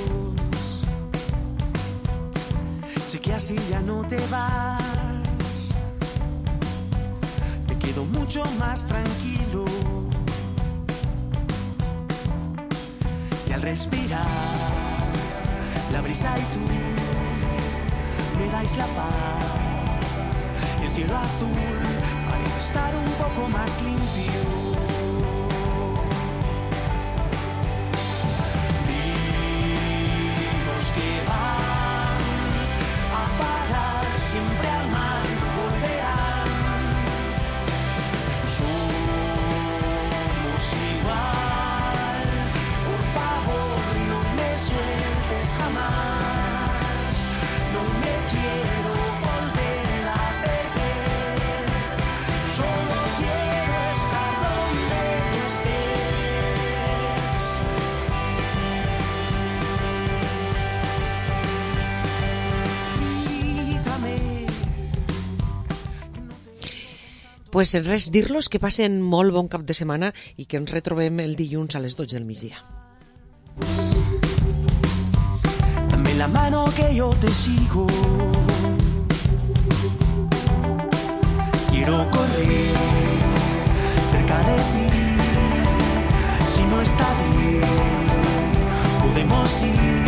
sé que así ya no te vas. Me quedo mucho más tranquilo. Y al respirar, la brisa y tú me dais la paz. El cielo azul parece estar un poco más limpio. Vimos que van a parar siempre al mar, volverán. Somos igual, por favor no me sueltes jamás. No me quiero volver a perder, solo quiero estar donde estés. Grítame. Pues res, dir-los que passen molt bon cap de setmana i que ens retrobem el dilluns a les 12 del migdia. Dame la mano que yo te sigo. Quiero correr cerca de ti, estadio podemos ir